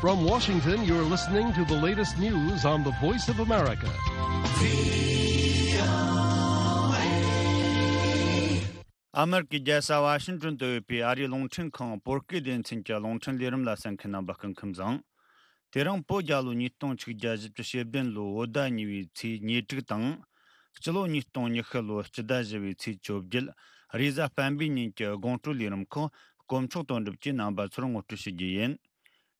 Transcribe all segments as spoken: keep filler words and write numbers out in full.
From Washington, you're listening to the latest news on the Voice of America. ཨ་མེ་རི་ཀའི་རྒྱལ་ས་ཝ་ཤིང་ཏོན་དུ་ཡོད་པའི་ཨ་རིའི་རླུང་འཕྲིན་ཁང་བོད་སྐད་སྡེ་ཚན་གྱི་རླུང་འཕྲིན་ལས་རིམ་ལ་གསན་མཁན་རྣམ་པ་སྐུ་ཁམས་བཟང་། དེ་རིང་བོད་རྒྱལ་ལོ་ཉིས་སྟོང་ཆིག་བརྒྱ་བཞི་བཅུ་ཞེ་བདུན་ལོའི་བོད་ཟླ་གཉིས་པའི་ཚེས་ཉེར་དྲུག་དང་། སྤྱི་ལོ་ཉིས་སྟོང་ཉི་ཤུ་ལོའི་སྤྱི་ཟླ་བཞི་པའི་ཚེས་བཅོ་བརྒྱད། རེས་གཟའ་སྤེན་པའི་ཉིན་གྱི་དགོང་དྲོའི་ལས་རིམ་ཁག་དཀོན་མཆོག་དོན་གྲུབ་ཀྱིས་རྣམ་པ་ཚོར་ངོ་སྤྲོད་ཞུ་རྒྱུ་ཡིན།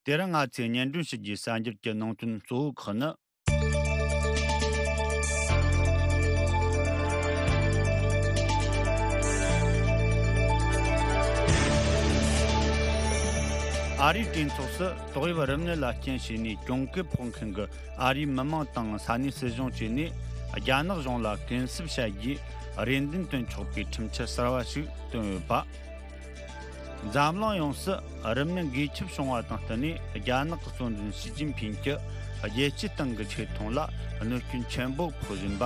དེ་རིང་ང་ཚོས་སྙན་སྒྲོན་ཞུ་རྒྱུའི་གསར་འགྱུར་གྱི་ནང་དོན་གཙོ་བོ་ཁག་ནི། ཨ་རིའི་གྲོས་ཚོགས་སུ་ཏོག་དབྱིབས་རིམས་ནད་ལ་རྐྱེན་བྱས་ནས་གྱོང་གུན་ཕོག་མཁན་གྱི་ཨ་རིའི་མི་མང་དང་ས་གནས་སྲིད་གཞུང་བཅས་ནས་རྒྱ་ནག་གཞུང་ལ་གུན་གསབ་བྱ་རྒྱུའི་རེ་འདུན་བཏོན་ཆོག་པའི་ཁྲིམས་འཆར་གསར་བ་ཞིག་བཏོན་ཡོད་པ། འཛམ་གླིང་ཡོངས་སུ་རིམས་ནད་འགོས་ཁྱབ་བྱུང་བ་དང་བསྟུན་ནས་རྒྱ་ནག་གི་གཙོ་འཛིན་ཞི་ཅིན་ཕིང་གིས་རྒྱལ་སྤྱིའི་སྟེང་གི་ཆེ་མཐོང་ལ་གནོད་སྐྱོན་ཆེན་པོ་ཕོག་བཞིན་པ།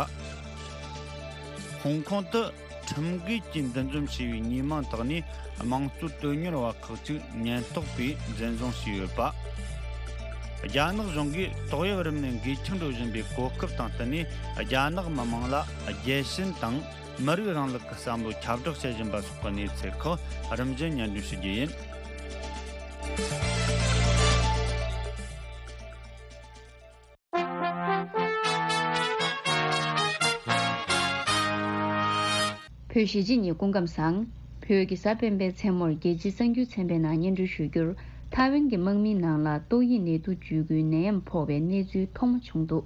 ཧོང་ཀོང་དུ་ཁྲིམས་འགལ་གྱིས་འདུ་འཛོམས་བྱས་པའི་མི་མང་དག་ནས་དམངས་གཙོའི་དོན་གཉེར་བ་ཁག་ཅིག་ཉེན་རྟོག་པས་འཛིན་བཟུང་བྱས་ཡོད་པ། རྒྱ་ནག་གཞུང་གིས་ཏོག་དབྱིབས་རིམས་ནད་འགོས་ཁྱབ་འགྲོ་བཞིན་པའི་གོ་སྐབས་དང་བསྟུན་ནས་རྒྱ་ནག་མི་མང་ལ་རྒྱལ་ཞེན་དང་། མི་རིགས་རིང་ལུགས་ཀྱི་བསམ་བློ་ཁྱབ་བསྒྲགས་བྱེད་བཞིན་པ་སོགས་ཀྱི་གནས་ཚུལ་ཁག་རིམ་བཞིན་སྙན་སྒྲོན་ཞུ་རྒྱུ་ཡིན། བོད་གཞིས་བྱེས་གཉིས་སྐུ་ཁམས་བཟང་། བོད་ཀྱི་གཟའ་སྤེན་པའི་མཚན་མོར་རྒྱལ་སྤྱིའི་གསར་འགྱུར་ཚན་པའི་ནང་སྙན་སྒྲོན་ཞུ་རྒྱུར། ཐའེ་ཝན་གྱི་དམག་མིའི་ནང་ལ་ཏོག་དབྱིབས་ནད་དུག་འཇུག་སྐུལ་ནད་ཡམས་ཕོག་པའི་གནས་ཚུལ་ཐོག་མ་བྱུང་འདུག་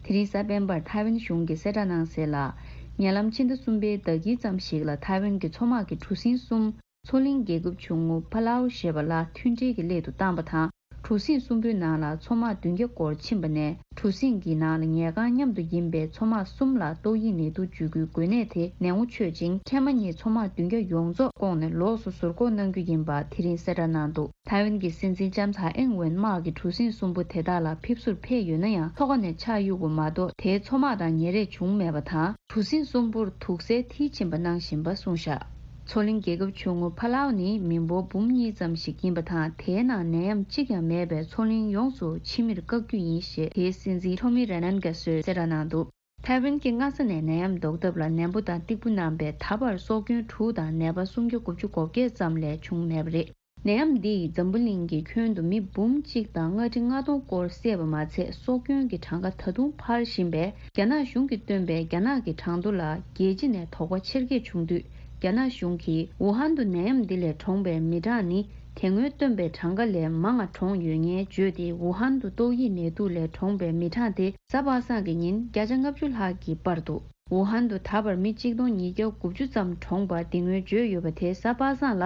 དེ་རིང་གཟའ་སྤེན་པར་ཐའེ་ཝན་གཞུང་གིས་གསལ་བསྒྲགས་གནང་གསལ་ལ། ཉེ་ལམ་ཕྱི་ཟླ་གསུམ་པའི་ཟླ་དཀྱིལ་ཙམ་ཞིག་ལ་ཐའེ་ཝན་གྱི་མཚོ་དམག་གི་གྲུ་གཟིངས་གསུམ་མཚོ་གླིང་རྒྱལ་ཁབ་ཆུང་ངུ་ཕ་ལའོ་ཞེས་པ་ལ་མཐུན་སྒྲིལ་གྱི་སླད་དུ་བཏང་པ་དང་། གྲུ་གཟིངས་གསུམ་པོའི་ནང་ལ་མཚོ་དམག་བདུན་བརྒྱ་སྐོར་ཕྱིན་པ་ནས། གྲུ་གཟིངས་ཀྱི་ནང་ལ་ཉལ་ཁང་མཉམ་དུ་ཡིན་པའི་མཚོ་དམག་གསུམ་ལ་ཏོག་དབྱིབས་ནད་དུག་འཇུག་སྐུལ་འགོས་ནད་དེ་ནད་ངོ་ཆོད་ཅིང་། འཕྲལ་མ་ཉིད་མཚོ་དམག་བདུན་བརྒྱ་ཡོངས་རྫོགས་བསྐོངས་ནས་ལོགས་སུ་ཟུར་འགོག་གནང་རྒྱུ་ཡིན་པ་དེ་རིང་གསལ་བསྒྲགས་གནང་འདུག་ཐའེ་ཝན་གྱི་སྲིད་འཛིན་ལྕམ་ཚའེ་ཨིང་ཝེན་དམག་གི་གྲུ་གཟིངས་གསུམ་པོ་དེ་དག་ལ་ཕེབས་བསུར་ཕེབས་ཡོད་ན་ཡང་། མཚོ་ཁ་ནས་ཆགས་གཡུག་པ་མ་གཏོགས། དེའི་མཚོ་དམག་དང་ཉེ་རེས་བྱུང་མེད་པ་དང་། གྲུ་གཟིངས་གསུམ་པོར་དུག་སེལ་མཐིལ་ཕྱིན་པ་གནང་བཞིན་པ་གསུངས་བཞག་མཚོ་གླིང་རྒྱལ་ཁབ་ཆུང་ངུ་ཕ་ལའོ་ནི་མི་འབོར་འབུམ་གཉིས་ཙམ་ཞིག་ཡིན་པ་དང་། དེའི་ནང་ནད་ཡམས་གཅིག་ཀྱང་མེད་པས་མཚོ་གླིང་ཡོངས་སུ་ཕྱི་མིར་བཀག་རྒྱུ་ཡིན་ཞེས་དེའི་སྲིད་འཛིན་ཐོ་མི་རེ་ནན་ག་སོས་གསལ་བསྒྲགས་གནང་འདུག་ཐའེ་ཝན་གྱིས་སྔ་ས་ནས་ནད་ཡམས་ཟློག་ཐབས་ལ་ནན་པོ་དང་སྟེགས་བུ་གནང་བས། ད་བར་སྲོག་སྐྱོན་དྲུག་དང་ནད་པ་སུམ་བརྒྱ་དགུ་བཅུ་གོ་བརྒྱད་ཙམ་ལས་བྱུང་མེད་པ་རེད། ནད་ཡམས་འདིས་འཛམ་བུ་གླིང་གི་ཁྱོན་དུ་མི་འབུམ་གཅིག་དང་ལྔ་ཁྲི་ལྔ་སྟོང་སྐོར་བསད་པ་མ་ཚད། སྲོག་སྐྱོན་གྱི་གྲངས་ཀ་ད་དུང་འཕར་བཞིན་པས། རྒྱ་ནག་གཞུང་གིས་བཏོན་པའི་རྒྱ་ནག་གི་གྲངས་ཐོ་ལ་རྒྱལ་སྤྱི་ནས་དོགས་པ་ཆེར་སྐྱེད་བྱུང་དུས། རྒྱ་ནག་གཞུང་གིས་ཝུ་ཧན་དུ་ནད་ཡམས་འདི་ལས་གྲོངས་པའི་མི་གྲངས་ནི། དེ་སྔོན་བཏོན་པའི་གྲངས་ཀ་ལས་མང་ང་གྲོངས་ཡོད་ངེས་བརྗོད་དེ། ཝུ་ཧན་དུ་ཏོག་དབྱིབས་ནད་དུག་ལས་གྲོངས་པའི་མི་གྲངས་དེ་གཟའ་པ་སངས་ཀྱི་ཉིན་བརྒྱ་ཆ་ལྔ་བཅུ་ལྷག་གིས་སྤར་འདུག་ཝུ་ཧན་དུ་ད་བར་མི་གཅིག་སྟོང་ཉིས་བརྒྱ་དགུ་བཅུ་ཙམ་གྲོངས་པ་འདི་སྔོན་བརྗོད་ཡོད་པ་དེ་གཟའ་པ་སངས་ལ་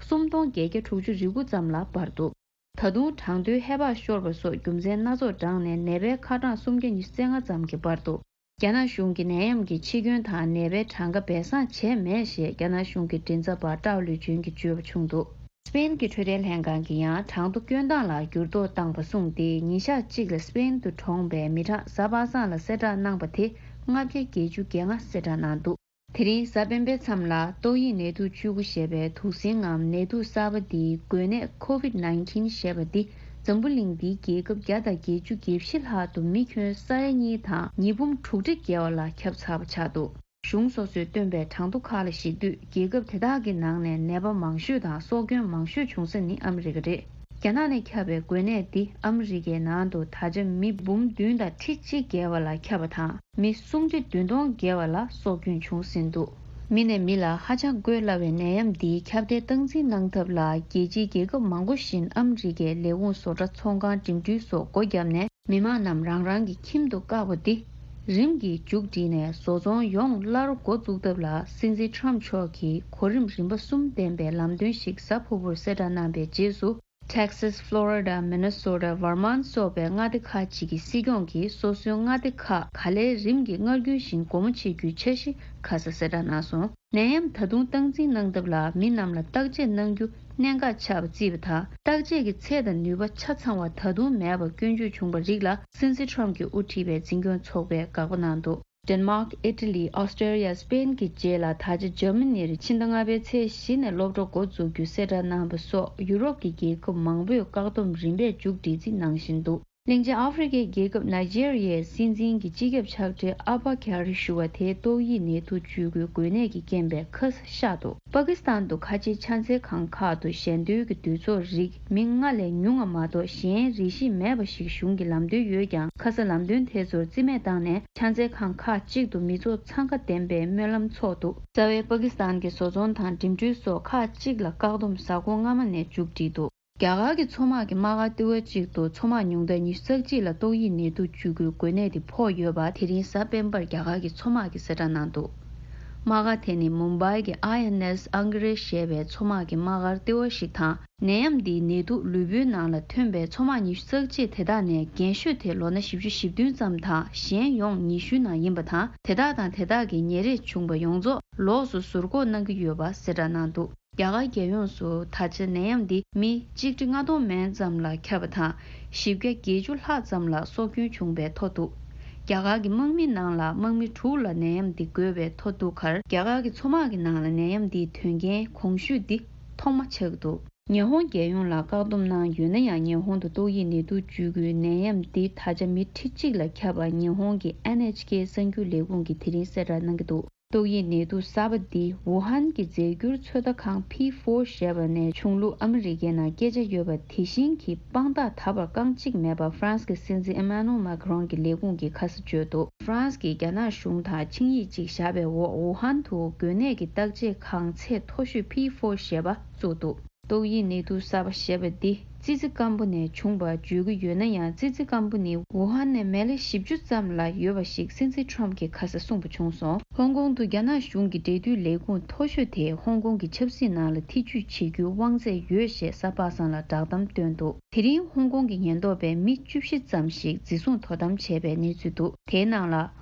སུམ་སྟོང་བརྒྱད་བརྒྱ་དྲུག་ཅུ་རེ་དགུ་ཙམ་ལ་སྤར་འདུག་ད་དུང་གྲངས་ཐོའི་ཧེ་བག་ཤོར་བ་སོགས་རྒྱུ་མཚན་སྣ་ཚོགས་བགྲངས་ནས་ནད་པའི་ཁ་གྲངས་སུམ་བརྒྱ་ཉི་ཤུ་རྩ་ལྔ་ཙམ་གྱིས་སྤར་འདུག་རྒྱ་ནག་གཞུང་གིས་ནད་ཡམས་ཀྱི་འཆི་སྐྱོན་དང་ནད་པའི་གྲངས་ཀ་སྦས་གསང་བྱས་མེད་ཞེས་རྒྱ་ནག་གཞུང་གི་མགྲིན་ཚབ་པ་ཀྲའོ་ལུའུ་ཅུན་གྱིས་བརྗོད་པ་བྱུང་འདུག་སྤེན་གྱི་འཕྲོད་བསྟེན་ལྷན་ཁང་གིས་ཡང་གྲངས་ཐོ་སྐྱོན་སྟངས་ལ་འགྱུར་ལྡོག་བཏང་བ་གསུངས་ཏེ། ཉིན་ཞག་གཅིག་ལ་སྤེན་དུ་གྲོངས་པའི་མི་གྲངས་གཟའ་པ་སངས་ལ་གསལ་བསྒྲགས་གནང་པ་དེ་ལྔ་བརྒྱ་བརྒྱད་ཅུ་གྱ་ལྔ་གསལ་བསྒྲགས་གནང་འདུག་དེ་རིང་གཟའ་སྤེན་པའི་མཚམས་ལ་ཏོག་དབྱིབས་ནད་དུག་བཅུ་དགུ་ཞེས་པའི་དུག་སྲིན་ངམ་ནད་དུག་གསར་པ་འདིའི་འགོས་ནད་ཁོ་ཝིད་ནའིན་ཊིན་ཞེས་པ་འདི་འཛམ་བུ་གླིང་འདིའི་རྒྱལ་ཁབ་བརྒྱ་དང་བརྒྱད་ཅུ་གྱ་བཞི་ལྷག་ཏུ་མི་ཁྱོན་ས་ཡ་གཉིས་དང་ཉིས་འབུམ་དྲུག་ཁྲི་བརྒལ་བ་ལ་ཁྱབ་ཚར་བ་ཆགས་འདུག་གཞུང་སོ་སོས་བཏོན་པའི་གྲངས་ཐོ་ཁག་ལ་གཞིགས་དུས། རྒྱལ་ཁབ་དེ་དག་གི་ནང་ནས་ནད་པ་མང་ཤོས་དང་སྲོག་སྐྱོན་མང་ཤོས་བྱུང་ས་ནི་ཨ་མི་རི་ཀ་རེད། རྒྱ་ནག་ནས་ཁྱབ་པའི་འགོས་ནད་འདི་ཨ་མི་རི་ཀའི་ནང་དུ་ད་ཆ་མི་འབུམ་བདུན་དང་ཁྲི་གཅིག་བརྒལ་བ་ལ་ཁྱབ་པ་དང་། མི་སུམ་ཁྲི་བདུན་སྟོང་བརྒལ་བ་ལ་སྲོག་སྐྱོན་བྱུང་ཟིན་འདུག་མི་ནས་མི་ལ་ཧ་ཅང་འགོས་སླ་བའི་ནད་ཡམས་འདིའི་ཁྱབ་གདལ་སྟངས་འཛིན་གནང་ཐབས་ལ། རྒྱལ་སྤྱིའི་རྒྱལ་ཁབ་མང་པོ་བཞིན་ཨ་མི་རི་ཀའི་ལས་ཁུངས་བཟོ་གྲྭ་ཚོང་ཁང་འགྲིམ་འགྲུལ་སོགས་སྒོ་བརྒྱབ་ནས། མི་མང་རྣམས་རང་རང་གི་ཁྱིམ་དུ་བཀག་པ་འདི་རིམ་གྱིས་མཇུག་བསྒྲིལ་ནས། བཟོ་ཚོང་ཡོངས་སླར་འགོ་འཛུགས་ཐབས་ལ་སྲིད་འཛིན་ཊམ་མཆོག་གིས་གོ་རིམ་རིམ་པ་གསུམ་ལྡན་པའི་ལམ་སྟོན་ཞིག་གཟའ་ཕུར་བུར་གསལ་བསྒྲགས་གནང་པའི་རྗེས་སུ། Texas, Florida, Minnesota, Vermont སོགས་པའི་མངའ་སྡེ་ཁག་ཅིག་གི་སྲིད་སྐྱོང་གིས་སོ་སོའི་མངའ་སྡེ་ཁག་ག་ལེར་རིམ་གྱིས་སྔར་རྒྱུན་བཞིན་སྒོ་མོ་ཕྱེ་རྒྱུའི་འཆར་གཞི་ཁ་ས་གསལ་བསྒྲགས་གནང་སོང་། ནད་ཡམས་ད་དུང་སྟངས་འཛིན་གནང་ཐབས་ལ་མི་རྣམས་ལ་བརྟག་དཔྱད་གནང་རྒྱུ་གནད་འགག་ཆགས་པ་བརྩིས་པ་དང་། བརྟག་དཔྱད་ཀྱི་ཚད་དང་ནུས་པ་ཆ་ཚང་བ་ད་དུང་མེད་པ་སྐྱོན་བརྗོད་བྱུང་བ་རིགས་ལ། སྲིད་འཛིན་ཊམ་གྱིས་དབུ་ཁྲིད་པའི་འཛིན་སྐྱོང་ཚོགས་པས་དགག་པ་གནང་འདུག་ཌེན་མཱག་ཨི་ཊ་ལི། ཨོ་སི་ཀྲི་ཡ། སི་པེན་གྱི་རྗེས་ལ་ད་ཆ་འཇར་མ་ནིར་ཕྱི་ཟླ་ལྔ་པའི་ཚེས་བཞི་ནས་སློབ་གྲྭ་འགོ་འཛུགས་རྒྱུ་གསལ་བསྒྲགས་གནང་བ་སོགས་ཡུ་རོབ་ཀྱི་རྒྱལ་ཁབ་མང་པོས་བཀག་སྡོམ་རིམ་པས་མཇུག་སྒྲིལ་རྩིས་གནང་བཞིན་འདུག་གླིང་ཆེན་ཨ་ཧྥེ་རི་ཁའི་རྒྱལ་ཁབ་ནཱི་ཇེ་རི་ཡའི་སྲིད་འཛིན་གྱི་སྤྱི་ཁྱབ་ཕྱག་སྦྲེལ་ཨ་བྷ་ཁྱ་རི་ཞུ་བ་དེ་ཏོག་དབྱིབས་ནད་དུག་བཅོས་དགོས་འགོས་ནད་ཀྱི་རྐྱེན་པས་ཁ་ས་གཤགས་འདུག་པ་ཀི་སི་ཐན་དུ་ཁ་ཆེའི་ཕྱག་འཚལ་ཁང་ཁག་ཏུ་ཞལ་འདོན་གྱི་འདུས་ཚོགས་རིགས་མི་ལྔ་ལས་ཉུང་བ་མ་གཏོགས་གཞན་རེ་ཞིག་མེད་པ་ཞིག་གཞུང་གིས་ལམ་སྟོན་ཡོད་ཀྱང་། ཁ་ས་ལམ་སྟོན་དེ་ཚོར་རྩིས་མེད་བཏང་ནས་ཕྱག་འཚལ་ཁང་ཁག་ཅིག་ཏུ་མི་ཚོགས་འཚང་ཁ་ལྡན་པའི་སྨོན་ལམ་འཚོགས་འདུག་རྩ་བའི་པ་ཀི་སི་ཐན་གྱི་བཟོ་ཚོང་དང་འགྲིམ་འགྲུལ་སོགས་ཁག་ཅིག་ལ་བཀག་སྡོམ་གཟའ་འཁོར་སྔ་མ་ནས་མཇུག་སྒྲིལ་འདུག་རྒྱ་གར་གྱི་མཚོ་དམག་གི་དམག་སྒར་ལྟེ་བ་གཅིག་ཏུ་མཚོ་དམག་ཉུང་མཐའ་ཉི་ཤུ་རྩ་གཅིག་ལ་ཏོག་དབྱིབས་ནད་དུག་བཅོས་དགོས་འགོས་ནད་དེ་ཕོག་ཡོད་པ་དེ་རིང་གཟའ་སྤེན་པར་རྒྱ་གར་གྱི་མཚོ་དམག་གིས་གསལ་བསྒྲགས་གནང་འདུག་དམག་སྒར་དེ་ནི་མུམ་བྷའི་གི་ཨའི་ཨེན་ཨེས་ཨང་གི་རེ་ཞེས་པའི་མཚོ་དམག་གི་དམག་སྒར་ལྟེ་བ་ཞིག་དང་། ནད་ཡམས་འདིའི་ནད་དུག་ལུས་པོའི་ནང་ལ་ཐོན་པའི་མཚོ་དམག་ཉི་ཤུ་རྩ་གཅིག་དེ་དག་ནས་རྒན་ཤོས་དེ་ལོ་ན་བཞི་བཅུ་ཞེ་བདུན་ཙམ་དང་གཞན་ཡོངས་ཉི་ཤུའི་ནང་ཡིན་པ་དང་། དེ་དག་དང་དེ་དག་གི་ཉེ་རེས་བྱུང་པ་ཡོངས་རྫོགས་ལོགས་སུ་ཟུར་འགོག་གནང་གི་ཡོད་པ་གསལ་བསྒྲགས་གནང་འདུག་རྒྱ་གར་རྒྱལ་ཡོངས་སུ་ད་ཆ་ནད་ཡམས་འདི་མི་གཅིག་ཁྲི་ལྔ་སྟོང་མན་ཙམ་ལ་ཁྱབ་པ་དང་། བཞི་བརྒྱ་བརྒྱད་ཅུ་ལྷག་ཙམ་ལ་སྲོག་སྐྱོན་བྱུང་བའི་ཐོ་འདུག་རྒྱ་གར་གྱི་དམག་མི་ནང་ལ་དམག་མི་དྲུག་ལ་ནད་ཡམས་འདི་འགོས་པའི་ཐོ་འདུག་ཁར། རྒྱ་གར་གྱི་མཚོ་དམག་གི་ནང་ལ་ནད་ཡམས་འདིའི་དོན་རྐྱེན་གོང་ཞུས་འདི་ཐོག་མ་ཆགས་འདུག་ཉི་ཧོང་རྒྱལ་ཡོངས་ལ་བཀག་སྡོམ་གནང་ཡོད་ན་ཡང་། ཉི་ཧོང་དུ་ཏོག་དབྱིབས་ནད་དུག་བཅོས་དགོས་ནད་ཡམས་འདི་ད་ཆ་མི་ཁྲི་གཅིག་ལ་ཁྱབ་པ་ཉི་ཧོང་གི་ཨེན་ཨེཆ་ཀེ་གསར་འགྱུར་ལས་ཁུངས་ཀྱིས་དེ་རིང་གསལ་བསྒྲགས་གནང་གི་འདུག་ཏོག་དབྱིབས་ནད་དུག་གསར་པ་འདི་ཝུ་ཧན་གྱི་རྫས་འགྱུར་ཚོད་ལྟ་ཁང་པི་ཕོར་ཞེས་པ་ནས་ཆུང་ལུགས་ཨ་མི་རི་ཀའི་ནང་སྐད་ཆ་ཡོད་པ་དེ་བཞིན་གྱི་དཔང་རྟགས་ད་བར་རྐང་གཅིག་མེད་པ་ཧྥ་རན་སི་གི་སྲིད་འཛིན་ཨེ་མ་ནུ་ཨེལ་མཱ་ཀི་རོན་གྱི་ལས་ཁུངས་ཀྱིས་ཁ་ས་བརྗོད་འདུག་ཧྥ་རན་སི་གིས་རྒྱ་ནག་གཞུང་དང་ཆིངས་ཡིག་ཅིག་བཞག་པའི་འོག་ཝུ་ཧན་དུ་འགོས་ནད་ཀྱི་བརྟག་དཔྱད་ཁང་ཚད་མཐོ་ཤོས་པི་ཕོར་ཞེས་པ་བཙུགས་འདུག་ཏོག་དབྱིབས་ནད་དུག་གསར་པ་ཞེས་པ་འདི་ཙི་ཙི་སྐམ་པོ་ནས་བྱུང་བ་བརྗོད་ཀྱི་ཡོད་ན་ཡང་། ཙི་ཙི་སྐམ་པོ་ནི་ཝུ་ཧན་ནས་མི་ལེ་བཞི་བཅུ་ཙམ་ལ་ཡོད་པ་ཞིག་སྲིད་འཛིན་ཁྲོམ་གྱིས་ཁ་ས་གསུངས་པ་བྱུང་སོང་། ཧོང་ཀོང་དུ་རྒྱ་ནག་གཞུང་གི་འབྲེལ་མཐུད་ལས་ཁུངས་མཐོ་ཤོས་དེས་ཧོང་ཀོང་གི་ཆབ་སྲིད་ནང་ལ་ཐེ་ཇུས་བྱེད་རྒྱུའི་དབང་ཚད་ཡོད་ཞེས་གཟའ་པ་སངས་ལ་བསྒྲགས་གཏམ་བཏོན་འདུག་དེ་རིང་ཧོང་ཀོང་གི་ཉེན་རྟོག་པས་མི་བཅུ་བཞི་ཙམ་ཞིག་འཛིན་བཟུང་དོ་དམ་བྱས་པའི་གནས་ཚུལ་འདུག་དེའི་ནང་ལ།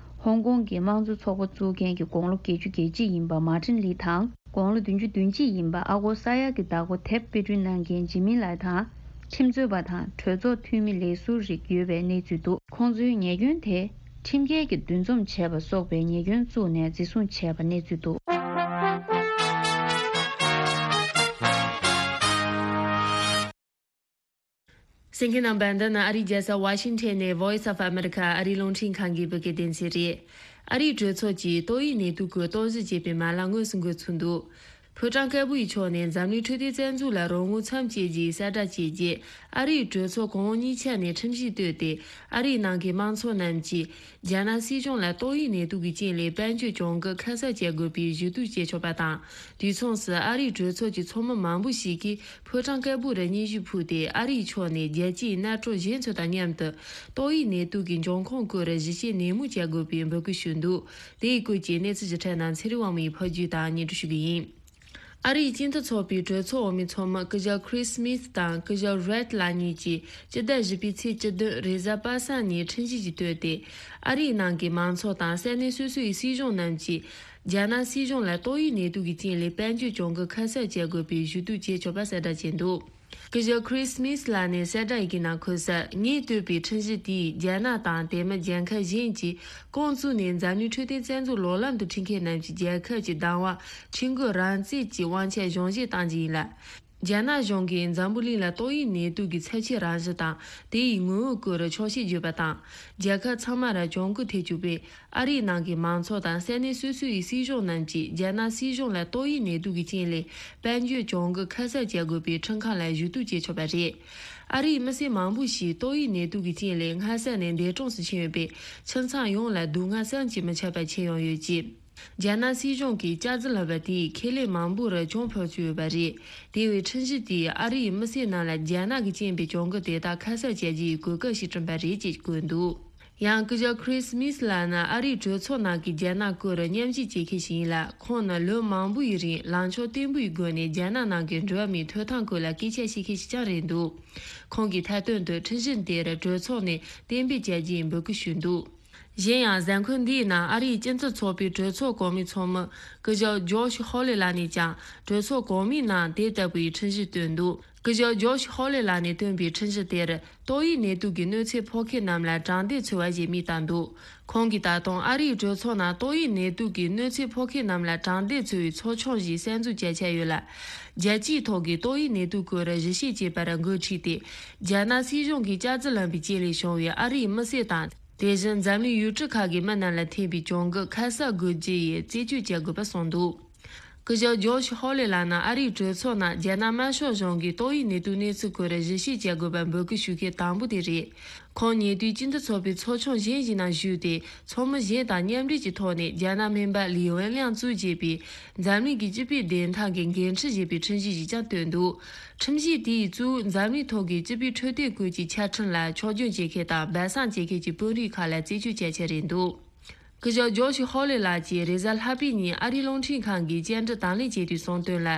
ཧོང་ཀོང་གི་དམངས་གཙོ་ཚོགས་པ་གཙོ་འགན་གྱི་དགུང་ལོ་བརྒྱད་ཅུ་གྱ་གཅིག་ཡིན་པ་མཱ་ཏིན་ལི་དང་། དགུང་ལོ་བདུན་ཅུ་དོན་གཅིག་ཡིན་པ་ཨ་སྒོར་ས་ཡ་གི་བདག་པོ་དེབ་དཔེ་སྐྲུན་གནང་མཁན་ཇི་མི་ལའེ་དང་། ཁྲིམས་རྩོད་པ་དང་གྲོས་ཚོགས་འཐུས་མི་ལས་ཟུར་རིགས་ཡོད་པའི་གནས་ཚུལ་འདུག་ཁོང་ཚོའི་ཉེས་སྐྱོན་དེ་ཁྲིམས་འགལ་གྱི་འདུ་འཛོམས་བྱས་པ་སོགས་པའི་ཉེས་སྐྱོན་བཙུགས་ནས་འཛིན་བཟུང་བྱས་པ་གནས་ཚུལ་འདུག་གསན་མཁན་རྣམ་པ། འདི་ནི་ཨ་རིའི་རྒྱལ་ས་ཝ་ཤིང་ཊོན་ནས་Voice of America ཨ་རིའི་རླུང་འཕྲིན་ཁང་གི་བོད་སྐད་སྡེ་ཚན་རེད། ཨ་རིའི་གྲོས་ཚོགས་ཀྱིས་ཏོག་དབྱིབས་ནད་དུག་གི་རྟོག་ཞིབ་བྱེད་པའི་མ་ལག་དངོས་སུ་འགོ་ཚུགས་འདུག་ཕོ་བྲང་དཀར་པོ་ཡི་ཕྱོགས་ནས་འཛམ་གླིང་འཕྲོད་བསྟེན་རྩ་འཛུགས་ལ་རོགས་དངུལ་མཚམས་བཅད་རྒྱུའི་གསལ་བསྒྲགས་བྱས་རྗེས། ཨ་རིའི་གྲོས་ཚོགས་གོང་འོག་གཉིས་ཆ་ནས་ཁྲིམས་གཞི་བཏོད་དེ། ཨ་རིའི་ནང་གི་དམངས་ཚོགས་རྣམས་ཀྱིས་རྒྱ་ནག་སྲིད་གཞུང་ལ་ཏོག་དབྱིབས་ནད་དུག་གི་རྐྱེན་ལས་དཔལ་འབྱོར་གྱོང་གུན་ཁ་གསབ་བྱེད་དགོས་པའི་ཞུ་གཏུག་བྱེད་ཆོག་པ་དང་། དུས་མཚུངས་སུ་ཨ་རིའི་གྲོས་ཚོགས་ཀྱི་ཚོགས་མི་མང་པོ་ཞིག་གིས་ཕོ་བྲང་དཀར་པོ་རུ་སྙན་ཞུ་ཕུལ་ཏེ། ཨ་རིའི་ཕྱོགས་ནས་རྒྱལ་སྤྱིའི་གནད་གྲོགས་གཞན་ཚོ་དང་མཉམ་དུ་ཏོག་དབྱིབས་ནད་དུག་གི་འབྱུང་ཁུངས་སྐོར་ཞིབ་དཔྱད་ནན་མོ་བྱེད་དགོས་པའི་འབོད་སྐུལ་ཞུས་འདུག་དེའི་སྐོར་གྱི་གནས་ཚུལ་ཞིབ་ཕྲ་རྣམས་ཚེ་རིང་དབང་མོས་ཕབ་སྒྱུར་དང་སྙན་སྒྲོན་ཞུ་གི་ཡིན། ཨ་རིའི་སྤྱི་མཐུན་ཚོགས་པའི་གྲོས་ཚོགས་འོག་མའི་ཚོགས་མི་སྐུ་ཞབས་Chris Smith དང་སྐུ་ཞབས་Reed ལགས་གཉིས་ཀྱིས་སྤྱི་ཟླ་བཞི་པའི་ཚེས་བཅུ་བདུན་རེས་གཟའ་པ་སངས་ཉིན་ཁྲིམས་གཞི་ཞིག་བཏོད་དེ། ཨ་རིའི་ནང་གི་མང་ཚོགས་དང་ས་གནས་སོ་སོའི་སྲིད་གཞུང་རྣམས་ཀྱིས་རྒྱ་ནག་སྲིད་གཞུང་ལ་ཏོག་དབྱིབས་ནད་དུག་གི་རྐྱེན་ལས་དཔལ་འབྱོར་གྱོང་གུན་ཁ་གསབ་བྱེད་དགོས་པའི་ཞུ་གཏུག་བྱེད་ཆོག་པ་གསལ་བསྒྲགས་བྱས་འདུག་སྐུ་ཞབས་Chris Smith ལགས་ནས་གསལ་བསྒྲགས་ཡི་གེ་ནང་འཁོད་གསལ། ངས་བཏོད་པའི་ཁྲིམས་གཞི་དེས་རྒྱ་ནག་དང་དེ་མིན་རྒྱལ་ཁབ་གཞན་གྱིས་ཁོང་ཚོ་ནས་འཛམ་གླིང་འཕྲོད་བསྟེན་རྩ་འཛུགས་ལོག་ལམ་དུ་ཁྲིད་མཁན་རྣམས་ཀྱི་རྒྱལ་ཁབ་ཀྱི་བདག་དབང་ཁྲིམས་འགལ་རང་བཙན་གྱི་དབང་ཆ་གཞོམ་བཞེས་བཏང་རྒྱུ་ཡིན་ལ། རྒྱ་ནག་གཞུང་གིས་འཛམ་བུ་གླིང་ལ་ཏོག་དབྱིབས་ནད་དུག་གི་ཚབས་ཆེའི་རང་བཞིན་དང་དེའི་ངོ་བོའི་སྐོར་ཆོག་ཤེས་བརྗོད་པ་དང་། རྒྱལ་ཁབ་ཚང་མར་གྱོང་གུན་ཐེབས་བཅུག་པས། ཨ་རིའི་ནང་གི་མང་ཚོགས་དང་ས་གནས་སོ་སོའི་སྲིད་གཞུང་རྣམས་ཀྱིས་རྒྱ་ནག་སྲིད་གཞུང་ལ་ཏོག་དབྱིབས་ནད་དུག་གི་རྐྱེན་ལས་དཔལ་འབྱོར་གྱོང་གུན་ཁ་གསབ་བྱེད་དགོས་པའི་ཁྲིམས་ཁང་ལ་ཞུ་གཏུག་བྱེད་ཆོག་པ་རེད། ཨ་རིའི་མི་སེར་མང་པོ་ཞིག་ཏོག་དབྱིབས་ནད་དུག་གི་རྐྱེན་ལས་སྔ་ས་ནས་འདས་གྲོངས་སུ་ཕྱིན་ཡོད་པས། ཁྱིམ་ཚང་ཡོངས་ལ་སྡུག་བསྔལ་བསམ་གྱིས་མི་ཁྱབ་པ་ཁྱེར་ཡོང་ཡོད་ཅེས། རྒྱ་ནག་སྲིད་གཞུང་གིས་ལྕགས་རྫི་ལབ་པ་དེས་ཁེ་ལས་མང་པོར་གྱོང་ཕོག་བཅུག་ཡོད་པ་རེད། དེ་བས་ཁྲིམས་གཞི་དེས་ཨ་རིའི་མི་སེར་རྣམས་ལ་རྒྱ་ནག་གིས་རྐྱེན་པས་གྱོང་གུན་དེ་དག་ཁ་གསབ་བྱ་རྒྱུའི་གོ་སྐབས་ཤིག་བསྐྲུན་པ་རེད་ཅེས་བཀོད་འདུག་ཡང་སྐུ་ཞབས་Chris Smith ལགས་ནི་ཨ་རིའི་གྲོས་ཚོགས་ནང་གི་རྒྱ་ནག་སྐོར་མཉམ་ཞིབ་བྱེད་མཁན་ཞིག་ཡིན་ལ། ཁོང་ནི་ལོ་མང་པོའི་རིང་ལངས་ཕྱོགས་བརྟན་པོའི་སྒོ་ནས་རྒྱ་ནག་ནང་གི་འགྲོ་བ་མིའི་ཐོབ་ཐང་སྐོར་ལ་སྐད་ཆ་བཤད་མཁན་ཞིག་ཀྱང་རེད་འདུག་ཁོང་གིས་མཐའ་དོན་དུ་ཁྲིམས་གཞི་དེར་གྲོས་ཚོགས་ནས་གཏན་འབེབས་བྱ་རྒྱུའི་འབོད་སྐུལ་ཞུས་འདུག་གཞན་ཡང་། གཟའ་འཁོར་འདིའི་ནང་ཨ་རིའི་སྤྱི་ཚོགས་ཚོགས་པའི་གྲོས་ཚོགས་གོང་མའི་ཚོགས་མི་སྐུ་ཞབས་ཇོརྗ་ཧོ་ལེ་ལགས་ནས་ཀྱང་གྲོས་ཚོགས་གོང་མའི་ནང་དེ་ལྟ་བུའི་ཁྲིམས་གཞི་བཏོན་འདུག་སྐུ་ཞབས་ཇོརྗ་ཧོ་ལེ་ལགས་ནས་བཏོན་པའི་ཁྲིམས་གཞི་དེར་ཏོག་དབྱིབས་ནད་དུག་གི་གནོད་འཚེ་ཕོག་མཁན་རྣམས་ལ་དྲང་བདེན་འཚོལ་བ་ཞེས་མིང་བཏགས་འདུག་ཁོང་གིས་ད་དུང་ཨ་རིའི་གྲོས་ཚོགས་ནང་ཏོག་དབྱིབས་ནད་དུག་གི་གནོད་འཚེ་ཕོག་མཁན་རྣམས་ལ་དྲང་བདེན་འཚོལ་བའི་ཚོགས་ཆུང་ཞིག་གསར་འཛུགས་བྱ་འཆར་ཡོད་ལ། རྒྱལ་སྤྱིའི་ཐོག་གི་ཏོག་དབྱིབས་ནད་དུག་སྐོར་གཞི་བྱེད་ཅེས་པར་འགོ་ཁྲིད་དེ། རྒྱ་ནག་སྲིད་གཞུང་གིས་ལྕགས་རྩི་ལངས་པའི་རྐྱེན་ལས་བྱུང་བའི་ཨ་རིའི་མི་སེར་དང་། དེ་བཞིན་འཛམ་གླིང་ཡུལ་གྲུ་ཁག་གི་མི་རྣམས་ལ་ཐེབས་པའི་གྱོང་གུད་ཁ་གསབ་དགོས་རྒྱུ་ཡི་རྩད་གཅོད་བྱ་དགོས་པ་གསུངས་འདུག་སྐུ་ཞབས་ཇོརྗ་ཧོ་ལེ་ལགས་ནི་ཨ་རིའི་གྲོས་ཚོགས་ནང་རྒྱ་ནག་དམར་ཤོག་གཞུང་གིས་ཏོག་དབྱིབས་ནད་དུག་གནས་ཚུལ་སྐོར་གཞི་བྱེད་བྱ་དགོས་པར་འབོད་སྐུལ་ཞུ་མཁན་དང་པོ་དེ་རེད། ཁོང་ཉེ་དུས་སྤྱི་མཐུན་ཚོགས་པའི་ཚོགས་ཆུང་གཞན་ཞིག་ནང་ཞུགས་ཏེ། ཚོགས་མི་གཞན་དང་མཉམ་འབྲེལ་གྱི་ཐོག་ནས་རྒྱ་ནག་སྨན་པ་ལི་ཝེན་ལིའང་གཙོས་བྱས་པའི་འཛམ་གླིང་གི་སྤྱི་པའི་བདེན་མཐའ་གི་འགན་འཁྲི་ཞེས་པའི་ཁྲིམས་གཞི་ཞིག་ཀྱང་བཏོན་འདུག་ཁྲིམས་གཞི་དེས་གཙོ་བོ་འཛམ་གླིང་ཐོག་གི་སྤྱི་པའི་འཕྲོད་བསྟེན་ཀུན་གྱི་ཆ་འཕྲིན་ལ་ཆོག་མཆན་བྱེད་མཁན་དང་སྦས་གསང་བྱེད་མཁན་གྱི་དཔོན་རིགས་ཁག་ལ་རྩད་གཅོད་བྱ་འཆར་རེད་འདུག་སྐུ་ཞབས་ཇོརྗ་ཧོ་ལེ་ལགས་ཀྱིས་རེས་གཟའ་ལྷག་པའི་ཉིན་ཨ་རིའི་རླུང་འཕྲིན་ཁང་གི་བཅར་འདྲི་དང་ལེན་བྱས་དུས་གསུངས་དོན་ལ།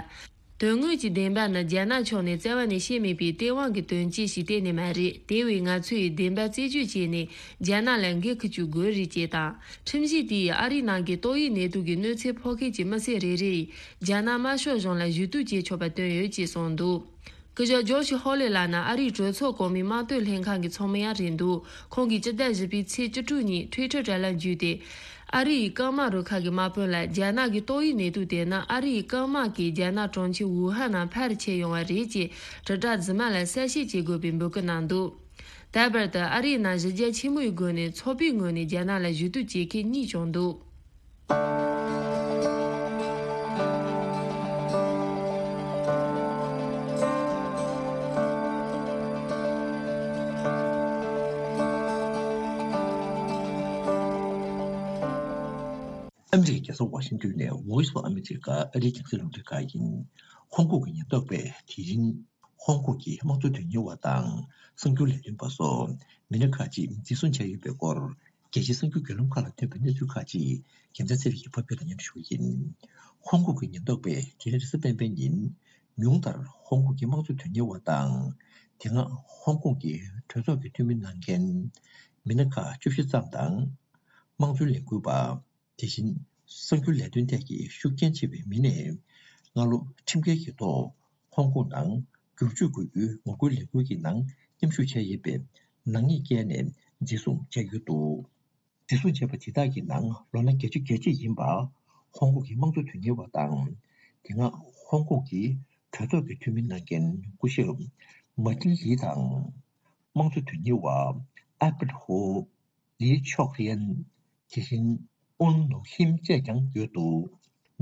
དོན་དངོས་ཀྱི་བདེན་པ་ནི་རྒྱ་ནག་ཕྱོགས་ནས་རྩ་བ་ནས་བཤད་མེད་པའི་སྟེས་དབང་གི་དོན་རྐྱེན་ཞིག་གཏན་ནས་མ་རེད། དེ་བས་ང་ཚོས་བདེན་པ་རྩད་གཅོད་བྱས་ནས་རྒྱ་ནག་ལ་འགན་འཁུར་བཅུག་དགོས་རེད་ཅེས་དང་། ཁྲིམས་གཞི་དེས་ཨ་རིའི་ནང་གི་ཏོག་དབྱིབས་ནད་དུག་གི་གནོད་འཚེ་ཕོག་མཁན་གྱི་མི་སེར་རེ་རེ་ཡིས་རྒྱ་ནག་དམར་ཤོག་གཞུང་ལ་ཞུ་གཏུག་བྱེད་ཆོག་པ་བཏོན་ཡོད་ཅེས་གསུངས་འདུག་སྐུ་ཞབས་ཇོརྗ་ཧོ་ལེ་ལགས་ནི་ཨ་རིའི་གྲོས་ཚོགས་གོང་མའི་དམངས་དོན་ལྷན་ཁང་གི་ཚོགས་མི་ཡང་རེད་འདུག་ཁོང་གིས་སྤྱི་ཟླ་བཞི་པའི་ཚེས་བཅུ་དྲུག་ཉིན་ཊུའི་ཊར་དྲ་ལམ་བརྒྱུད་དེ། ཨ་རི་ཡི་རྐང་དམག་རུ་ཁག་གི་དམག་དཔོན་ལ་རྒྱ་ནག་གི་ཏོག་དབྱིབས་ནད་དུག་དེ་ནི་ཨ་རི་ཡི་རྐང་དམག་གིས་རྒྱ་ནག་གྲོང་ཁྱེར་ཝུ་ཧན་ནང་ཕར་ཁྱེར་ཡོང་བ་རེད་ཅེས་དྲིལ་བསྒྲགས་རྫུན་མ་ལ་གསལ་བཤད་བྱེད་དགོས་པའི་འབོད་སྐུལ་གནང་འདུག་ད་བར་དུ་ཨ་རིའི་ནང་གཞི་རྒྱ་ཆེན་མོའི་སྒོ་ནས་ཚོགས་པའི་ངོས་ནས་རྒྱ་ནག་ལ་ཞུ་གཏུག་བྱེད་མཁན་གཉིས་བྱུང་འདུག་ཨ་མི་རི་ཀའི་རྒྱལ་ས་ཝ་ཤིང་ཏོན་ནས་Voice of America ཨ་རིའི་རྒྱང་སྲིང་རླུང་འཕྲིན་ཁང་ཡིན། ཧོང་ཀོང་གི་ཉེན་རྟོག་པས་དེ་རིང་ཧོང་ཀོང་གི་དམངས་གཙོ་དོན་གཉེར་བ་དང་གསར་འགྱུར་ལས་དོན་པ་སོགས་མི་སྣ་ཁག་ཅིག་འཛིན་བཟུང་བྱས་ཡོད་པའི་སྐོར། རྒྱལ་སྤྱིའི་གསར་འགྱུར་བརྒྱུད་ལམ་ཁག་ལ་ཐོན་པའི་གནས་ཚུལ་ཁག་ཅིག་རྒྱལ་མཚན་ཚེ་རིང་གིས་ཕབ་སྒྱུར་དང་སྙན་སྒྲོན་ཞུ་གི་ཡིན། ཧོང་ཀོང་གི་ཉེན་རྟོག་པས་དེ་རིང་རེས་གཟའ་སྤེན་པའི་ཉིན། ཉུང་མཐར་ཧོང་ཀོང་གི་དམངས་གཙོ་དོན་གཉེར་བ་དང་། དེ་སྔ་ཧོང་ཀོང་གི་གྲོས་ཚོགས་ཀྱི་འཐུས་མི་གནང་མཁན་མི་སྣ་ཁག་བཅུ་བཞི་ཙམ་དང་། དམངས་གཙོའི་ལས་འགུལ་པ། དེ་བཞིན་གསར་འགྱུར་ལས་དོན་ཐད་ཀྱི་ཤུགས་རྐྱེན་ཆེ་བའི་མི་སྣས་སྔ་ལོ་ཁྲིམས་འགལ་གྱི་ཐོག་ཧོང་ཀོང་ནང་བསྒྱུར་བཅོས་དགོས་རྒྱུའི་ངོ་རྒོལ་ལས་འགུལ་གྱི་ནང་མཉམ་ཞུགས་བྱས་ཡོད་པའི་ནག་ཉེས་བཀལ་ནས་འཛིན་བཟུང་བྱས་ཡོད་འདུག་འཛིན་བཟུང་བྱས་པ་དེ་དག་གི་ནང་ལོ་ན་བརྒྱད་ཅུ་གྱ་གཅིག་ཡིན་པ། ཧོང་ཀོང་གི་དམངས་གཙོ་དོན་གཉེར་བ་དང་། དེ་སྔ་ཧོང་ཀོང་གི་གྲོས་ཚོགས་ཀྱི་འཐུས་མི་གནང་མཁན་སྐུ་ཞབས་མཱ་ཏིན་ལི་དང་། དམངས་གཙོ་དོན་གཉེར་བ་ཨལ་པར་ཧོ། ལི་ཆོག་རེན། དེ་བཞིན་ཨོན་ནོ་ཧིམ་བཅས་ཀྱང་ཡོད་འདུག་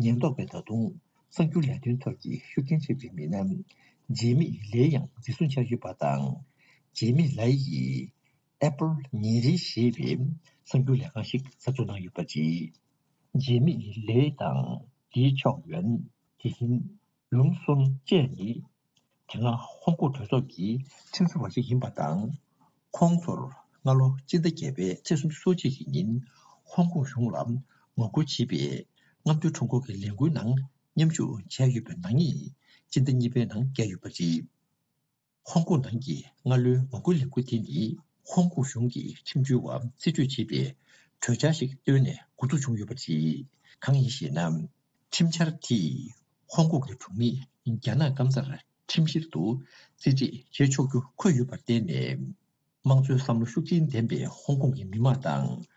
ཉེན་རྟོག་པས་ད་དུང་གསར་འགྱུར་ལས་དོན་ཐོག་གི་ཤུགས་རྐྱེན་ཆེ་བའི་མི་སྣ་ཇེ་མི་ལེ་ཡང་འཛིན་བཟུང་བྱས་ཡོད་པ་དང་། ཇེ་མི་ལེ་ཡིས་ཨེ་པལ་ཉིན་རེ་ཞེས་པའི་གསར་འགྱུར་ལས་ཁང་ཞིག་གསར་འཛུགས་གནང་ཡོད་པ་རེད། ཇེ་མི་ལེ་དང་ལི་ཆོག་ཡོན། དེ་བཞིན་ལུང་སུན་བཅས་ནི། དེ་སྔ་ཧོང་ཀོང་གྲོས་ཚོགས་ཀྱི་ཁྲིམས་བཟོ་བ་ཞིག་ཡིན་པ་དང་། ཁོང་ཚོར་སྔ་ལོ་སྤྱི་ཟླ་བརྒྱད་པའི་ཚེས་སུམ་ཅུ་སོ་གཅིག་གི་ཉིན་ཧོང་ཀོང་གཞུང་ལ་ངོ་རྒོལ་བྱེད་པའི་རྔམ་སྟོན་ཁྲོམ་སྐོར་གྱི་ལས་འགུལ་ནང་མཉམ་ཞུགས་བྱས་ཡོད་པའི་ནག་ཉེས་སྤྱི་ཟླ་གཉིས་པའི་ནང་བཀལ་ཡོད་པ་རེད། ཧོང་ཀོང་ནང་གི་སྔ་ལོའི་ངོ་རྒོལ་ལས་འགུལ་དེ་ནི་ཧོང་ཀོང་གཞུང་གི་ཁྲིམས་བྱོལ་བ་རྩིས་སྤྲོད་བྱེད་པའི་གྲོས་འཆར་ཞིག་བཏོན་ནས་འགོ་འཛུགས་བྱུང་ཡོད་པ་རེད། གང་ཡིན་ཞེ་ན། ཁྲིམས་འཆར་དེས་ཧོང་ཀོང་གི་གྲོང་མིས་རྒྱ་ནག་སྐམ་སར་ཁྲིམས་བཤེར་དུ་རྩིས་སྤྲད་བྱེད་ཆོག་རྒྱུ་འཁོད་ཡོད་པར་བརྟེན་ནས། དམངས་གཙོའི་བསམ་བློ་ཤུགས་ཆེན་ལྡན་པའི་ཧོང་ཀོང་གི་མི་མང་དང་།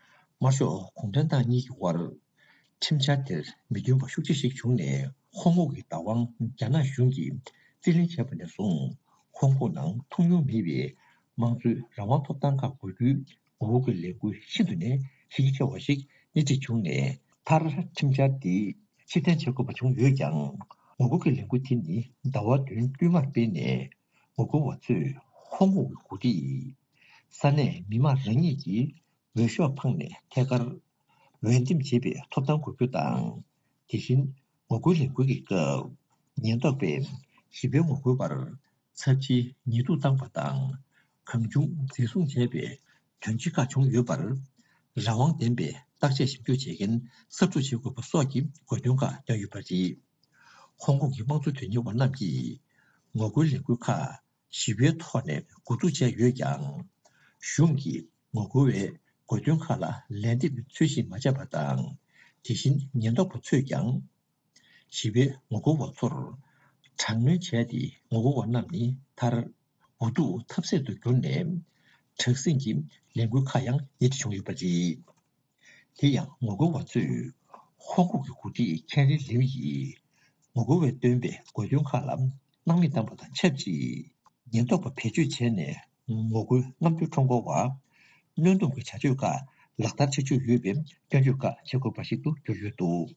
དམར་ཤོག་གུང་ཁྲན་ཏང་གཉིས་ཀྱི་དབར། ཁྲིམས་འཆར་དེར་མི་མཐུན་པ་ཤུགས་ཆེ་ཞིག་བྱུང་ནས། ཧོང་ཀོང་གི་བདག་དབང་རྒྱ་ནག་གཞུང་གིས་རྩིས་ལེན་བྱས་པ་ནས་བཟུང་། ཧོང་ཀོང་ནང་ཐུགས་མྱོང་མེད་པའི་དམངས་གཙོའི་རང་དབང་ཐོབ་ཐང་ཁག་དགོས་རྒྱུའི་ངོ་རྒོལ་གྱི་ལས་འགུལ་ཤིན་ཏུ་ནས་གཞི་རྒྱ་ཆེ་བ་ཞིག་སྣེ་ཁྲིད་བྱུང་ནས། མཐར་ཁྲིམས་འཆར་འདི་ཕྱིར་འཐེན་བྱེད་དགོས་པ་བྱུང་ཡོད་ཀྱང་། ངོ་རྒོལ་གྱི་ལས་འགུལ་དེ་ནི་ཟླ་བ་བདུན་བསྟུད་མར་སྤེལ་ནས། ངོ་རྒོལ་བ་ཚོས་ཧོང་ཀོང་གི་འགོ་ཁྲིད། ས་གནས་མི་མང་རང་ཉིད་ཀྱི་འོས་ཤོག་འཕངས་ནས་ཐད་ཀར་འོས་འདེམས་བྱེད་པའི་ཐོབ་ཐང་དགོས་རྒྱུ་དང་། དེ་བཞིན་ངོ་རྒོལ་ལས་འགུལ་གྱི་སྐབས་ཉེན་རྟོག་པས་ཞི་བའི་ངོ་རྒོལ་བར་ཚབས་ཆེའི་ཉེས་རྡུང་བཏང་པ་དང་། གང་བྱུང་འཛིན་བཟུང་བྱས་པའི་དོན་རྐྱེན་ཁག་བྱུང་ཡོད་པར། རང་དབང་ལྡན་པའི་བརྟག་དཔྱད་ཞིབ་འཇུག་བྱེད་མཁན་གསར་འཛུགས་བྱེད་དགོས་པ་སོགས་ཀྱི་དགོས་འདུན་ཁག་བཏོན་ཡོད་པ་རེད། ཧོང་ཀོང་གི་དམངས་གཙོ་དོན་གཉེར་བ་རྣམས་ཀྱིས་ངོ་རྒོལ་ལས་འགུལ་ཁག་ཞི་བའི་ཐོག་ནས་འགོ་འཛུགས་བྱས་ཡོད་ཀྱང་། གཞུང་གིས་ངོ་རྒོལ་བའི་ དགོས་འདུན་ཁག་ལ་ལན་འདེབས་ཚུལ་བཞིན་མ་བྱས་པ་དང་། དེ་བཞིན་ཉེན་རྟོག་པ་ཚོས་ཀྱང་། ཞི་བའི་ངོ་རྒོལ་བ་ཚོར་དྲག་གནོན་བྱས་ཏེ། ངོ་རྒོལ་བ་རྣམས་ནི་མཐར་འུ་ཐུག་ཐབས་ཟད་དུ་གྱུར་ནས། དྲག་ཟིང་གི་ལས་འགུལ་ཁག་ཡང་ཉེ་འཁྲིས་བྱུང་ཡོད་པ་རེད། དེ་ཡང་ངོ་རྒོལ་བ་ཚོས་ཧོང་ཀོང་གི་འགོ་ཁྲིད་ཁེ་རི་ལིའུ་ཡིས་ངོ་རྒོལ་བས་བཏོན་པའི་དགོས་འདུན་ཁག་ལ་སྣང་མེད་བཏང་པ་དང་ཆབས་ཅིག་ཉེན་རྟོག་པ་བེད་སྤྱོད་བྱས་ནས། ངོ་རྒོལ་རྔམ་སྟོན་ཁྲོམ་སྐོར་བ་གནོན་སྡོམ་གྱི་བྱ་སྤྱོད་ཁག་ལག་བསྟར་བྱེད་འཇུག་ཡོད་པའི་སྐྱོན་བརྗོད་ཁག་བྱེད་དགོས་པ་ཞིག་ཏུ་གྱུར་ཡོད་འདུག་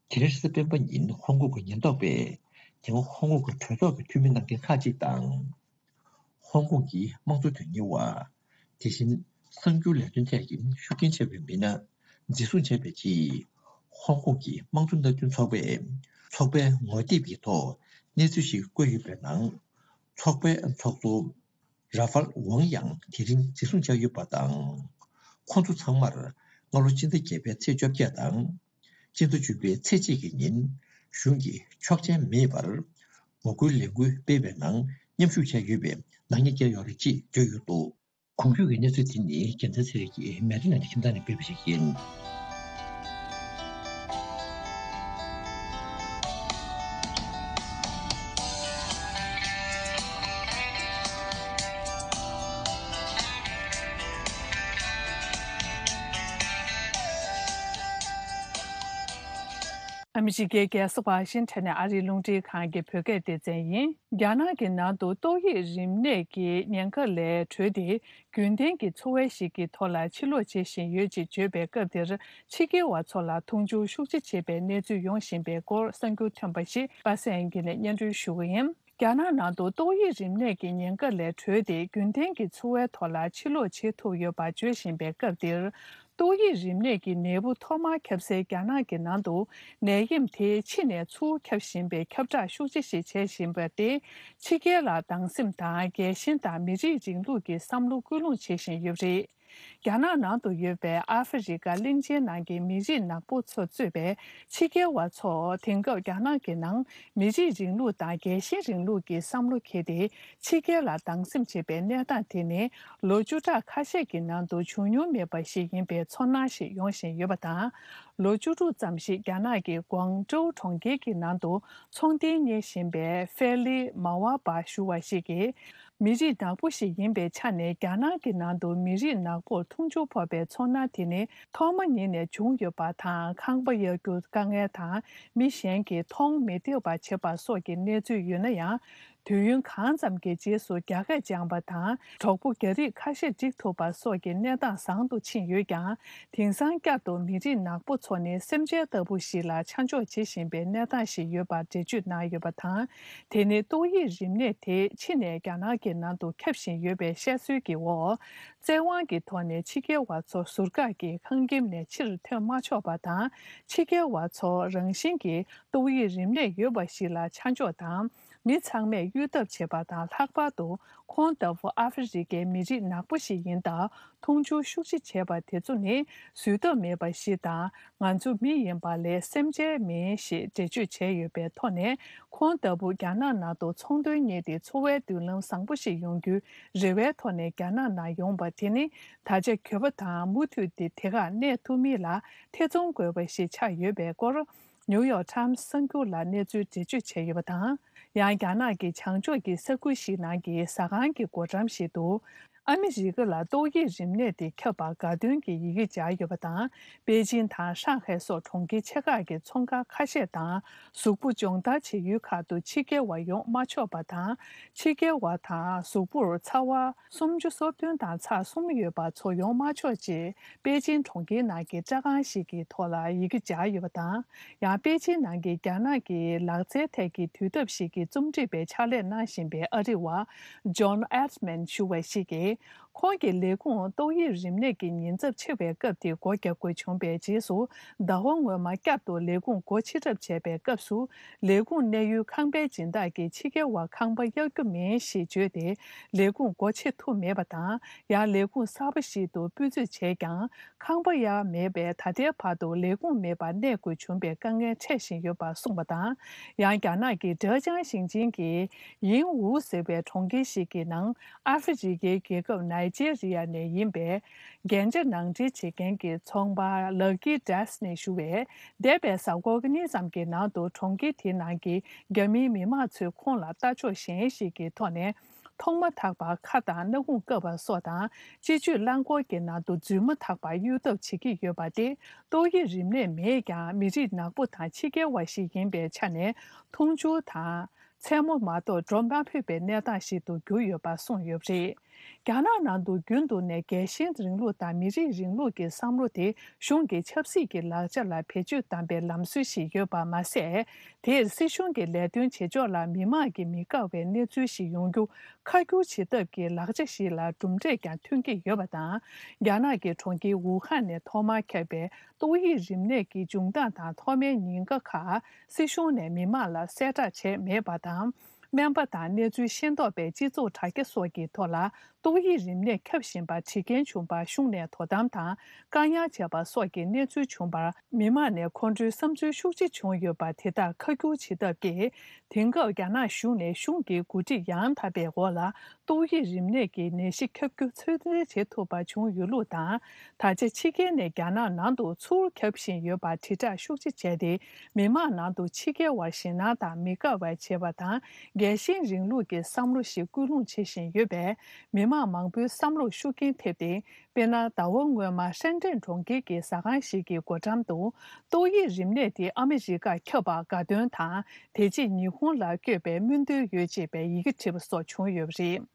དེ་རིང་རེས་གཟའ་སྤེན་པ་ཉིན་ཧོང་ཀོང་གི་ཉེན་རྟོག་པས་དེ་སྔ་ཧོང་ཀོང་གི་གྲོས་ཚོགས་ཀྱི་འཐུས་མི་གནང་མཁན་ཁག་ཅིག་དང་། ཧོང་ཀོང་གི་དམངས་གཙོ་དོན་གཉེར་བ། དེ་བཞིན་གསར་འགྱུར་ལས་དོན་ཐད་ཀྱི་ཤུགས་རྐྱེན་ཆེ་བའི་མི་སྣ་འཛིན་བཟུང་བྱས་པའི་རྗེས། ཧོང་ཀོང་གི་དམངས་གཙོ་མནའ་མཐུན་ཚོགས་པས་ཚོགས་པའི་ངོ་དེབ་ཀྱི་ཐོག་གནས་ཚུལ་ཞིག་བཀོད་ཡོད་པའི་ནང་། ཚོགས་པའི་ཚོགས་གཙོ་ར་ཧྥལ་ཝང་ཡང་དེ་རིང་འཛིན་བཟུང་བྱས་ཡོད་པ་དང་། ཁོང་ཚོ་ཚང་མར་སྔ་ལོ་སྤྱི་ཟླ་བརྒྱད་པའི་ཚེས་བཅོ་བརྒྱད་དང་། སྤྱི་ཟླ་བཅུ་པའི་ཚེས་གཅིག་གི་ཉིན་གཞུང་གི་ཆོག་མཆན་མེད་པར་ངོ་རྒོལ་ལས་འགུལ་སྤེལ་བའི་ནང་མཉམ་ཞུགས་བྱས་ཡོད་པའི་ནག་ཉེས་བཀལ་ཡོད་རེད་ཅེས་བརྗོད་ཡོད་འདུག་གོང་བརྗོད་ཀྱི་གནས་ཚུལ་དེ་ནི་རྒྱལ་མཚན་ཚེ་རིང་གིས་མེ་རི་ནང་གི་ཁྱིམ་ཚང་ནས་སྤེལ་བ་ཞིག་ཡིན། ཨ་མི་རི་ཀའི་རྒྱལ་ས་ཝ་ཤིང་ཊོན་ནས་ཨ་རིའི་རླུང་འཕྲིན་ཁང་གི་བོད་སྐད་སྡེ་ཚན་ཡིན། རྒྱ་ནག་གི་ནང་དུ་ཏོག་དབྱིབས་རིམས་ནད་ཀྱི་ཉེན་ཁ་ལས་གྲོལ་ཏེ། རྒྱུན་ལྡན་གྱི་འཚོ་བ་ཞིག་གི་ཐོག་ལ་ཕྱིར་ལོག་བྱེད་བཞིན་ཡོད་ཅེས་བརྗོད་པའི་སྐབས་འདིར། ཕྱི་རྒྱལ་བ་ཚོ་ལ་མཐོང་ཆུང་ཤུགས་ཆེ་བྱེད་པའི་གནས་ཚུལ་ཡོང་བཞིན་པའི་སྐོར་གསར་འགྱུར་ཐོན་པ་ཞིག་པ་སངས་དབྱངས་སྐྱིད་ནས་སྙན་སྒྲོན་ཞུ་གི་ཡིན། རྒྱ་ནག་ནང་དུ་ཏོག་དབྱིབས་རིམས་ནད་ཀྱི་ཉེན་ཁ་ལས་གྲོལ་ཏེ། རྒྱུན་ལྡན་གྱི་འཚོ་བའི་ཐོག་ལ་ཕྱིར་ལོག་བྱེད་ཐུབ་ཡོད་པ་བརྗོད་བཞིན་པའི་སྐབས་འདིར། ཏོག་དབྱིབས་རིམས་ནད་ཀྱི་ནད་འབུ་ཐོག་མར་ཁྱབ་སའི་རྒྱ་ནག་གི་ནང་དུ། ནད་ཡམས་དེ་ཕྱི་ནས་ཚུར་ཁྱབ་བཞིན་པའི་ཁྱབ་བསྒྲགས་ཤུགས་ཆེ་ཞིག་བྱེད་བཞིན་པ་སྟེ། ཕྱི་རྒྱལ་ལ་སྡང་སེམས་དང་། རྒྱལ་ཞེན་དང་། མི་རིགས་རིང་ལུགས་ཀྱི་བསམ་བློ་སྐུལ་སློང་བྱེད་བཞིན་ཡོད་པ་རེད། རྒྱ་ནག་ནང་དུ་ཡོད་པའི་ཨ་ཧྥེ་རི་ཀ་གླིང་ཆེན་ནང་གི་མི་རིགས་ནག་པོ་ཚོ་གཙོས་པའི་ཕྱི་རྒྱལ་བ་ཚོ་དེང་སྐབས་རྒྱ་ནག་གི་ནང་མི་རིགས་རིང་ལུགས་དང་། རྒྱལ་ཞེན་རིང་ལུགས་ཀྱི་བསམ་བློ་འཁྱེར་ཏེ། ཕྱི་རྒྱལ་ལ་སྡང་སེམས་བྱེད་པའི་གནས་སྟངས་དེ་ནི། ལོ་བཅུ་ཕྲག་ཁ་ཤས་ཀྱི་ནང་དུ་བྱུང་མྱོང་མེད་པ་ཞིག་ཡིན་པའི་ཚོར་སྣང་ཞིག་ཡོང་བཞིན་ཡོད་པ་དང་། ལོ་བཅུ་དྲུག་ཙམ་ཞིག་རྒྱ་ནག་གི་ཀུང་ཀྲོའུ་གྲོང་ཁྱེར་གྱི་ནང་དུ་ཚོང་རྟེན་གཉེར་བཞིན་པའི་ཧྥེ་ལི་མ་ཝ་པ་ཞུ་བ་ཞིག་གིས། མི་རིགས་ནག་པོ་ཞིག་ཡིན་པའི་ཆ་ནས། རྒྱ་ནག་གི་ནང་དུ་མི་རིགས་ནག་པོར་མཐོང་ཆུང་ཕོག་པའི་ཚོར་སྣང་དེ་ནི་ཐོག་མ་ཉིད་ནས་བྱུང་ཡོད་པ་དང་། ཁང་པ་གཡར་རྒྱུ་དཀའ་ངལ་དང་། མི་གཞན་གྱིས་མཐོང་མི་ཐུབ་པ་བྱེད་པ་སོགས་ཀྱི་གནས་ཚུལ་ཡོད་ན་ཡང་། དུས་ཡུན་གང་ཙམ་གྱི་རྗེས་སུ་རྒྱ་སྐད་སྦྱང་པ་དང་། གྲོགས་པོ་རྒྱ་རིགས་ཁ་ཤས་སྒྲིག་ཐུབ་པ་སོགས་ཀྱི་གནས་སྟངས་བཟང་དུ་ཕྱིན་ཡོད་ཀྱང་། དེང་སང་བསྐྱར་དུ་མི་རིགས་ནག་པོ་ཚོ་ནི་སེམས་ཅན་ལྟ་བུ་ཞིག་ལ་ཆ་འཇོག་བྱེད་བཞིན་པའི་གནས་སྟངས་ཤིག་ཡོད་པར་འགྲེལ་བརྗོད་གནང་ཡོད་པ་དང་། དེ་ནི་ཏོག་དབྱིབས་རིམས་ནད་དེ་ཕྱི་ནས་རྒྱ་ནག་གི་ནང་དུ་ཁྱབ་བཞིན་ཡོད་པའི་བཤད་སྲོལ་གྱི་འོག། བཙན་དབང་གི་ཐོག་ནས་ཕྱི་རྒྱལ་བ་ཚོ་ཟུར་བཀག་གིས་ཁང་ཁྱིམ་ནས་ཕྱིར་ཐོན་མ་ཆོག་པ་དང་། ཕྱི་རྒྱལ་བ་ཚོ་རང་བཞིན་གྱིས་ཏོག་དབྱིབས་རིམས་ནད་ཡོད་པ་ཞིག་ལ་ཆ་འཇོག་དང་། མི་ཚང་མས་གཡོལ་ཐབས་བྱེད་པ་དང་། ལྷག་པར་དུ་ཁོང་ལྟ་བུ་ཨ་ཧྥེ་རི་ཀའི་མི་རིགས་ནག་པོ་ཞིག་ཡིན་སྟབས། མཐོང་ཆུང་ཤུགས་ཆེ་བྱས་པ་དེ་ཚོ་ནི་བཟོད་ཐབས་མེད་པ་ཞིག་དང་། ང་ཚོ་མི་ཡིན་པ་ལས་སེམས་ཅན་མིན་ཞེས་འགྲེལ་བརྗོད་བྱས་ཡོད་པའི་ཐོག་ནས། ཁོང་ལྟ་བུ་རྒྱ་ནག་ནང་དུ་ཚོང་དོན་གཉེར་ཏེ། འཚོ་བའི་མདུན་ལམ་བཟང་པོ་ཞིག་ཡོང་རྒྱུའི་རེ་བའི་ཐོག་ནས་རྒྱ་ནག་ནང་ཡོང་པ་དེ་ནི། ད་ཆ་འགྱོད་པ་དང་། མུ་མཐུད་དེ་དེ་གར་གནས་ཐུབ་མིན་ལ་ཐེ་ཚོམ་དགོས་པ་ཞིག་ཆགས་ཡོད་པའི་སྐོར། ནིའུ་ཡོག་ཊའིམ་སི་གསར་འགྱུར་ལ་གནས་ཚུལ་འགྲེལ་བརྗོད་བྱས་ཡོད་པ་དང་། ཡང་རྒྱ་ནག་གི་བྱང་ཕྱོགས་ཀྱི་ས་ཁུལ་ཞིག་ནང་གི་ཟ་ཁང་གི་སྒོ་འགྲམ་ཞིག་ཏུ། ཨ་མི་རི་ཀ་ལ་ཏོག་དབྱིབས་རིམས་ནད་དེ་ཁྱབ་པར་དགའ་སྟོན་གྱི་ཡི་གེ་སྦྱར་ཡོད་པ་དང་། པེ་ཅིན་དང་ཧྲང་ཧའེ་སོགས་གྲོང་ཁྱེར་ཆེ་ཁག་གི་ཚོང་ཁང་ཁ་ཤས་དང་། གཟུགས་པོ་སྦྱོང་བརྡར་བྱེད་ཡུལ་ཁག་ཏུ་ཕྱི་རྒྱལ་བ་ཡོང་མ་ཆོག་པ་དང་། ཕྱི་རྒྱལ་བ་དང་གཟུགས་པོར་ཚ་བ་སུམ་ཅུ་སོ་བདུན་དང་ཚེག་གསུམ་ཡོད་པ་ཚོ་ཡོང་མ་ཆོག་ཅེས། པེ་ཅིན་གྲོང་ཁྱེར་ནང་གི་སྤྲོ་ཁང་ཞིག་གི་ཐོག་ལ་ཡི་གེ་སྦྱར་ཡོད་པ་དང་། ཡང་པེ་ཅིན་ནང་གི་རྒྱ་ནག་གི་ལག་རྩལ་ཐད་ཀྱི་དུས་ཐབས་ཤིག་གི་རྩོམ་སྒྲིག་པའི་ཕྱག་ལས་གནང་བཞིན་པའི་ཨ་རི་བ་John Edman་ཞུ་བ་ཞིག་གིས། ཁོང་གི་ལས་ཁུངས་ཏོག་དབྱིབས་རིམས་ནད་ཀྱི་ཉེན་ཚབས་ཆེ་བའི་སྐབས་དེ་སྒོ་རྒྱག་དགོས་བྱུང་བའི་རྗེས་སུ། ཟླ་བ་སྔོན་མ་བསྐྱར་དུ་ལས་ཁུངས་སྒོ་ཕྱེ་གྲབས་བྱས་པའི་སྐབས་སུ། ལས་ཁུངས་གནས་ཡུལ་ཁང་པའི་སྦྱིན་བདག་གིས་ཕྱི་རྒྱལ་བར་ཁང་པ་གཡར་རྒྱུ་མིན་ཞེས་བརྗོད་དེ། ལས་ཁུངས་སྒོ་ཕྱེ་ཐུབ་མེད་པ་དང་། ཡང་ལས་ཁུངས་གསར་པ་ཞིག་ཏུ་སྤུས་ཚད་བྱས་ཀྱང་། ཁང་པ་གཡར་མེད་པས། ད་ལྟའི་བར་དུ་ལས་ཁུངས་མེད་པར་གནས་དགོས་བྱུང་བའི་དཀའ་ངལ་འཕྲད་བཞིན་ཡོད་པ་གསུངས་པ་དང་། ཡང་རྒྱ་ནག་གི་ཀྲེ་ཅང་ཞིང་ཆེན་གྱི་ཡིན་ཝུ་ཟེར་བའི་གྲོང་ཁྱེར་ཞིག་གི་ནང་། ཨ་ཧྥེ་རི་ཀའི་རྒྱལ་ཁབ་ནའི་ ནའི་ཇེ་རི་ཡ་ནས་ཡིན་པའི་རྒྱན་ཆ་ནང་འདྲེན་བྱེད་མཁན་གྱི་ཚོང་པ་Lucky Dress ནས་ཞུ་བས། འདས་པའི་གཟའ་འཁོར་གཉིས་ཙམ་གྱི་ནང་དུ་གྲོང་ཁྱེར་དེའི་ནང་གི་རྒྱ་མིའི་མི་མང་ཚོས་ཁོང་ལ་ལྟ་ཕྱོགས་གཞན་ཞིག་གི་ཐོག་ནས། ཐོག་མ་ཐག་པར་ཁ་དང་སྣ་ཁུང་བཀབ་པ་སོགས་དང་། སྤྱི་སྤྱོད་རླངས་འཁོར་གྱི་ནང་དུ་རྫུན་མ་ཐག་པར་གཡུག་ཐབས་བྱེད་ཀྱི་ཡོད་པ་སྟེ། ཏོག་དབྱིབས་རིམས་ནད་མེད་ཀྱང་། མི་རིགས་ནག་པོ་དང་ཕྱི་རྒྱལ་བ་ཞིག་ཡིན་པའི་ཆ་ནས། འཐུང་ཆུ་དང་མཚན་མོ་མ་གཏོགས་འགྲོ་མ་ཕོད་པའི་གནས་སྟངས་ཤིག་ཏུ་གྱུར་ཡོད་པ་གསུངས་ཡོད་པ་རེད། རྒྱ་ནག་ནང་དུ་རྒྱུན་དུ་ནས་རྒྱལ་ཞེན་རིང་ལུགས་དང་མི་རིགས་རིང་ལུགས་ཀྱི་བསམ་བློ་དེ་གཞུང་གི་ཆབ་སྲིད་ཀྱི་ལག་ཆ་ལ་བེད་སྤྱོད་བཏང་པའི་ལམ་སྲོལ་ཞིག་ཡོད་པ་མ་ཟད། དེར་སྲིད་གཞུང་གི་ལས་དོན་བྱེད་ཕྱོགས་ལ་མི་མང་གིས་མི་དགའ་བའི་གནས་ཚུལ་ཞིག་ཡོང་རྒྱུ་ཁ་སྒྱུར་བྱེད་ཐབས་ཀྱི་ལག་ཆ་ཞིག་ལ་གྲུབ་འབྲས་ཀྱང་ཐོན་གྱི་ཡོད་པ་དང་། རྒྱ་ནག་གི་གྲོང་ཁྱེར་ཝུ་ཧན་ནས་ཐོག་མར་ཁྱབ་པའི་ཏོག་དབྱིབས་རིམས་ནད་ཀྱི་འབྱུང་སྟངས་དང་ཐོག་མའི་ཉེན་ཁ་ཁག་སྲིད་གཞུང་ནས་མི་མང་ལ་གསལ་བསྒྲགས་བྱས་མེད་པ་དང་། སྨན་པ་དང་གནས་ཚུལ་ཤེས་རྟོགས་པའི་སྤྱི་ཚོགས་དྲ་རྒྱ་སོགས་ཀྱི་ཐོག་ལ། ཏོག་དབྱིབས་རིམས་ནད་ཁྱབ་བཞིན་པ་འདྲི་མཁན་བྱུང་བར་གཞུང་ནས་དོ་དམ་དང་བཀག་ཉར་བྱས་པ་སོགས་ཀྱི་གནས་ཚུལ་བྱུང་བར། མི་མང་ནས་ཁོང་ཁྲོའི་བསམ་ཚུལ་ཤུགས་ཆེ་བྱུང་ཡོད་པ་དེ་དག་ཁ་སྒྱུར་བྱེད་ཐབས་ཀྱིས། དེང་སྐབས་རྒྱ་ནག་གཞུང་ནས་གཞུང་གི་འགོ་ཁྲིད་ཡང་དག་པའི་འོག་ལ་ཏོག་དབྱིབས་རིམས་ནད་ཀྱི་ནད་གཞི་ཁྱབ་རྒྱུ་ཚོད་འཛིན་བྱེད་ཐུབ་པ་བྱུང་ཡོད་ལུགས་དང་། ད་ཆ་ཕྱི་རྒྱལ་ནས་རྒྱ་ནག་ནང་དུ་ཚུར་ཁྱབ་བཞིན་ཡོད་པར་དྲིལ་བསྒྲགས་ཤུགས་ཆེ་བྱས་ཏེ། མི་མང་ནང་དུ་ཕྱི་རྒྱལ་བར་ཞེད་སྣང་དང་མི་དགའ་བ་བྱེད་པ་དང་། རྒྱལ་ཞེན་རིང་ལུགས་ཀྱི་བསམ་བློ་ཞིག་སྐུལ་སློང་བྱེད་བཞིན་ཡོད་པས། མི་མང་མང་པོའི་བསམ་བློར་ཤུགས་རྐྱེན་ཐེབས་ཏེ། དཔེར་ན། ཟླ་བ་སྔོན་མ་ཧྲེན་ཀྲེན་གྲོང་ཁྱེར་གྱི་ཟ་ཁང་ཞིག་གི་སྒོ་འགྲམ་དུ། ཏོག་དབྱིབས་རིམས་ནད་དེ་ཨ་མི་རི་ཀར་ཁྱབ་པར་དགའ་སྟོན་དང་། དེ་རྗེས་ཉི་ཧོང་ལ་བསྐྱོད་པའི་སྨོན་འདུན་ཡོད་ཅེས་པའི་ཡི་གེ་བྲིས་པ་སོགས་བྱུང་ཡོད་པ་རེད།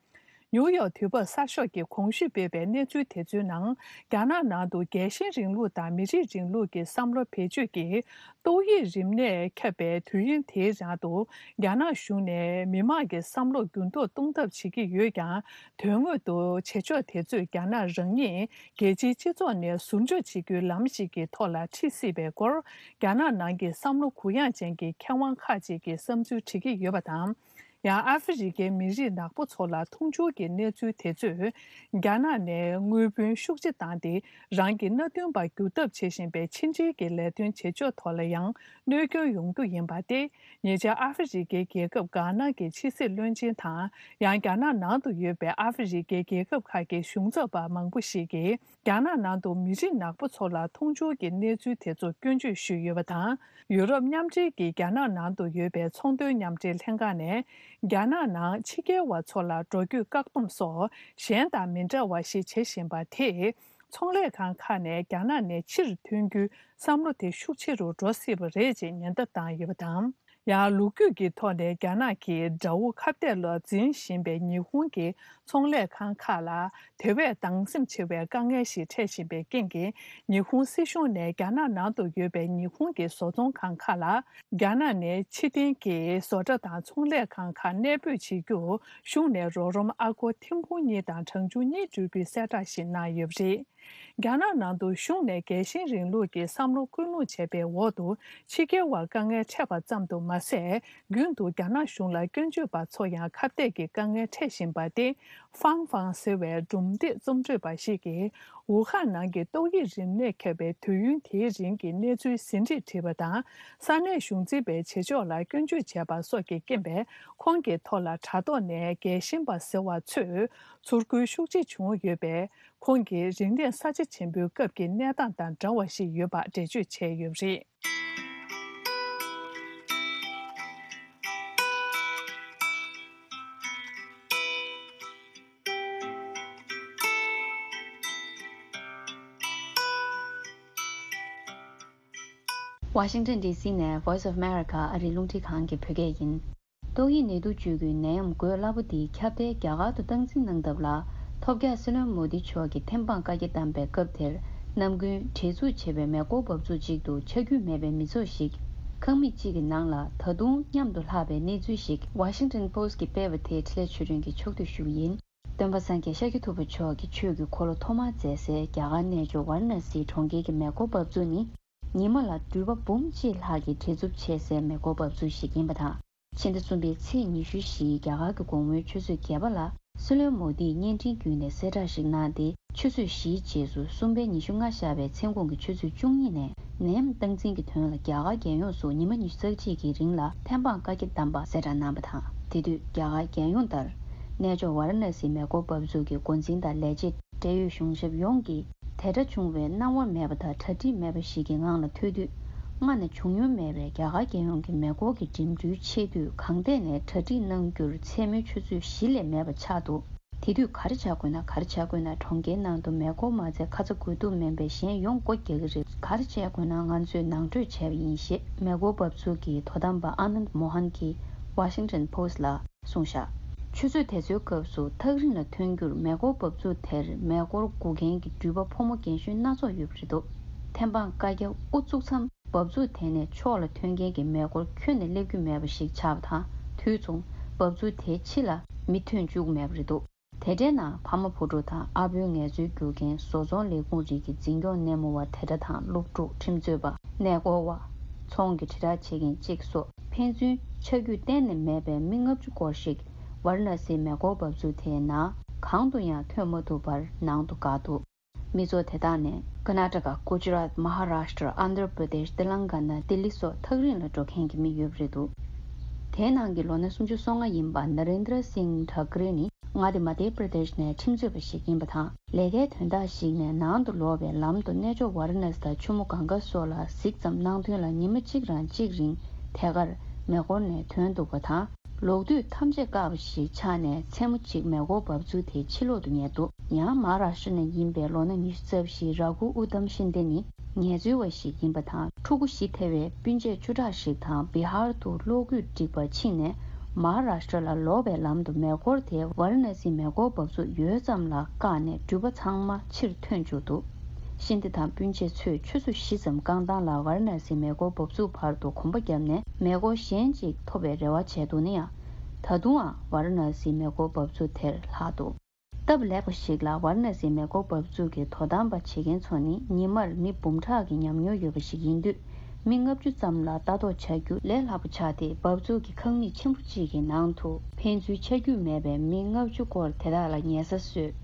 ནིའུ་ཡོག་དུས་བབ་གསར་ཤོག་གིས་གོང་ཞུས་སྤེལ་བའི་གནས་ཚུལ་དེ་ཚོའི་ནང་། རྒྱ་ནག་ནང་དུ་རྒྱལ་ཞེན་རིང་ལུགས་དང་མི་རིགས་རིང་ལུགས་ཀྱི་བསམ་བློ་བེད་སྤྱོད་ཀྱིས། ཏོག་དབྱིབས་རིམས་ནད་ཁྱབ་པའི་དུས་ཡུན་དེའི་རིང་དུ། རྒྱ་ནག་གཞུང་ནས་མི་མང་གི་བསམ་བློ་འགྱུར་ལྡོག་གཏོང་ཐབས་བྱེད་ཀྱི་ཡོད་ཀྱང་། དོན་དངོས་སུ་བྱེད་ཕྱོགས་དེ་ཚོས་རྒྱ་ནག་རང་ཉིད་རྒྱལ་སྤྱིའི་སྤྱི་ཚོགས་ནས་ཟུར་འཇོག་བྱེད་རྒྱུའི་ལམ་ཞིག་གི་ཐོག་ལ་ཁྲིད་སྲིད་པའི་སྐོར། རྒྱ་ནག་ནང་གི་བསམ་བློ་གུ་ཡངས་ཅན་གྱི་མཁས་དབང་ཁག་ཅིག་གིས་བསམ་ཚུལ་འབྲི་གི་ཡོད་པ་དང་། ཡང་ཨ་ཧྥེ་རི་ཁའི་མི་རིགས་ནག་པོ་ཚོ་ལ་འཐུང་ཆུ་གི་གནས་ཚུལ་དེ་ཚོས། རྒྱ་ནག་ནས་དངུལ་བུན་ཤུགས་ཆེ་བཏང་སྟེ། རང་གི་མནའ་མཐུན་པ་འགྱུར་ཐབས་བྱེད་བཞིན་པའི་ཕྱི་འབྲེལ་གྱི་ལས་དོན་བྱེད་ཕྱོགས་ཐོག་ལ་ཡང་གནོད་སྐྱོན་ཡོང་རྒྱུ་ཡིན་པ་སྟེ། ཉེ་ཆར་ཨ་ཧྥེ་རི་ཁའི་རྒྱལ་ཁབ་གྷ་ན་གྱི་ཕྱི་སྲིད་བློན་ཆེན་དང་། ཡང་རྒྱ་ནག་ནང་དུ་ཡོད་པའི་ཨ་ཧྥེ་རི་ཁའི་རྒྱལ་ཁབ་ཁག་གི་གཞུང་ཚབ་པ་མང་པོ་ཞིག་གིས། རྒྱ་ནག་ནང་དུ་མི་རིགས་ནག་པོ་ཚོ་ལ་འཐུང་ཆུ་གི་གནས་ཚུལ་དེ་ཚོ་སྐྱོན་བརྗོད་ཞུས་ཡོད་པ་དང་། ཡུ་རོབ་མཉམ་འབྲེལ་གྱིས་རྒྱ་ནག་ནང་དུ་ཡོད་པའི་ཚོང་དོན་མཉམ་འབྲེལ་ལྷན་ཁང་ནས། རྒྱ་ནག་ནང་ཕྱི་རྒྱལ་བ་ཚོ་ལ་འགྲོ་སྐྱོད་བཀག་སྡོམ་སོགས་གཞན་དང་མི་འདྲ་བ་ཞིག་བྱེད་བཞིན་པ་དེས། ཚོང་ལས་ཁང་ཁག་ནས་རྒྱ་ནག་ནས་ཕྱིར་ཐོན་རྒྱུའི་བསམ་བློ་དེ་ཤུགས་ཆེ་རུ་འགྲོ་སྲིད་པ་རེད་ཅེས་ཉེན་བརྡ་བཏང་ཡོད་པ་དང་། ཡང་ལོ་རྒྱུས་ཀྱི་ཐོག་ནས་རྒྱ་ནག་གིས་དགྲ་བོ་ཁ་གཏད་ལ་འཛིན་བཞིན་པའི་ཉི་ཧོང་གི་ཚོང་ལས་ཁང་ཁག་ལ། དེ་བས་སྡང་སེམས་ཆེ་བའི་དཀའ་ངལ་ཞིག་འཕྲད་བཞིན་པའི་རྐྱེན་གྱིས། ཉི་ཧོང་སྲིད་གཞུང་ནས་རྒྱ་ནག་ནང་དུ་ཡོད་པའི་ཉི་ཧོང་གི་བཟོ་ཚོང་ཁང་ཁག་ལ། རྒྱ་ནག་ནས་ཕྱིར་འཐེན་གྱིས་བཟོ་གྲྭ་དང་ཚོང་ལས་ཁང་ཁག་གནས་སྤོས་བྱེད་རྒྱུར། གཞུང་ནས་རོགས་རམ་ཨ་སྒོར་ཐེར་འབུམ་གཉིས་དང་གྲངས་ཆུང་གཉིས་སྤྲོད་རྒྱུའི་གསལ་བསྒྲགས་ཤིག་གནང་ཡོད་པ་རེད། རྒྱ་ནག་ནང་དུ་གཞུང་ནས་རྒྱལ་ཞེན་རིང་ལུགས་ཀྱི་བསམ་བློ་སྐུལ་སློང་བྱས་པའི་འོག་ཏུ། ཕྱི་རྒྱལ་བར་དཀའ་ངལ་འཕྲད་པ་ཙམ་དུ་མ་ཟད། རྒྱུན་དུ་རྒྱ་ནག་གཞུང་ལ་སྐྱོན་བརྗོད་པ་ཚོ་ཡང་ཁ་གཏད་ཀྱི་དཀའ་ངལ་འཕྲད་བཞིན་པ་སྟེ། ཧྥང་ཧྥང་ཟེར་བའི་སྒྲུང་དེབ་རྩོམ་སྤྲོད་པ་ཞིག་གིས། ཝུ་ཧན་ནང་གི་ཏོག་དབྱིབས་རིམས་ནད་ཁྱབ་པའི་དུས་ཡུན་དེའི་རིང་གི་གནས་ཚུལ་ཟིན་བྲིས་བྲིས་པ་དང་། ས་གནས་གཞུང་འཛིན་པའི་བྱེད་ཕྱོགས་ལ་སྐྱོན་བརྗོད་བྱས་པ་སོགས་ཀྱི་རྐྱེན་པས། ཁོང་གི་ཐོག་ལ་དྲ་ཐོག་ནས་རྒྱལ་ཞེན་པ་ཟེར་བ་ཚོས་ཚུར་རྒོལ་ཤུགས་ཆེ་བྱུང་ཡོད་པས། ཁོང་གིས་རིག་གནས་ས་ཆ་ཆེན་པོའི་སྐབས་ཀྱི་གནས་སྟངས་དང་འདྲ་བ་ཞིག་ཡོད་པ་འགྲེལ་བརྗོད་བྱས་ཡོད་པ་རེད། ཝ་ཤིང་ཊོན་ཌི་སི་ནས་Voice of America ཨ་རིའི་རླུང་འཕྲིན་ཁང་གི་བོད་སྐད་ཡིན། ཏོག་དབྱིབས་ནད་དུག་བཅོས་ཁུལ་ནད་ཡམས་འགོས་སླ་པོ་འདི་ཁྱབ་གདལ་རྒྱ་གར་དུ་སྟངས་འཛིན་གནང་ཐབས་ལ། ཐོབ་རྒྱག་སྲིད་བློན་མོ་དི་མཆོག་གིས་ཐེམ་སྤང་བཀའ་རྒྱ་བཏང་པའི་སྐབས་དེར། ནམ་རྒྱུན་བྲེལ་འཚུབ་ཆེ་བའི་མེ་འཁོར་འབབ་ཚུགས་གཅིག་ཏུ་ཆ་རྒྱུས་མེད་པའི་མི་ཚོགས་ཤིག་ཁང་མིག་གཅིག་གི་ནང་ལ་ད་དུང་མཉམ་དུ་ལྷག་པའི་གནས་ཚུལ་ཞིག་Washington Post གིས་སྤེལ་བ་དེ་འཕྲིན་ལས་ཆོས་སྒྲོན་གྱིས་ཕྱོགས་བསྡུས་ཞུ་གི་ཡིན། སྟོན་པ་སངས་རྒྱས་ཤཱཀྱ་ཐུབ་པ་མཆོག་གི་ཆོས་ཀྱི་འཁོར་ལོ་ཐོག་མར་མཛད་སའི་རྒྱ་གར་གནས་མཆོག་ཝཱ་ར་ཎ་སིའི་གྲོང་ཁྱེར་གྱི་མེ་འཁོར་འབབ་ཚུགས་ནི། ཉི་མ་ལ་འགྲུལ་པ་འབུམ་གཅིག་ལྷག་གི་བྲེལ་འཚུབ་ཆེ་སའི་མེ་འཁོར་འབབ་ཚུགས་ཤིག་ཡིན་པ་དང་། ཕྱི་ཟླ་གསུམ་པའི་ཚེས་ཉི་ཤུ་བཞི་རྒྱ་གར་གྱི་དགོང་མོའི་ཆུ་ཚོད་བརྒྱད་པ་ལ། སྲིད་བློན་མོ་དིས་བརྙན་འཕྲིན་བརྒྱུད་ནས་གསལ་བསྒྲགས་ཤིག་གནང་སྟེ། ཆུ་ཚོད་བཞིའི་རྗེས་སུ་གསུམ་པའི་ཉི་ཤུ་ལྔ་ཤར་བའི་མཚན་གུང་གི་ཆུ་ཚོད་བཅུ་གཉིས་ནས་ནད་ཡམས་སྟངས་འཛིན་གྱི་དོན་ལ་རྒྱ་གར་རྒྱལ་ཡོངས་སུ་ཉི་མ་ཉི་ཤུ་རྩ་གཅིག་གི་རིང་ལ་ཐེམ་སྤང་བཀའ་རྒྱ་བཏང་པ་གསལ་བསྒྲགས་གནང་བ་དང་། དེ་དུས་རྒྱ་གར་རྒྱལ་ཡོངས་ལྟར། གནས་མཆོག་ཝཱ་ར་ཎ་སིའི་མེ་འཁོར་འབབ་ཚུགས་ཀྱི་འགོ་འཛིན་དང་ལས་བྱེད། འབྲེལ་ཡོད་གཞུང་ཞབས་ཡོངས་ཀྱིས་དེ་འདྲ་བྱུང་བའི་སྣང་བ་མེད་པ་དང་གྲ་སྒྲིག་མེད་པ་ཞིག་གི་ངང་ལ་ཐུག་དུས། སྔ་ནས་བྱུང་མྱོང་མེད་པའི་རྒྱ་གར་རྒྱལ་ཡོངས་ཀྱི་མེ་འཁོར་གྱི་འགྲིམ་འགྲུལ་ཆེད་དུས་གང་ཐད་ནས་གྲ་སྒྲིག་གནང་རྒྱུར་མཚན་མོའི་ཆུ་ཚོད་བཞི་ལས་མེད་པ་ཆགས་འདུག་དེ་དུས་ག་རེ་བྱ་དགོས་ན། ག་རེ་བྱ་དགོས་ན། གྲོང་ཁྱེར་ནང་དུ་མེ་འཁོར་མ་ཚད་ཁ་ཚ་དགོས་གཏུགས་མིན་པའི་གཞན་ཡོངས་སྒོ་རྒྱག་གི་རེད། ག་རེ་བྱས་དགོས་ན་ང་ཚོས་ནང་གྲོས་བྱས་པ་ཡིན་ཞེས་མེ་འཁོར་འབབ་ཚུགས་ཀྱི་དོ་དམ་པ་ཨ་ནནྡ་མོ་ཧན་གྱིས་Washington Post་ལ་གསུངས་བཞག་ཆུ་ཚོད་དེ་ཚོའི་སྐབས་སུ་ཐག་རིང་ལ་ཐོན་རྒྱུར་མེ་འཁོར་འབབ་ཚུགས་དེར་མེ་འཁོར་སྒུག་མཁན་གྱི་འགྲུལ་པ་ཕོ་མོ་རྒན་གཞོན་སྣ་ཚོགས་ཡོད་པ་རེད་འདུག་ཐེམ་སྤང་བཀའ་རྒྱ་དབུ་བཙུགས་མཚམས། འབབ་ཚུགས་དེ་ནས་ཕྱོགས་ལ་ཐོན་མཁན་གྱི་མེ་འཁོར་ཁྱོན་ནས་སླེབས་རྒྱུ་མེད་པ་ཞིག་ཆགས་པ་དང་། དུས་མཚུངས་འབབ་ཚུགས་དེའི་ཕྱི་ལ་མི་ཐོན་བཅུག་མེད་པ་རེད་འདུག་དེ་འདྲའི་ནང་ཕ་མ་བུ་ཕྲུག་དང་ཨ་བོའི་ངལ་རྩོལ་བསྒྱུར་མཁན་བཟོ་ཚོང་ལས་ཁུངས་རིགས་ཀྱི་འཛིན་སྐྱོང་སྣེ་མོ་བ་དེ་འདྲ་དང་། སློབ་ཕྲུག་ཁྲིམས་རྩོད་པ། གནས་སྐོར་བ། ཚོང་གི་དྲིལ་བསྒྲགས་བྱེད་མཁན་གཅིག་སོགས་ཕན་ཚུན་ཆ་རྒྱུས་གཏན་ནས་མེད་པའི་མི་ལྔ་བཅུ་སྐོར་ཞིག་ཝཱ་ར་ཎ་སིའི་མེ་འཁོར་འབབ་ཚུགས་དེའི་ནང་གང་དུ་ཡང་ཐོན་མ་ཐུབ་པར་ནང་དུ་བཀག་འདུག་མི་ཚོགས་དེ་དག་ནི་ཀར་ནཱ་ཊ་ཀ། གུ་ཇི་རཱཏ། མ་ཧཱ་རཱཤ་ཊྲ། ཨན་དྷྲ་པྲ་དེཤ། ཏེ་ལང་ག་ན། ལྡི་ལི་སོགས་ཐག་རིང་ལ་འགྲོ་མཁན་གྱི་མི་ཡོད་པ་རེད་འདུག་དེའི་ནང་གི་ལོ་ན་སུམ་ཅུ་སོ་ལྔ་ཡིན་པ་ན་རེན་དྲ་སིང་ཐ་ཀ་རེ་ནི་མངའ་སྡེ་མ་དྷྱ་པྲ་དེཤ་ནས་ཁྲིམས་རྩོད་པ་ཞིག་ཡིན་པ་དང་། ལས་ཀའི་དོན་དག་ཞིག་ནས་ནང་དུ་ལོག་པའི་ལམ་དུ་གནས་མཆོག་ཝཱ་ར་ཎ་སི་དང་ཆུ་མོ་གངྒཱ་སོགས་ལ་གཟིགས་ཙམ་གནང་དོན་ལ་ཉི་མ་གཅིག་རང་གཅིག་རིང་དེ་གར་མེ་འཁོར་ནས་ཐོན་འདུག་པ་དང་། ལོག་དུས་ཐམས་ཅད་བཀག་པ་ཞིག་ཆགས་ནས་མཚན་མོ་གཅིག་མེ་འཁོར་འབབ་ཚུགས་དེ་ཕྱི་ལོག་ཏུ་ཉལ་འདུག་ཡང་མ་ཧཱ་རཱཤ་ཊྲ་ནས་ཡིན་པའི་ལོ་ན་ཉི་ཤུ་རྩ་བཞི་ར་ཁུ་ཨུ་དམ་ཤིན་དེ་ནི་ངལ་རྩོལ་བ་ཞིག་ཡིན་པ་དང་། ཕྲུ་གུ་བཞི་ཐེ་བའི་སྤུན་མཆེད་བཅུ་ཕྲག་ཞིག་དང་བི་ཧར་དུ་གློག་སྐུད་སྒྲིག་པར་ཕྱིན་ནས། མ་ཧཱ་རཱཤ་ཊྲ་ལ་ལོག་པའི་ལམ་དུ་མེ་འཁོར་དེ་ཝཱ་ར་ཎ་སིའི་མེ་འཁོར་འབབ་ཚུགས་ཡོལ་ཙམ་ལ་བཀག་ནས་འགྲུལ་པ་ཚང་མ་ཕྱིར་ཐོན་བཅུག་འདུག་ཤིན་དེ་དང་སྤུན་མཆེད་ཚོས་ཆུ་ཚོད་བཞི་ཙམ་རྐང་ཐང་ལ་ཝཱ་ར་ཎ་སིའི་མེ་འཁོར་འབབ་ཚུགས་བར་དུ་གོམ་པ་བརྒྱབ་ནས་མེ་འཁོར་གཞན་ཅིག་ཐོབ་པའི་རེ་བ་བྱས་འདུག་ན་ཡང་། ད་དུང་ཡང་ཝཱ་ར་ཎ་སིའི་མེ་འཁོར་འབབ་ཚུགས་དེར་ལྷག་འདུག་སྟབས་ལེགས་པ་ཞིག་ལ་ཝཱ་ར་ཎ་སིའི་མེ་འཁོར་འབབ་ཚུགས་ཀྱི་དོ་དམ་པ་བྱེད་མཁན་ཚོ་ནི་ཉི་མར་མི་འབུམ་ཕྲག་གི་ཉམས་མྱོང་ཡོད་པ་ཞིག་ཡིན་དུས། མི་ལྔ་བཅུ་ཙམ་ལ་ལྟ་རྟོག་བྱ་རྒྱུ་ལས་སླ་པོ་ཆགས་ཏེ། འབབ་ཚུགས་ཀྱི་ཁང་མིག་ཆེན་པོ་གཅིག་གི་ནང་དུ་ཕན་ཚུན་ཆ་རྒྱུས་མེད་པའི་མི་ལྔ་བཅུ་སྐོར་དེ་དག་ལ་ཉལ་ས་བཟོས།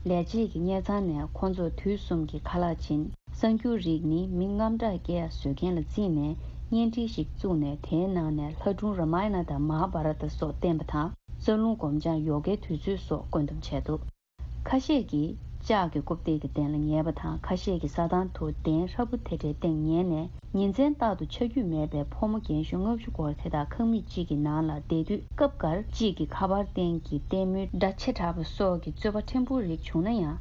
ལས་བྱེད་ཀྱི་གཉེར་ཚང་ནས་ཁོང་ཚོར་དུས་གསུམ་གྱི་ཁ་ལག་བྱིན། གསར་འགྱུར་རིགས་ནི་མི་རྔམ་སྐྲག་སྐྱེ་བཟོ་མཁན་ལ་བརྩིས་ནས་བརྙན་འཕྲིན་ཞིག་བཙུགས་ནས། དེའི་ནང་ནས་ལྷ་སྒྲུང་ར་མ་ཡ་ན་དང་མ་ཧཱ་བྷ་ར་ཏ་སོགས་བསྟན་པ་དང་། རྩ་རླུང་སྒོམ་སྦྱང་ཡོ་གའི་དུས་ཚོད་སོགས་བཀོད་འདོམས་བྱས་འདུག་ཁ་ཤས་ཀྱིས་ལྕགས་ཀྱི་རྐུབ་སྟེགས་ཀྱི་སྟེང་ལ་ཉལ་བ་དང་། ཁ་ཤས་ཀྱིས་ས་ཐང་དུ་གདན་ཧྲ་པོ་དེ་འདྲའི་སྟེང་ཉལ་ནས། ཉིན་མཚན་རྟག་ཏུ་ཆ་རྒྱུས་མེད་པའི་ཕོ་མོ་རྒན་གཞོན་ལྔ་བཅུ་སྐོར་དེ་དག་ཁང་མིག་གཅིག་གི་ནང་ལ་བསྡད་དུས། སྐབས་འགར་གཅིག་གི་ཁ་པར་སྟེང་གི་ལྟད་མོའི་སྒྲ་ཆེ་དྲགས་པ་སོགས་ཀྱི་རྩོད་པ་ཕྲན་བུ་རིགས་བྱུང་ན་ཡང་།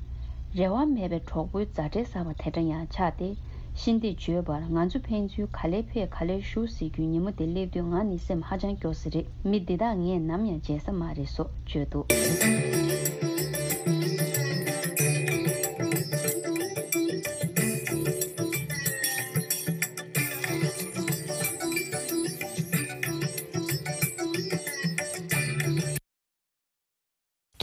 རེ་བ་མེད་པའི་གྲོགས་པོའི་མཛའ་འབྲེལ་གསར་པ་དེ་འདྲ་ཡང་ཆགས་ཏེ། ཤིན་ཏེ་བརྗོད་པར། ང་ཚོ་ཕན་ཚུན་ག་ལེར་ཕེབས་ག་ལེར་བཞུགས་ཟེར་རྒྱུའི་ཉིན་མོ་དེ་སླེབས་དུས་ང་ནི་སེམས་ཧ་ཅང་སྐྱོ་ས་རེད། མི་འདི་དག་ངས་ནམ་ཡང་བརྗེད་ས་མ་རེད་སོགས་བརྗོད་འདུག་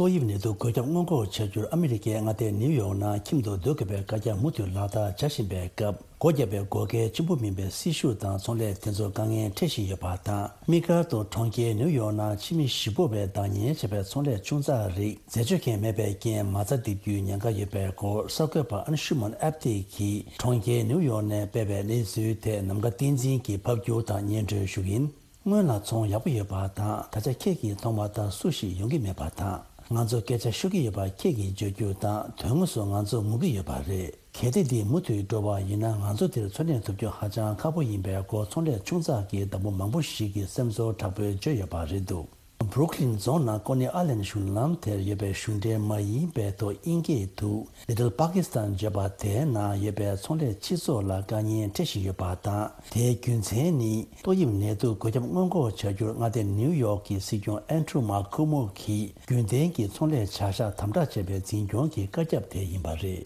ཏོག་དབྱིབས་ནད་དུག་འགོས་ཁྱབ་སྔོན་འགོག་བྱ་རྒྱུར་ཨ་མི་རི་ཀའི་མངའ་སྡེ་ནིའུ་ཡོག་ནང་ཁྱིམ་དུ་སྡོད་དགོས་པའི་བཀའ་རྒྱ་མུ་མཐུད་ལག་བསྟར་བྱ་བཞིན་པའི་སྐབས། སྒོ་བརྒྱབ་པའི་འགོག་རྐྱེན་ཆེན་པོ་མིན་པའི་སྲི་ཞུ་དང་ཚོང་ལས་དེ་ཚོར་དཀའ་ངལ་འཕྲད་བཞིན་ཡོད་པ་དང་། དམིགས་བཀར་དུ་གྲོང་ཁྱེར་ནིའུ་ཡོག་ནང་ཕྱི་མི་གཞིས་སྤོ་བའི་བདག་གཉེར་བྱས་པའི་ཚོང་ལས་ཆུང་ཙག་རིགས་འཛད་སྤྱོད་མཁན་མེད་པའི་རྐྱེན་མ་རྩ་རྡིབ་རྒྱུའི་ཉེན་ཁ་ཡོད་པའི་སྐོར། གསར་འགོད་པ་ཨན་ཤུ་མན་ཨབ་ཏི་གིས་གྲོང་ཁྱེར་ནིའུ་ཡོག་ནས་སྤེལ་བའི་གནས་ཚུལ་དེ་ནམ་མཁའ་བསྟན་འཛིན་གྱིས་ཕབ་སྒྱུར་དང་སྙན་སྒྲོན་ཞུ་གི་ཡིན། སྔོན་ལ་ཚོང་ཡག་པོ་ཡོད་པ་དང་། ད་ཆ་ཁྱེད་ཀྱིས་མཐོང་བ་ལྟར་སུ་ཞིག་ཡོང་གི་མེད་པ་དང་། ང་ཚོ་སྐད་ཆ་ཤོད་ཀྱི་ཡོད་པ་ཁྱེད་ཀྱིས་བརྗོད་རྒྱུ་དང་། དོན་དངོས་སུ་ང་ཚོ་ངུ་གི་ཡོད་པ་རེད། གལ་ཏེ་འདི་མུ་མཐུད་འགྲོ་བ་ཡིན་ན། ང་ཚོ་འདིར་འཚོ་གནས་ཐུབ་རྒྱུ་ཧ་ཅང་ཁག་པོ་ཡིན་པའི་སྐོར། ཚོང་ལས་ཆུང་ཙག་གི་བདག་པོ་མང་པོ་ཞིག་གིས་སེམས་ཚོར་དྲག་པོས་བརྗོད་ཡོད་པ་རེད་འདུག་བྷུ་རུག་ལིན་རྫོང་ནང་ཀོ་ནི་ཨ་ལན་གཞུང་ལམ་དེར་ཡོད་པའི་གཞུང་འབྲེལ་མ་ཡིན་པའི་ཐོག་དབྱིན་སྐད་དུ། Little Pakistan བརྗོད་པ་དེའི་ནང་ཡོད་པའི་ཚོང་ལས་སྤྱི་ཚོགས་ལ་དཀའ་ངལ་འཕྲད་བཞིན་ཡོད་པ་དང་། དེའི་རྒྱུ་མཚན་ནི་ཏོག་དབྱིབས་ནད་དུག་འགོས་ཁྱབ་སྔོན་འགོག་བྱ་རྒྱུར་མངའ་སྡེ་ནིའུ་ཡོག་གི་སྲིད་སྐྱོང་ཨན་ཌྲུ་མཱ་ཁུ་མོ་གིས་རྒྱུན་ལྡན་གྱི་ཚོང་ལས་བྱ་གཞག་དམ་དྲག་བྱས་པའི་འཛིན་སྐྱོང་གི་བཀའ་ཁྱབ་དེ་ཡིན་པ་རེད།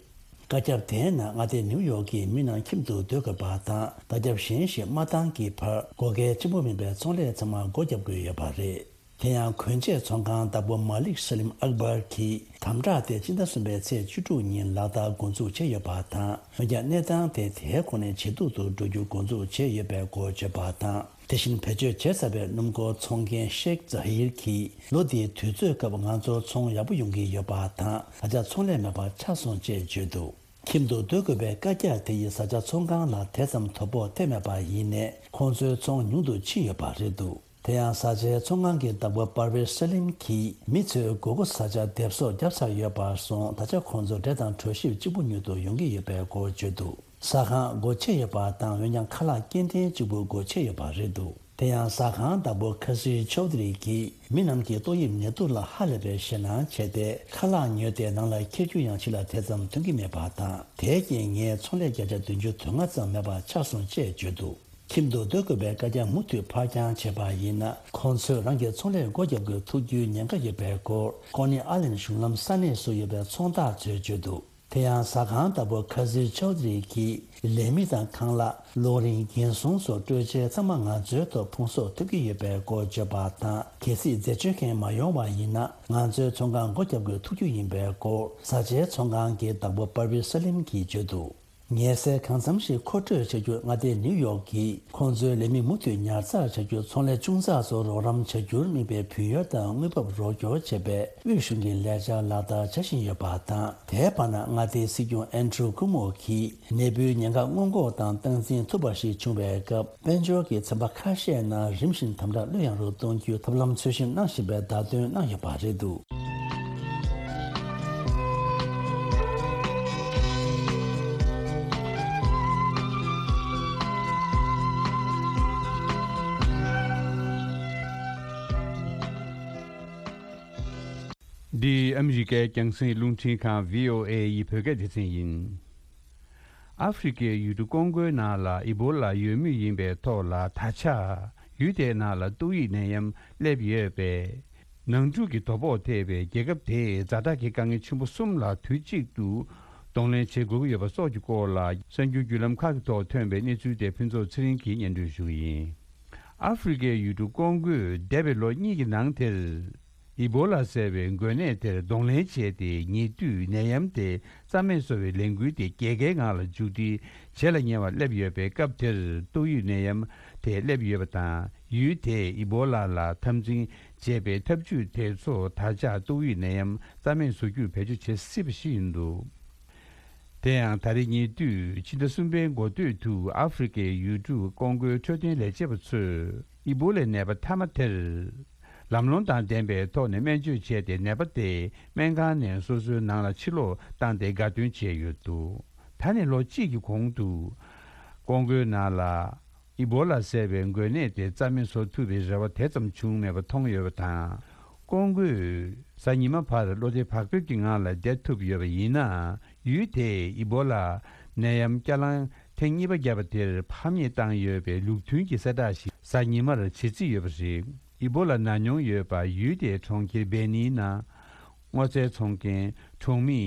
བཀའ་ཁྱབ་དེའི་ནང་མངའ་སྡེ་ནིའུ་ཡོག་གི་མི་རྣམས་ཁྱིམ་དུ་སྡོད་དགོས་པ་དང་། བརྡ་ཁྱབ་གཞན་ཞིག་མ་བཏང་གི་བར་སྒོ་ཁའི་ཆེན་པོ་མིན་པའི་ཚོང་ལས་ཚང་མ་སྒོ་བརྒྱབ་དགོས་ཡོད་པ་རེད། དེ་ཡང་གོན་ཆས་ཚོང་ཁང་བདག་པོ་མ་ལིག་ས་ལིམ་ཨག་བར་གྱིས་དམ་དྲག་དེ་ཕྱི་ཟླ་གསུམ་པའི་ཚེས་བཅུ་དྲུག་ཉིན་ལག་བསྟར་འགོ་འཛུགས་བྱས་ཡོད་པ་དང་། འོན་ཀྱང་གནས་སྟངས་དེ་དེའི་གོང་ནས་ཇེ་སྡུག་ཏུ་འགྲོ་རྒྱུ་འགོ་འཛུགས་བྱས་ཡོད་པའི་སྐོར་བརྗོད་པ་དང་། དེ་བཞིན་བེད་སྤྱོད་བྱས་ཚར་བའི་སྣུམ་འཁོར་ཚོང་མཁན་ཤེག་ཛ་ཧིར་གྱིས། ལོ་འདིའི་དུས་ཚོད་སྐབས་ང་ཚོར་ཚོང་ཡག་པོ་ཡོང་གི་ཡོད་པ་དང་། ད་ཆ་ཚོང་ལས་མེད་པ་ཆགས་སོང་ཅེས་བརྗོད་འདུག་ཁྱིམ་དུ་སྡོད་དགོས་པའི་བཀའ་རྒྱ་དེ་ཡིས་བཟའ་བཅའ་ཚོང་ཁང་ལ་དེ་ཙམ་དོ་ཕོག་ཐེབས་མེད་པ་ཡིན་ནའི། ཁོང་ཚོའི་ཚོང་ཉུང་དུ་ཕྱིན་ཡོད་པ་རེད་འདུག་དེ་ཡང་བཟའ་བཅའི་ཚོང་ཁང་གི་བདག་པོ་པར་ཝེ་སི་ལིམ་གྱིས་མི་ཚོས་མགོ་སྐོར་བཟའ་བཅའ་སྡེབ་གསོག་བརྒྱབ་ཚར་ཡོད་པར་སོང་། ད་ཆ་ཁོང་ཚོ་འབྲས་དང་གྲོ་ཞིབ་གཅིག་པུ་ཉོ་དུ་ཡོང་གི་ཡོད་པའི་སྐོར་བརྗོད་འདུག་ཟ་ཁང་སྒོ་ཕྱེ་ཡོད་པ་དང་། འོན་ཀྱང་ཁ་ལག་སྐྱེལ་འདྲེན་གཅིག་པུ་སྒོ་ཕྱེ་ཡོད་པ་རེད་འདུག་དེ་ཡང་ཟ་ཁང་བདག་པོ་ཁ་སི་ཆོ་དི་རི་གིས་མི་རྣམས་ཀྱི་ཏོག་དབྱིབས་ནད་དུག་ལ་ཧ་ལས་པའི་ཞེད་སྣང་བྱས་ཏེ། ཁ་ལག་ཉོས་ཏེ་ནང་ལ་འཁྱེར་རྒྱུ་ཡང་ཕྱི་ལ་དེ་ཙམ་ཐོན་གྱི་མེད་པ་དང་། དེའི་རྐྱེན་ངའི་ཚོང་ལས་བརྒྱ་ཆ་བདུན་ཅུ་དོན་ལྔ་ཙམ་མེད་པ་ཆགས་སོང་ཅེས་བརྗོད་འདུག་ཁྱིམ་དུ་སྡོད་དགོས་པའི་བཀའ་རྒྱ་མུ་མཐུད་ཕར་འགྱངས་བྱས་པ་ཡིན་ན། ཁོང་ཚོས་རང་གི་ཚོང་ལས་སྒོ་བརྒྱབ་དགོས་ཐུག་རྒྱུའི་ཉེན་ཁ་ཡོད་པའི་སྐོར། ཀོ་ནི་ཨ་ལན་གཞུང་ལམ་ས་གནས་སུ་ཡོད་པའི་ཚོང་བདག་ཚོས་བརྗོད་འདུག་དེ་ཡང་ཟ་ཁང་བདག་པོ་ཁ་ཟི་ཆོ་དི་རི་གིས། ལས་མི་དང་ཁང་གླ། གློག་རིན། འགན་སྲུང་སོགས་སྤྲོད་ཆས་ཚང་མ་ང་ཚོའི་ཐོག་ཕུང་གསོག་ཐུབ་ཀྱི་ཡོད་པའི་སྐོར་བརྗོད་པ་དང་། གལ་སྲིད་འཛད་སྤྱོད་མཁན་མ་ཡོང་བ་ཡིན་ན། ང་ཚོའི་ཚོང་ཁང་སྒོ་བརྒྱབ་དགོས་ཐུག་རྒྱུ་ཡིན་པའི་སྐོར། བཟའ་བཅའི་ཚོང་ཁང་གི་བདག་པོ་པར་ཝི་སི་ལིམ་གྱིས་བརྗོད་འདུག་ཉལ་སའི་གང་འཚམ་ཞིག་མཁོ་སྤྲོད་བྱ་རྒྱུར་མངའ་སྡེ་ནིའུ་ཡོག་གིས་ཁོང་ཚོའི་ལས་མི་མུ་མཐུད་ཉར་ཚགས་བྱ་རྒྱུར་ཚོང་ལས་ཆུང་ཙག་ཚོར་རོགས་རམ་བྱ་རྒྱུར་དམིགས་པའི་བུན་གཡར་དང་དངུལ་འབབ་རོགས་སྐྱོར་བྱེད་པའི་དབུས་གཞུང་གི་ལས་འཆར་ལག་བསྟར་བྱ་བཞིན་ཡོད་པ་དང་། དེའི་བར་ན་མངའ་སྡེའི་སྲིད་སྐྱོང་ཨན་ཌྲུ་ཀུ་མོ་གིས་ནད་འབུའི་ཉེན་ཁ་སྔོན་འགོག་དང་སྟངས་འཛིན་ཐུབ་པ་ཞིག་བྱུང་བའི་སྐབས། དཔལ་འབྱོར་གྱི་ཚན་པ་ཁ་ཤས་ནང་རིམ་བཞིན་དམ་དྲག་ལྷོད་ཡངས་རུ་གཏོང་རྒྱུའི་ཐབས་ལམ་འཚོལ་ཞིབ་གནང་བཞིན་པའི་བརྡ་སྟོན་གནང་ཡོད་པ་རེད་འདུག་འདི་ཨ་མི་རི་ཀའི་རྒྱང་སྲིང་རླུང་འཕྲིན་ཁང་བྷི་ཨོ་ཨེ་ཡི་བོད་སྐད་སྡེ་ཚན་ཡིན། ཨ་ཧྥེ་རི་ཀའི་ཡུལ་གྲུ་ཀོང་ཀོའི་ནང་ལ་ཨི་བོ་ལ་ཡོད་མུས་ཡིན་པའི་ཐོག་ལ། ད་ཆ་ཡུལ་དེའི་ནང་ལ་ཏོག་དབྱིབས་ནད་ཡམས་སླེབས་ཡོད་པས། ནང་འཁྲུག་གི་དོ་ཕོག་ཐེབས་པའི་རྒྱལ་ཁབ་དེས་ཛ་དྲག་གི་དཀའ་ངལ་ཆེན་པོ་གསུམ་ལ་དུས་གཅིག་ཏུ་གདོང་ལེན་བྱེད་དགོས་ཀྱི་ཡོད་པ་སོགས་ཀྱི་སྐོར་ལ། གསར་འགྱུར་བརྒྱུད་ལམ་ཁག་གི་ཐོག་ཐོན་པའི་གནས་ཚུལ་དེ་ཕུན་ཚོགས་ཚེ་རིང་གིས་སྙན་སྒྲོན་ཞུ་གི་ཡིན། ཨ་ཧྥེ་རི་ཀའི་ཡུལ་གྲུ་ཀོང་ཀོས་འདས་པའི་ལོ་གཉིས་ཀྱི་ནང་དེར། ཨི་བོ་ལ་ཟེར་བའི་འགོས་ནད་དེར་གདོང་ལེན་བྱས་ཏེ། ཉེ་དུས་ནད་ཡམས་དེ་རྩ་མེད་བཟོ་བའི་ལས་འགུལ་དེ་རྒྱལ་ཁའི་ངང་ལ་མཇུག་སྒྲིལ་བྱེད་ལ་ཉེ་བར་སླེབས་ཡོད་པའི་སྐབས་དེར། ཏོག་དབྱིབས་ནད་ཡམས་དེ་སླེབས་ཡོད་པ་དང་། ཡུལ་དེས་ཨི་བོ་ལ་ལ་འཐབ་འཛིང་བྱེད་པའི་ཐབས་ཇུས་དེ་ཚོ་ད་ཆ་ཏོག་དབྱིབས་ནད་ཡམས་རྩ་མེད་བཟོ་རྒྱུར་བེད་སྤྱོད་བྱེད་སྲིད་པ་ཞིག་ཡིན་འདུག་དེ་ཡང་ད་རེས་ཉེ་དུས་ཕྱི་ཟླ་གསུམ་པའི་འགོ་སྟོད་དུ། ཨ་ཧྥེ་རི་ཀའི་ཡུལ་གྲུ་ཀོང་ཀོའི་འཕྲོད་བསྟེན་ལས་བྱེད་པ་ཚོས་ཨི་བོ་ལའི་ནད་པ་མཐའ་མ་དེར་ལམ་ལྷོང་དང་ལྡན་པའི་ཐོག་ནས་སྨན་བཅོས་བྱས་ཏེ། ནད་པ་དེ་སྨན་ཁང་ནས་སོ་སོའི་ནང་ལ་ཕྱིར་ལོག་བཏང་སྟེ་དགའ་སྟོན་བྱས་ཡོད་འདུག་ད་ནས་ལོ་གཅིག་གི་གོང་དུ་ཀོང་ཀོའི་ནང་ལ་ཨི་བོ་ལ་ཟེར་བའི་འགོས་ནད་དེ་རྩ་མེད་བཟོ་ཐུབ་པའི་རེ་བ་དེ་ཙམ་བྱུང་མེད་པ་མཐོང་ཡོད་པ་དང་། ཀོང་ཀོས་གཟའ་ཉི་མ་བར་བློ་བདེ་བག་ཕེབས་ཀྱི་ངང་ལ་བསྡད་ཐུབ་ཡོད་པ་ཡིན་ན། ཡུལ་དེས་ཨི་བོ་ལ་ནད་ཡམས་བསྐྱར་ལངས་ཐེངས་གཉིས་པ་བརྒྱབ་པ་དེར་ཕམ་ཉེས་བཏང་ཡོད་པའི་ལུགས་མཐུན་གྱི་གསལ་བསྒྲགས་ཤིག་གཟའ་ཉི་མར་བྱེད་རྩིས་ཡོད་པ་རེད། ཨི་བོ་ལ་ན་མྱོང་ཡོད་པ་ཡུལ་དེའི་གྲོང་ཁྱེར་སྦེ་ནིའི་ནང་སྔོ་ཚལ་འཚོང་མཁན་གྲོང་མི་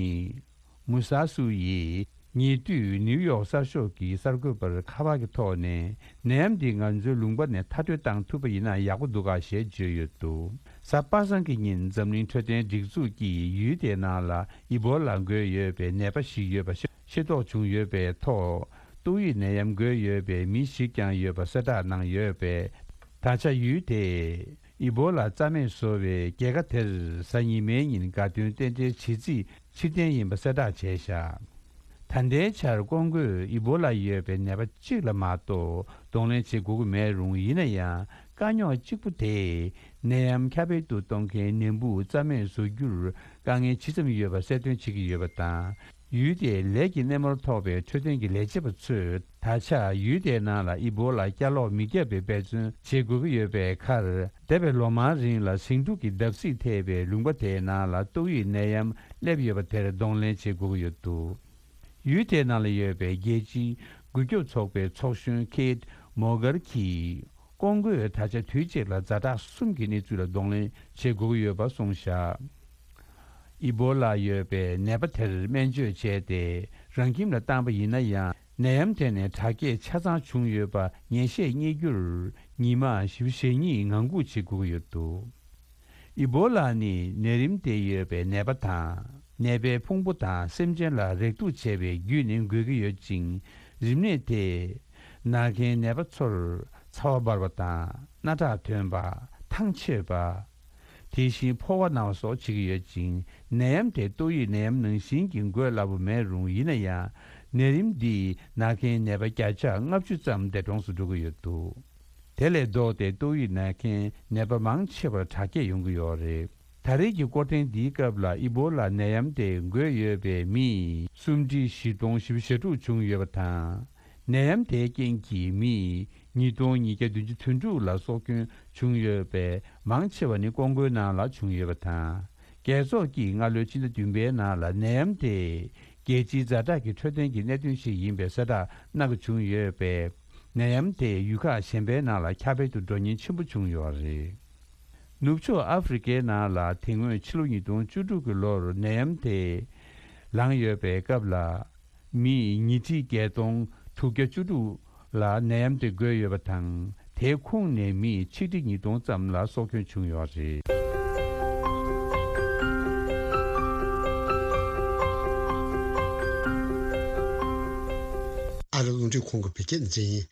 མུ་ས་སུ་ཡིས་ཉེ་དུས་ནིའུ་ཡོག་གསར་ཤོག་གི་གསར་འགོད་པར་ཁ་པར་གྱི་ཐོག་ནས། ནད་ཡམས་འདི་ང་ཚོའི་ལུང་པ་ནས་མཐར་སྐྲོད་བཏང་ཐུབ་པ་ཡིན་ན་ཡག་པོ་འདུག་ག་ཞེས་བརྗོད་ཡོད་འདུག་གཟའ་པ་སངས་ཀྱི་ཉིན་འཛམ་གླིང་འཕྲོད་བསྟེན་སྒྲིག་འཛུགས་ཀྱིས་ཡུལ་དེའི་ནང་ལ་ཨི་བོ་ལ་འགོས་ཡོད་པའི་ནད་པ་ཞིག་ཡོད་པ་ཤེས་རྟོགས་བྱུང་ཡོད་པའི་ཐོག་ཏོག་དབྱིབས་ནད་ཡམས་འགོས་ཡོད་པའི་མི་ཞིག་ཀྱང་ཡོད་པ་གསལ་བསྒྲགས་གནང་ཡོད་པས། ད་ཆ་ཡུལ་དེས་ཨི་བོ་ལ་རྩ་མེད་བཟོ་བའི་རྒྱལ་ཁ་དེར་གཟའ་ཉི་མའི་ཉིན་དགའ་སྟོན་རྟེན་འབྲེལ་བྱེད་རྩིས་ཕྱིར་འཐེན་ཡིན་པ་གསལ་བསྒྲགས་བྱས་བཞག་ད་ལྟའི་ཆར་ཀོང་ཀོས་ཨི་བོ་ལ་ཡོད་པའི་ནད་པ་གཅིག་ལ་མ་གཏོགས་གདོང་ལེན་བྱེད་དགོས་ཀྱི་མེད་རུང་། ཡིན་ན་ཡང་དཀའ་རྙོག་གཅིག་པུ་དེ་ནད་ཡམས་ཁྱབ་སྤེལ་དུ་གཏོང་མཁན་ནད་འབུ་རྩ་མེད་བཟོ་རྒྱུར་དཀའ་ངལ་ཇི་ཙམ་ཡོད་པ་གསལ་སྟོན་བྱེད་ཀྱི་ཡོད་པ་དང་། ཡུལ་དེའི་ལས་ཀྱི་སྣེ་མོར་གཏོགས་པའི་འཕྲོད་བསྟེན་གྱི་ལས་བྱེད་པ་ཚོས་ད་ཆ་ཡུལ་དེའི་ནང་ལ་ཨི་བོ་ལ་བསྐྱར་ལོག་མི་བརྒྱབ་པའི་འབད་བརྩོན་བྱེད་དགོས་ཀྱི་ཡོད་པའི་ཁར། འདས་པའི་ལོ་མང་རིང་ལ་ཟིང་འཁྲུག་གི་བརྡབ་གསིག་ཐེབས་པའི་ལུང་པ་དེའི་ནང་ལ་ཏོག་དབྱིབས་ནད་ཡམས་སླེབས་ཡོད་པ་དེར་གདོང་ལེན་བྱེད་དགོས་ཀྱི་ཡོད་འདུག་ཡུལ་དེའི་ནང་ལ་ཡོད་པའི་རྒྱལ་སྤྱིའི་རྒུད་སྐྱོབ་ཚོགས་པའི་ཚོགས་གཞོན་ཁེ་ཏི་མོར་གྷར་གྱིས། ཀོང་ཀོས་ད་ཆ་དུས་གཅིག་ལ་ཛ་དྲག་གསུམ་གྱི་གནས་ཚུལ་ལ་གདོང་ལེན་བྱེད་དགོས་ཀྱི་ཡོད་པ་གསུངས་བཞག་ཨི་བོ་ལ་ཡོད་པའི་ནད་པ་དེར་སྨན་བཅོས་བྱས་ཏེ། རང་ཁྱིམ་ལ་བཏང་པ་ཡིན་ན་ཡང་། ནད་ཡམས་དེ་ནས་དྲག་སྐྱེད་ཆ་ཚང་བྱུང་ཡོད་པ་ངེས་ཤེས་རྙེད་རྒྱུར་ཉི་མ་བཞི་བཅུ་ཞེ་གཉིས་ངང་སྒུག་བྱེད་དགོས་ཀྱི་ཡོད་འདུག་ཨི་བོ་ལ་ནི་ནད་རིམས་དེ་ཡོད་པའི་ནད་པ་དང་། ནད་པའི་ཕུང་པོ་དང་སེམས་ཅན་ལ་རེག་ཐུག་བྱས་པའི་བརྒྱུད་ནས་འགོས་ཀྱི་ཡོད་ཅིང་། རིམས་ནད་དེས་ན་མཁན་ནད་པ་ཚོར་ཚ་བ་འབར་བ་དང་། སྣ་ཁྲག་ཐོན་པ། ཐང་ཆད་པ། དེ་བཞིན་ཕོ་བ་ན་བ་སོགས་བྱེད་ཀྱི་ཡོད་ཅིང་། ནད་ཡམས་དེ་ཏོག་དབྱིབས་ནད་ཡམས་ནང་བཞིན་གྱི་འགོས་སླ་པོ་མེད་རུང་། ཡིན་ན་ཡང་། ནད་རིམས་འདིས་ན་མཁན་ནད་པ་བརྒྱ་ཆ་ལྔ་བཅུ་ཙམ་འདས་གྲོངས་སུ་འགྲོ་གི་ཡོད་འདུག་དེ་ལས་ལྡོག་སྟེ་ཏོག་དབྱིབས་ན་མཁན་ནད་པ་མང་ཆེ་བར་དྲག་སྐྱེད་ཡོང་གི་ཡོད་རེད། ད་རེས་ཀྱི་སྐོར་ཐེངས་འདིའི་སྐབས་ལ་ཨི་བོ་ལ་ནད་ཡམས་དེ་འགོས་ཡོད་པའི་མི་སུམ་ཁྲི་བཞི་སྟོང་བཞི་བཅུ་ཞེ་དྲུག་བྱུང་ཡོད་པ་དང་། ནད་ཡམས་དེའི་རྐྱེན་གྱིས་མི་ཉིས་སྟོང་ཉིས་བརྒྱ་བདུན་ཅུ་དོན་དྲུག་ལ་སྲོག་སྐྱོན་བྱུང་ཡོད་པའི་མང་ཆེ་བ་ནི་ཀོང་ཀོའི་ནང་ལ་བྱུང་ཡོད་པ་དང་། རྒྱལ་ཚོགས་ཀྱིས་སྔ་ལོའི་ཕྱི་ཟླ་བདུན་པའི་ནང་ལ་ནད་ཡམས་དེ་རྒྱལ་སྤྱིའི་ཛ་དྲག་གི་འཕྲོད་བསྟེན་གྱི་གནད་དོན་ཞིག་ཡིན་པའི་གསལ་བསྒྲགས་གནང་གི་བྱུང་ཡོད་པས། ནད་ཡམས་དེ་ཡུལ་ཁག་གཞན་པའི་ནང་ལ་ཁྱབ་སྤེལ་དུ་འགྲོ་ཉེན་ཆེན་པོ་བྱུང་ཡོད་རེད། ནུབ་ཕྱོགས་ཨ་ཧྥེ་རི་ཁའི་ནང་ལ་དེ་སྔོན་ཕྱི་ལོ་ཉིས་སྟོང་བཅུ་དྲུག་གི་ལོར་ནད་ཡམས་དེ་ལངས་ཡོད་པའི་སྐབས་ལ། མི་ཉིས་ཁྲི་བརྒྱད་སྟོང་དྲུག་བརྒྱ་བཅུ་དྲུག་ལ་ནད་ཡམས་དེ་འགོས་ཡོད་པ་དང་། དེའི་ཁོངས་ནས་མི་ཆིག་ཁྲི་ཉིས་སྟོང་ཙམ་ལ་སྲོག་སྐྱོན་བྱུང་ཡོད་རེད། ཨ་རི་རླུང་འཕྲིན་ཁང་གི་བོད་སྐད་སྡེ་ཚན་ཡིན།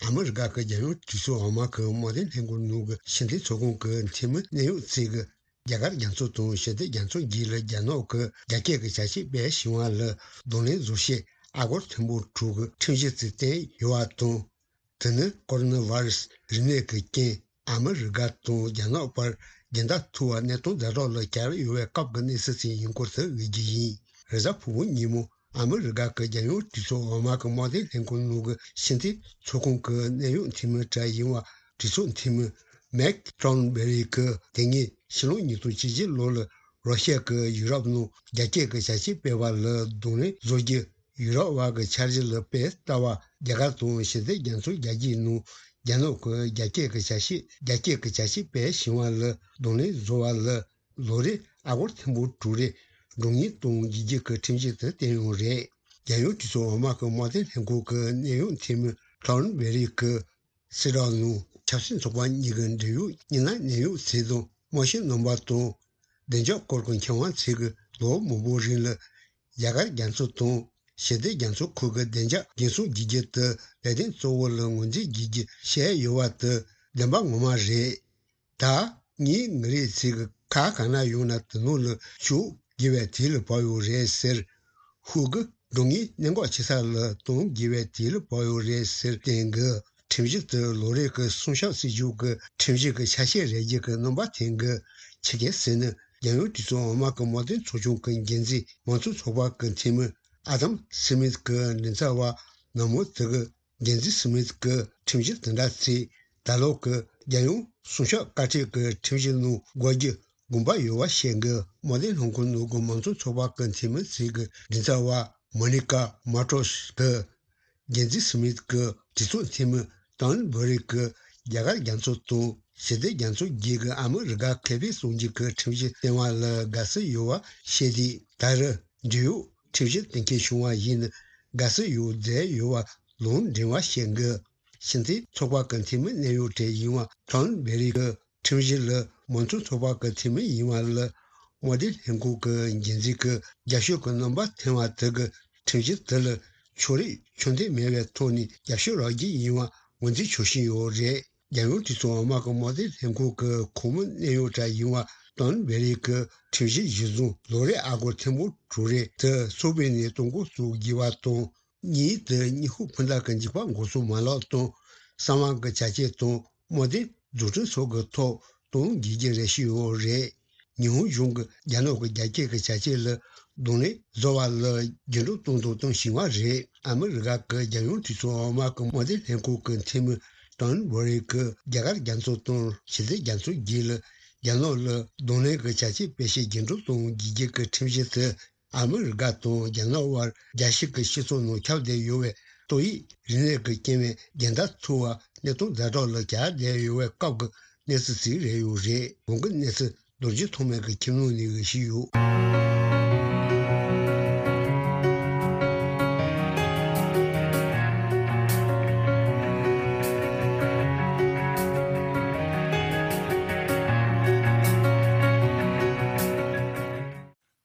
ཨ་མི་རི་ཀ་གི་རྒྱལ་ཡོངས་གྲོས་ཚོགས་འོག་མ་གི་དམངས་དོན་ལྷན་ཁང་ནང་གི་ཕྱི་འཐེན་ཚོགས་ཁང་གི་འཐུས་མི་གནད་ཡོད་ཚོས་ཀྱི། རྒྱ་གར་རྒྱ་མཚོ་དང་ཞི་བདེ་རྒྱ་མཚོ་བརྒྱུད་ལ་རྒྱ་ནག་གི་རྒྱ་སྐྱེད་ཀྱི་བྱ་སྤྱོད་སྤེལ་བཞིན་པ་ལ་གདོང་ལེན་བཟོ་ཆེད་ཨ་སྒོར་ཐེར་འབུམ་དྲུག་གི་ཁྲིམས་གཞི་ཞིག་བཏོན་ཡོད་པ་དང་། དེ་ནི་ཀོ་རོ་ན་ཝེ་རུ་སི་རིམས་ནད་ཀྱི་རྐྱེན་ཨ་མི་རི་ཀ་དང་རྒྱ་ནག་བར་འགལ་ཟླ་ཐུག་པ་གནས་སྟངས་ཛ་དྲག་ལ་གྱར་ཡོད་པའི་སྐབས་ཀྱི་གནས་ཚུལ་ཞིག་ཡིན་སྐོར་དུ་འགྲེལ་རྒྱུ་ཡིན། རེས་གཟའ་ཕུར་བུ་ཉིན་མོ་ཨ་མི་རི་ཀ་གི་རྒྱལ་ཡོངས་གྲོས་ཚོགས་འོག་མ་གི་དམངས་དོན་ལྷན་ཁང་ནང་གི་ཕྱི་འཐེན་ཚོགས་ཁང་གི་གནད་ཡོད་འཐུས་མི་གྲས་ཡིན་པ་གྲོས་ཚོགས་འཐུས་མི་མེག་ཀྲོན་བེ་རི་གིས་དེ་སྔའི་ཕྱི་ལོ་ཉིས་སྟོང་བཅུ་བཞི་ལོ་ལ་རོ་ཤི་ཡ་གིས་ཡུ་རོབ་ནང་རྒྱ་སྐྱེད་ཀྱི་བྱ་སྤྱོད་སྤེལ་བ་ལ་གདོང་ལེན་བཟོ་རྒྱུ། ཡུ་རོབ་དབར་གྱི་འཆར་གཞི་ལ་དཔེ་ལྟ་བ། རྒྱ་གར་དང་ཞི་བདེ་རྒྱ་མཚོ་རྒྱ་སྐྱེད་ནང་རྒྱ་ནག་གི་རྒྱ་སྐྱེད་ཀྱི་བྱ་སྤྱོད་རྒྱ་སྐྱེད་ཀྱི་བྱ་སྤྱོད་སྤེལ་བཞིན་པ་ལ་གདོང་ལེན་བཟོ་བ་ལ་ལོ་རེར་ཨ་སྒོར་ཐེར་འབུམ་དྲུག་རེ་སྒྲོན་གཉེར་གཏོང་རྒྱུ་གི་ཁྲིམས་གཞི་དེ་བཏོན་ཡོད་རེད། རྒྱལ་ཡོངས་གྲོས་ཚོགས་འོག་མ་གི་དམངས་དོན་ལྷན་ཁང་གི་གནད་ཡོད་འཐུས་མི་ཀྲོན་བེ་རི་གིས་གསལ་བསྒྲགས་ནང་ཆབ་སྲིད་ཚོགས་པ་གཉིས་ཀྱི་འབྲེལ་ཡོད་མི་སྣ་གནད་ཡོད་ཚོས་དང་དམངས་སྤྱི་རྣམ་པ་དང་བདེ་འཇགས་སྐོར་གྱི་མཁས་དབང་ཚོས་ཀྱིས་ལོ་མང་པོའི་རིང་ལ་རྒྱ་གར་རྒྱ་མཚོ་དང་ཞི་བདེ་རྒྱ་མཚོ་ཁུལ་གྱི་བདེ་འཇགས་འགན་སྲུང་བྱེད་རྒྱུ་དེ་ལས་དོན་གཙོ་བོ་ལ་ངོས་འཛིན་བྱེད་རྒྱུ་བཤད་ཡོད་པ་དེ་བདེན་པ་ངོ་མ་རེད། ད་ངས་ངའི་རེ་ཚིག་གི་ཁ་གང་ན་ཡོང་ན་དེ་ནང་ལ་ཞུགས་དགོས་པའི་དུས་ལ་བབ་ཡོད་རེད་ཟེར། ཧུའུ་གི་སྒྲོན་གཉེར་གནད་འགག་ཆེ་ས་ལ་གཏོང་དགོས་པའི་དུས་ལ་བབ་ཡོད་རེད་ཟེར་བསྟན་གི། ཁྲིམས་གཞི་དེ་ལོ་རེ་གི་སྲུང་སྐྱོབ་སྲིད་ཇུས་ཀྱི་ཁྲིམས་གཞི་གི་ཆ་ཤས་རེད་རྒྱུ་གི་རྣམ་པ་འཐེན་གི། ཆི་གེ་ཟེར་ནི་རྒྱལ་ཡོངས་གྲོས་ཚོགས་འོག་མ་གི་དམངས་དོན་ཚོགས་ཆུང་གི་འགན་འཛིན་མང་གཙོ་ཚོགས་པ་གི་འཐུས་མི་ཨ་དམ་སི་མིད་ཀྱི་མགྲིན་ཚབ་པ་ནག་མོ་དེ་གི། འགན་འཛིན་སི་མིད་ཀྱིས་ཁྲིམས་གཞི་དེ་འདྲ་ཚིག་ད་ལོ་གི་རྒྱལ་ཡོངས་སྲུང་སྐྱོབ་བཀའ་ཁྲིད་ཀྱི་ཁྲིམས་གཞི་ནང་འགོད་རྒྱུ་དགོངས་པ་ཡོད་པ་བཤད་གི། དམངས་དོན་ལྷན་ཁང་ནང་གི་མང་གཙོ་ཚོགས་པ་གི་འཐུས་མི་ཚོས་ཀྱི་མགྲིན་ཚབ་པ་མོ་ནི་ཀ་མ་ཀྲོས་གིས་འགན་འཛིན་སི་མིད་ཀྱིས་གྲོས་ཚོགས་འཐུས་མི་ཏོན་བྷོ་རི་གིས་རྒྱ་གར་རྒྱ་མཚོ་དང་ཞི་བདེ་རྒྱ་མཚོ་བརྒྱུད་ཀྱི་ཨ་མི་རི་ཀ་ཁེ་ཕན་སྲུང་རྒྱུ་གི་ཁྲིམས་གཞི་བཏོན་པ་ལ་དགའ་བསུ་ཡོད་པ་བཤད་དུས། ད་རེས་འབྲེལ་ཡོད་ཁྲིམས་གཞི་གཏན་འཁེལ་བྱུང་བ་ཡིན་ན་དགའ་བསུ་ཡོད་མཛད་ཡོད་པ་ལུང་འདྲེན་པ་བཤད་གི། ཕྱི་འཐེན་ཚོགས་པ་གི་འཐུས་མི་གནད་ཡོད་གྲས་ཡིན་པ་ཀྲོན་བེ་རི་གིས་ཁྲིམས་གཞི་ལ་མང་གཙོ་ཚོགས་པ་གི་འཐུས་མི་ཡིན་པ་ལ་དམངས་དོན་ལྷན་ཁང་གི་འགན་འཛིན་གྱིས་རྒྱབ་སྐྱོར་གྱི་རྣམ་པ་འཐེན་པ་དེ་གིས་ཁྲིམས་གཞི་དེ་ལ་ཕྱོགས་རིས་ཆོག་མཐུན་མེད་པའི་ཐོག་ནས་རྒྱབ་སྐྱོར་རག་རྒྱུ་ཡིན་པ་ངོས་འཛིན་བྱེད་བཞིན་ཡོད་རེད། རྒྱལ་ཡོངས་གྲོས་ཚོགས་འོག་མ་གི་དམངས་དོན་ལྷན་ཁང་གི་ཁོངས་མི་གནད་ཡོད་གྲས་ཡིན་པ་ཏོན་བེ་རི་གིས་ཁྲིམས་གཞི་གཞིར་བཟུང་ལོ་རེར་ཨ་སྒོར་ཐེར་འབུམ་དྲུག་རེ་དེ་ཚོགས་པའི་ནས་གཏོང་འགོ་བཙུགས་དགོས་པ་དང་། གཉིས་དེ་ཉི་ཧོང་འཕུར་མདའ་གི་འཇིགས་པ་འགོག་སྲུང་མ་ལག་དང་གསང་བ་གི་བྱ་སྤྱོད་དང་དམངས་དོན་འཛུགས་སྐྲུན་སོགས་ཀྱི་ཐོག་གཏོང་དགོས་ཀྱི་རེད་བཤད་ཡོད་རེད། ཉི་ཧོང་གཞུང་གིས་རྒྱ་ནག་གི་རྒྱ་སྐྱེད་ཀྱི་བྱ་སྤྱོད་ལ་གདོང་ལེན་བཟོ་བ་ལ་རྒྱུན་སྒྲོག་གཏོང་དང་གཏོང་བཞིན་པ་རེད། ཨ་མི་རི་ཀ་གི་རྒྱལ་ཡོངས་གྲོས་ཚོགས་འོག་མ་གི་དམངས་དོན་ལྷན་ཁང་གི་འཐུས་མི་ཏོན་བྷོ་རི་གིས་རྒྱ་གར་རྒྱ་མཚོ་དང་ཞི་བདེ་རྒྱ་མཚོ་བརྒྱུད་ལ་རྒྱ་ནག་ལ་གདོང་ལེན་གྱི་བྱ་སྤྱོད་སྤེལ་ཆེད་རྒྱུན་སྒྲོག་གཏོང་དགོས་ཀྱི་ཁྲིམས་གཞི་དེ་ཨ་མི་རི་ཀ་དང་རྒྱ་ནག་དབར་རྒྱལ་སྤྱི་གི་སྤྱི་ཚོགས་ནང་ཁྱབ་བསྡད་ཡོད་པའི་ཏོག་དབྱིབས་རིམས་ནད་ཀྱི་རྐྱེན་པས་འགལ་ཟླ་ཐུག་པ་གནས་སྟངས་ཛ་དྲག་ལ་གྱར་བསྡད་ཡོད་པའི་སྐབས་ཀྱི་གནས་ཚུལ་ཞིག་རེད་ཡོད་རེད། གོང་གི་གནས་ཚུལ་རྡོ་རྗེ་ཐོགས་མེད་ཀྱི་ཁྱིམ་ནང་ནས་ཞུས་ཡོད།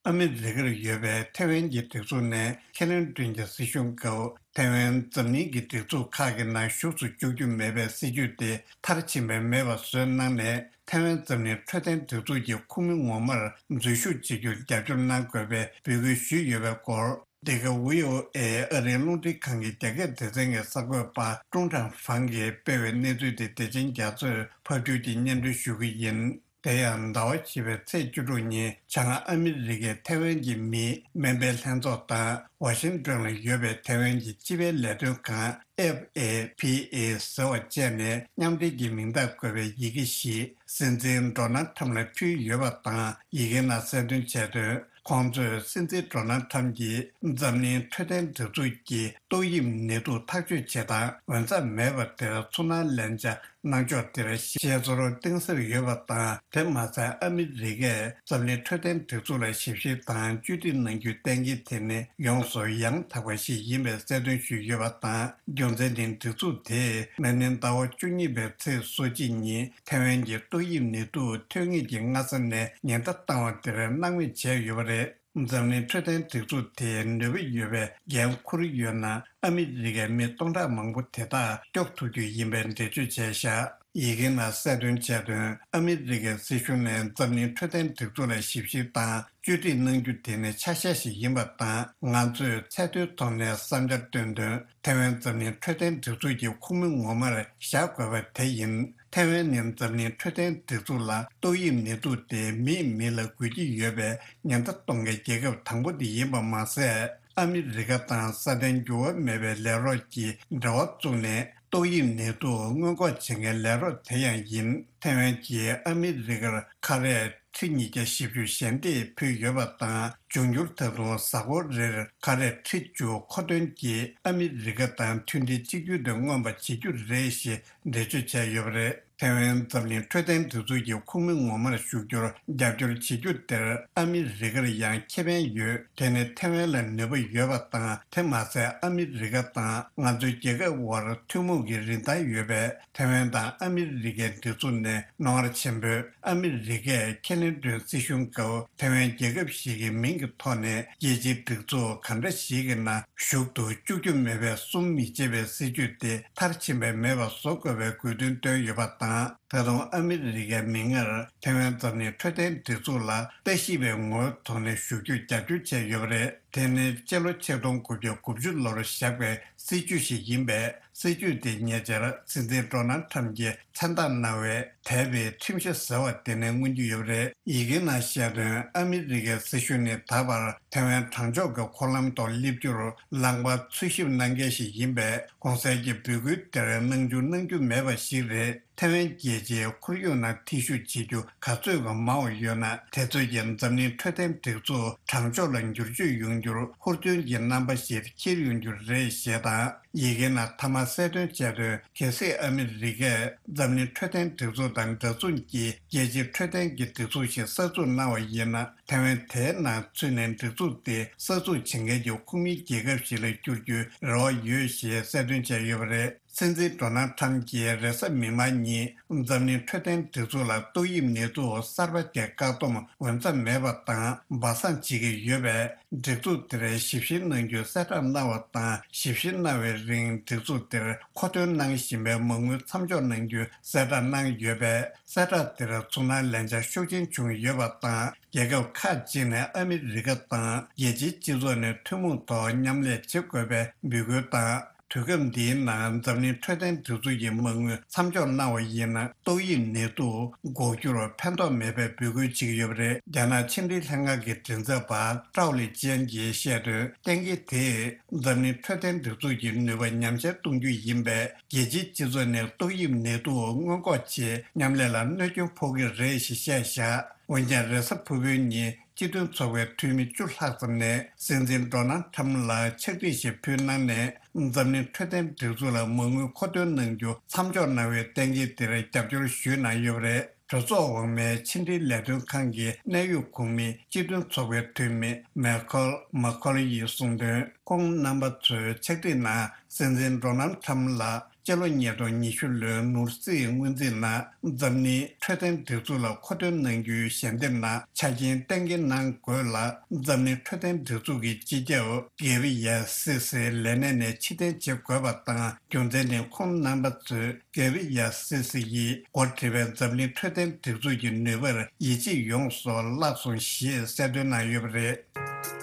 ཨ་མི་རི་ཀར་ཡོད་པའི་ཐེ་ཝན་གྱི་སྒྲིག་འཛུགས་ནས་ཁེ་ལོན་ཀྲུན་གྱིས་སྲིད་གཞུང་སྐབས་ཐེ་ཝན་འཛམ་གླིང་གི་སྒྲིག་འཛུགས་ཁག་གི་ནང་ཞུགས་སུ་བཅུག་རྒྱུ་མེད་པའི་སྲིད་ཇུས་དེ་མཐར་ཕྱིན་པ་མེད་པ་བཟོས་གནང་ནས། ཐེ་ཝན་འཛམ་གླིང་འཕྲོད་བསྟེན་སྒྲིག་འཛུགས་ཀྱི་ཁོངས་མི་ངོ་མར་འཛུལ་ཞུགས་བྱེད་རྒྱུར་རྒྱབ་སྐྱོར་གནང་དགོས་པའི་འབོད་སྐུལ་ཞུས་ཡོད་པའི་སྐོར། འདི་ག་ཝི་ཨོ་ཨེ་ཨ་རིའི་རླུང་འཕྲིན་ཁང་གི་རྒྱ་སྐད་སྡེ་ཚན་གྱི་གསར་འགོད་པ་ཀྲུང་ཀྲང་ཧྥང་གིས་སྤེལ་བའི་གནས་ཚུལ་དེ་བདེ་ཆེན་རྒྱ་མཚོས་ཕབ་སྒྱུར་གྱིས་སྙན་སྒྲོན་ཞུ་གི་ཡིན། དེ་ཡང་ཟླ་བ་བཞི་པའི་ཚེས་བཅུ་དྲུག་ཉིན་བྱང་ཨ་མི་རི་ཀས་ཐའེ་ཝན་གྱི་མིའི་སྨན་པའི་ལྷན་ཚོགས་དང་ཝ་ཤིང་ཏོན་ལ་ཡོད་པའི་ཐའེ་ཝན་གྱི་སྤྱི་པའི་ལས་དོན་ཁང་ཨེཕ་ཨེ་ཕི་ཨེ་ཟེར་བ་བཅས་ནས་མཉམ་འབྲེལ་གྱི་མིང་རྟགས་བཀོད་པའི་ཡི་གེ་ཞིག་སྲིད་འཛིན་ཌོ་ནལ་ཁྲམ་ལ་ཕུལ་ཡོད་པ་དང་། ཡི་གེ་ནང་གསལ་སྟོན་བྱས་དོན། ཁོང་ཚོས་སྲིད་འཛིན་ཌོ་ནལ་ཁྲམ་གྱིས་འཛམ་གླིང་འཕྲོད་བསྟེན་སྒྲིག་འཛུགས་ཀྱི་ཏོག་དབྱིབས་ནད་དུག་ཐག་གཅོད་བྱེད་སྟངས་འོས་འཚམ་མེད་པ་དེར་ཚོར་སྣང་ལེན་བྱ་གནང་ཕྱོགས་དེར་ཤེས་ཚོར་གཏིང་ཟབ་ཡོད་པ་དང་། དེ་མ་ཟད་ཨ་མི་རི་ཀས་འཛམ་གླིང་འཕྲོད་བསྟེན་སྒྲིག་འཛུགས་ལ་ཞིབ་བཤེར་དང་བཅོས་སྒྲིག་གནང་རྒྱུའི་གཏན་འཁེལ་དེ་ནི་ཡོངས་སུ་ཡང་དག་པ་ཞིག་ཡིན་པའི་གསལ་སྟོན་ཞུས་ཡོད་པ་དང་། རྒྱུ་མཚན་ནི་སྒྲིག་འཛུགས་དེས་མ་ཎི་ཟླ་བ་བཅུ་གཉིས་པའི་ཚེས་སོ་གཅིག་ཉིན་ཐའེ་ཝན་གྱི་ཏོག་དབྱིབས་ནད་དུག་ཐོན་ངེས་ཀྱི་སྔ་ས་ནས་ཉེན་བརྡ་བཏང་བ་དེར་སྣང་མེད་བྱས་ཡོད་པ་རེད། འཛམ་གླིང་འཕྲོད་བསྟེན་སྒྲིག་འཛུགས་དེས་ནུས་པ་ཡོད་པའི་འགན་འཁུར་ཡོད་ན། ཨ་མི་རི་ཀའི་མི་སྟོང་ཕྲག་མང་པོ་དེ་དག་སྐྱོབ་ཐུབ་རྒྱུ་ཡིན་པའི་འགྲེལ་བརྗོད་བྱས་བཞག་ཡི་གེ་ནང་གསལ་སྟོན་བྱས་དོན། ཨ་མི་རི་ཀའི་སྲིད་གཞུང་ནས་འཛམ་གླིང་འཕྲོད་བསྟེན་སྒྲིག་འཛུགས་ལ་ཞིབ་བཤེར་དང་བཅོས་སྒྲིག་གནང་རྒྱུ་དེ་ནི་ཆ་ཤས་ཤིག་ཡིན་པ་དང་། ང་ཚོས་ཚད་མཐོའི་ཐོག་ནས་བསམ་འཆར་བཏོན་དོན། ཐའེ་ཝན་འཛམ་གླིང་འཕྲོད་བསྟེན་སྒྲིག་འཛུགས་ཀྱི་ཁོངས་མི་ངོ་མར་བཞག་དགོས་པ་དེ་ཡིན། ཐའེ་ཝན་ནི་འཛམ་གླིང་འཕྲོད་བསྟེན་སྒྲིག་འཛུགས་ལ་ཏོག་དབྱིབས་ནད་དུག་དེ་མིས་མི་ལ་འགོས་ཀྱི་ཡོད་པའི་ཉེན་བརྡ་གཏོང་མཁན་རྒྱལ་ཁབ་དང་པོ་དེ་ཡིན་པ་མ་ཟད། ཨ་མི་རི་ཀ་དང་སྲ་བརྟན་འགྱུར་བ་མེད་པའི་ལས་རོགས་ཀྱིས་འབྲེལ་བ་བཙུགས་ནས་ཏོག་དབྱིབས་ནད་དུག་སྔོན་འགོག་བྱེད་མཁན་ལས་རོགས་དེ་ཡང་ཡིན། ཐའེ་ཝན་གྱིས་ཨ་མི་རི་ཀར་ཁ་རས་ཁྲི་ཉིས་བརྒྱ་བཞི་བཅུ་ཞལ་འདེབས་ཕུལ་ཡོད་པ་དང་། འབྱུང་འགྱུར་ད་དུང་གཟའ་འཁོར་རེར་ཁ་རས་ཁྲི་བཅུ་མཁོ་འདོན་གྱིས་ཨ་མི་རི་ཀ་དང་མཐུན་སྒྲིལ་གཅིག་གྱུར་དེ་མངོན་པ་བྱེད་རྒྱུ་རེད་ཞེས་འགྲེལ་བརྗོད་བྱས་ཡོད་པ་རེད། ཐའེ་ཝན་འཛམ་གླིང་འཕྲོད་བསྟེན་སྒྲིག་འཛུགས་ཀྱི་ཁོངས་མི་ངོ་མར་ཞུགས་རྒྱུར་རྒྱབ་སྐྱོར་བྱེད་རྒྱུ་དེར་ཨ་མི་རི་ཀར་ཡང་ཁེ་ཕན་ཡོད། དེ་ནི་ཐའེ་ཝན་ལ་ནུས་པ་ཡོད་པ་དང་། དེ་མ་ཟད་ཨ་མི་རི་ཀ་དང་ང་ཚོའི་རྒྱལ་ཁབ་དབར་ཐུན་མོང་གི་རིན་ཐང་ཡོད་པས། ཐའེ་ཝན་དང་ཨ་མི་རི་ཀའི་འབྲེལ་འཛུགས་ནས་རྣོ་ངར་ཆེན་པོས། ཨ་མི་རི་ཀས་ཁེ་ལིན་ཏོན་སྲིད་གཞུང་སྐབས་ཐའེ་ཝན་རྒྱལ་ཁབ་ཞིག་གི་མིང་གི་ཐོག་ནས་རྒྱལ་སྤྱིའི་སྒྲིག་འཛུགས་གང་འདྲ་ཞིག་གི་ནང་ཞུགས་འདུག་བཅུག་རྒྱུ་མེད་པའི་བསུ་མི་བྱེད་པའི་སྲིད་ཇུས་དེ་མཐར་ཕྱིན་པ་མེད་པ་བཟོ་དགོས་པའི་དགོས་འདུན་བཏོན་ཡོད་པ་དང་། ད་དུང་ཨ་མི་རི་ཀའི་མིག་སྔར་ཐའེ་ཝན་འཛམ་གླིང་འཕྲོད་བསྟེན་སྒྲིག་འཛུགས་ལ་ལྟ་ཞིབ་པའི་ངོ་བོའི་ཐོག་ནས་ཞུགས་རྒྱུར་རྒྱབ་སྐྱོར་བྱས་ཡོད་པ་རེད། དེ་ནི་སྤྱི་ལོ་ཆིག་སྟོང་དགུ་བརྒྱ་དགུ་བཅུ་ལོར་བཞག་པའི་སྲིད་ཇུས་ཤིག་ཡིན་པས། སྲིད་ཇུས་དེ་ཉེ་ཆར་སྲིད་འཛིན་ཌོ་ནལ་ཁྲམ་གྱིས་མཚན་རྟགས་གནང་བའི་དད་པའི་ཁྲིམས་གཞི་ཟེར་བ་དེ་ནས་མངོན་གྱི་ཡོད་པ་རེད། ཡི་གེ་ནང་བཤད་དོན། ཨ་མི་རི་ཀའི་སྲིད་གཞུང་ནི་ད་བར་ཐའེ་ཝན་དྲང་ཕྱོགས་ཀྱི་འཁོར་ལམ་ཐོག་སླེབས་རྒྱུར་ལངས་པ་འཚོལ་ཞིབ་གནང་མཁན་ཞིག་ཡིན་པས། གོང་གསལ་གྱི་འབོད་སྐུལ་དེར་སྣང་ཆུང་གནང་རྒྱུ་མེད་པ་ཞིག་རེད། ཐའེ་ཝན་རྒྱལ་སྤྱིའི་ཁོར་ཡུག་ནང་ཐེ་ཞུགས་བྱེད་རྒྱུ་ག་ཚོད་ཀྱང་མང་བ་ཡོད་ན། དེ་ཚོད་ཀྱིས་འཛམ་གླིང་འཕྲོད་བསྟེན་སྒྲིག་འཛུགས་དྲང་ཕྱོགས་ལ་འགྱུར་བཅོས་ཡོང་རྒྱུར་ཧུར་བརྩོན་གྱི་རྣམ་པ་ཞིག་འཁྱེར་ཡོང་རྒྱུ་རེད་ཞེས་དང་། ཡི་གེ་ནང་མཐའ་མ་གསལ་སྟོན་བྱས་དོན། གལ་སྲིད་ཨ་མི་རི་ཀས་འཛམ་གླིང་འཕྲོད་བསྟེན་སྒྲིག་འཛུགས་དང་འདྲ་མཚུངས་ཀྱི་རྒྱལ་སྤྱིའི་འཕྲོད་བསྟེན་གྱི་སྒྲིག་འཛུགས་ཤིག་གསར་འཛུགས་གནང་བ་ཡིན་ན། ཐའེ་ཝན་དེའི་ནང་ཚུད་ནས་སྒྲིག་འཛུགས་དེ་གསར་འཛུགས་བྱེད་མཁན་གྱི་ཁོངས་མིའི་རྒྱལ་ཁབ་ཞིག་ལ་འགྱུར་རྒྱུའི་རེ་བ་ཡོད་ཞེས་གསལ་སྟོན་བྱས་ཡོད་པ་རེད། སྲིད་འཛིན་ཌོ་ནལ་ཁྲམ་གྱིས་རེས་གཟའ་མིག་དམར་ཉིན་འཛམ་གླིང་འཕྲོད་བསྟེན་སྒྲིག་འཛུགས་ལ་ཏོག་དབྱིབས་ནད་དུག་གསར་པ་དེ་བཀག་སྡོམ་འོས་འཚམ་མེད་པ་དང་སྦ་གསང་བྱེད་ཀྱི་ཡོད་པས། སྒྲིག་འཛུགས་དེར་ཞིབ་བཤེར་གནང་རྒྱུའི་གསལ་བསྒྲགས་གནང་བ་དང་། ཞིབ་བཤེར་གནང་བའི་རིང་སྒྲིག་འཛུགས་དེར་མཁོ་འདོན་གནང་བཞིན་པའི་མ་དངུལ་མཚམས་འཇོག་གནང་རྒྱུའི་གསལ་བསྒྲགས་གནང་ཡོད་པས། གསལ་བསྒྲགས་དེར་ཚོར་སྣང་ལེན་འཆར་ཤུགས་ཆེན་བྱུང་ཡོད་པ་དང་། རྒྱལ་ཁབ་ཁག་ཅིག་ནས་ཨ་མི་རི་ཀ་དང་རྒྱལ་སྤྱིའི་སྤྱི་ཚོགས་ནས་ཐུན་མོང་ཐོག་མཉམ་ལས་བྱེད་དགོས་པའི་འབོད་སྐུལ་དང་། དུས་སྐབས་འདིའི་ནང་འཛམ་གླིང་འཕྲོད་བསྟེན་སྒྲིག་འཛུགས་ཀྱི་མ་དངུལ་མཚམས་འཇོག་གནང་བ་ཡིན་ན། ཏོག་དབྱིབས་ནད་དུག་འགོག་རྒྱུར་ཕན་ཐོགས་མེད་པའི་འབོད་སྐུལ་བྱེད་ཀྱི་ཡོད་པ་རེད། རྒྱ་ནག་ཕྱི་འབྲེལ་ལྷན་ཁང་གི་མགྲིན་ཚབ་པ་ཀྲའོ་ལི་ཅན་གྱིས་བཤད་དོན། གཏན་འཁེལ་དེས་འཛམ་གླིང་འཕྲོད་བསྟེན་སྒྲིག་འཛུགས་ཀྱི་ནུས་པ་ཉམས་ཆག་གཏོང་རྒྱུ་ཡིན་པས། རྒྱལ་སྤྱིའི་སྤྱི་ཚོགས་ནས་ཏོག་དབྱིབས་ནད་དུག་སྔོན་འགོག་ཆེད་མཉམ་ལས་ལ་གནོད་སྐྱོན་ཕོག་གི་རེད་ཞེས་བཤད་བཞག་འོན་ཀྱང་། རེས་གཟའ་ཕུར་བུའི་ཉིན་སྤྱི་མཐུན་ཚོགས་པའི་འཐུས་མི་བཅུ་ལྷག་ཙམ་ནས་སྲིད་འཛིན་ཌོ་ནལ་ཁྲམ་ལ་ཕྱག་བྲིས་ཤིག་ཕུལ་གནང་ནས། འཛམ་གླིང་འཕྲོད་བསྟེན་སྒྲིག་འཛུགས་ལ་མ་དངུལ་མཁོ་འདོན་གནང་རྒྱུ་མཚམས་འཇོག་གནང་བའི་གཏན་འཁེལ་དེར་རྒྱབ་སྐྱོར་ཞུས་གནང་ཡོད་པ་རེད། གྲོས་ཚོགས་འོག་མའི་ཕྱི་འབྲེལ་ལས་དོན་ཁང་གི་གནད་ཡོད་ཁོངས་མི་སྤྱི་མཐུན་ཚོགས་པའི་འཐུས་མི་མེ་ཁོལ་མ་ཁོལ་ཡིས་གསུངས་དོན། ཁོང་རྣམ་པ་ཚོའི་ཕྱག་བྲིས་ནང་། སྲིད་འཛིན་ཌོ་ནལ་ཁྲམ་ལ་སྤྱི་ལོ་ཉིས་སྟོང་ཉི་ཤུ་ལོའི་ནོར་སྲིད་སྔོན་རྩིས་ནང་། འཛམ་གླིང་འཕྲོད་བསྟེན་སྒྲིག་འཛུགས་ལ་མཁོ་འདོན་གནང་རྒྱུའི་ཞལ་འདེབས་ནང་ཆ་རྐྱེན་གཏན་འཁེལ་གནང་དགོས་ལ། འཛམ་གླིང་འཕྲོད་བསྟེན་སྒྲིག་འཛུགས་ཀྱི་སྤྱི་ཁྱབ་གེ་བི་ཡ་སི་སི་ལས་གནས་ནས་ཕྱིར་འཐེན་བྱེད་དགོས་པ་དང་། རྒྱུ་མཚན་ནི་ཁོང་རྣམ་པ་ཚོས་གེ་བི་ཡ་སི་སི་ཡིས་འགོ་ཁྲིད་པའི་འཛམ་གླིང་འཕྲོད་བསྟེན་སྒྲིག་འཛུགས་ཀྱི་ནུས་པར་ཡིད་ཆེས་ཡོངས་སུ་བརླག་སོང་ཞེས་གསལ་སྟོན་གནང་ཡོད་པ་རེད།